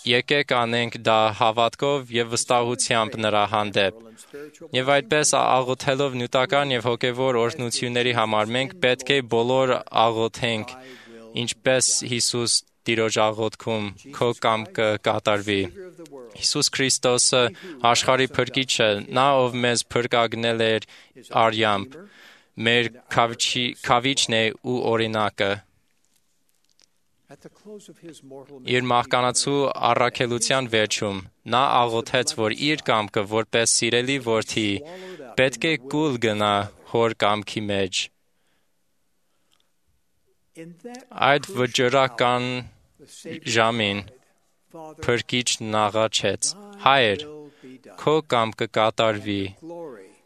եկեք անենք դա հավատքով եւ վստահությամբ նրա հանդեպ»։ Եվ այդպես աղոթելով նյութական եւ հոգեվոր օրհնությունների համար մենք պետք է բոլոր աղոթենք, ինչպես Հիսուս Տիրոջ աղոթքում քո կամքը կատարվի։ Հիսուս Քրիստոսը աշխարհի փրկիչը, նա ով մեզ փրկagնել էր արյամբ, մեր քավիչն է ու օրինակը։ Իր մահկանացու առաքելության վերջում նա աղոթեց, որ իր կամքը որպես սիրելի որդի պետք է կուլ գնա հոր կամքի մեջ։ Այդ վճռական ժամին Փրկիչն աղաչեց. «Հայր, քո կամքը կատարվի»։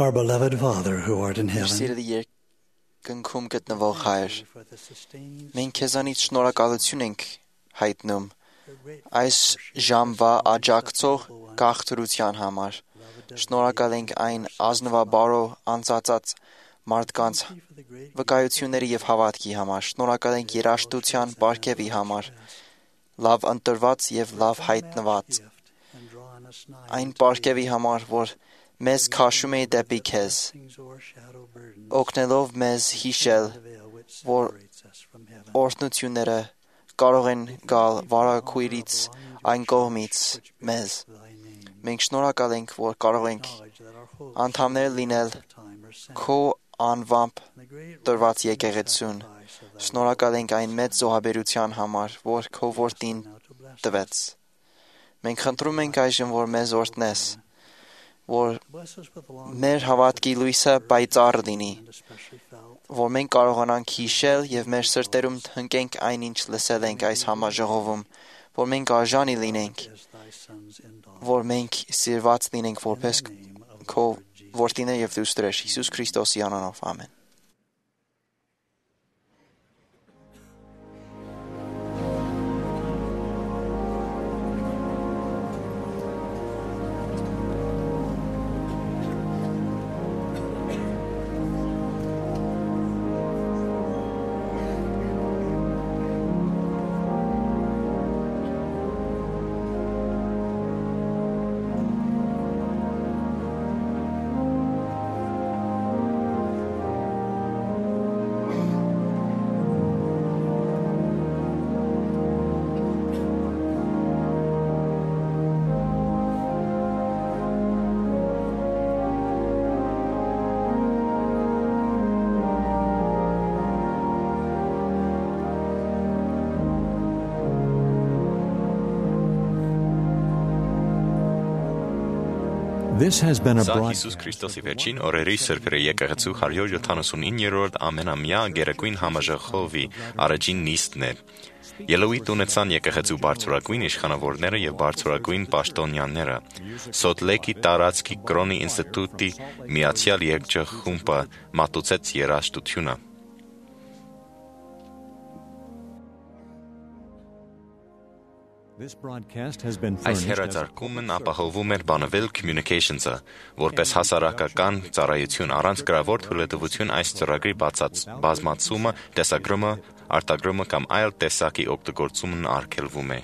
Our beloved Father who art in heaven, Սիրելի երկնքում գտնվող Հայր, մենք քեզանից շնորհակալություն ենք հայտնում այս ժամվա աջակցող գաղթրության համար։ Շնորհակալ ենք այն ազնվաբարո անցածած մարդկանց վկայությունների եւ հավատքի համար։ Շնորհակալ ենք երաշտության բարգեւի համար, լավ ընտրված եւ լավ հայտնված այն բարգեւի համար, որ մեզ քաշում է դեպի քեզ, օգնելով մեզ հիշել, որ օրհնությունները կարող են գալ վարակույրից այն կողմից մեզ։ Մենք շնորհակալ ենք, որ կարող ենք անդամներ լինել քո անվամբ տրված եկեղեցուն։ Շնորհակալ ենք այն մեծ զոհաբերության համար, որ քո որդին տվեց։ Մենք խնդրում ենք այժմ, որ մեզ օրհնես, որ մեր հավատքի լույսը պայծառ լինի, որ մենք կարողանանք հիշել եւ մեր սրտերում հնկենք այնինչ լսել ենք այս համաժողովում, որ մենք արժանի լինենք, որ մենք սիրված լինենք որպես քո որդիներ եւ դուստրեր Հիսուս Քրիստոսի անունով, ամեն։ This has been a Սա broad... Հիսուս Քրիստոսի վերջին օրերի Սրբերի եկեղեցու հարյուր յոթանասունիններորդ ամենամյա գերագույն համաժողովի առաջին նիստն է։ Ելույթ ունեցան եկեղեցու բարձրագույն իշխանավորները եւ բարձրագույն պաշտոնյաները։ Սոթլեկի տարածքի կրոնի ինստիտուտի միացյալ երկչախումբը մատուցեց երաժշտությունը։ Այս հեռարձակումն ապահովում էր Bonneville Communications-ը, որպես հասարակական ծառայություն առանց գրավոր թույլատվություն այս ծրագրի բազմացումը, տեսագրումը, արտագրումը կամ այլ տեսակի օգտագործումն արգելվում է։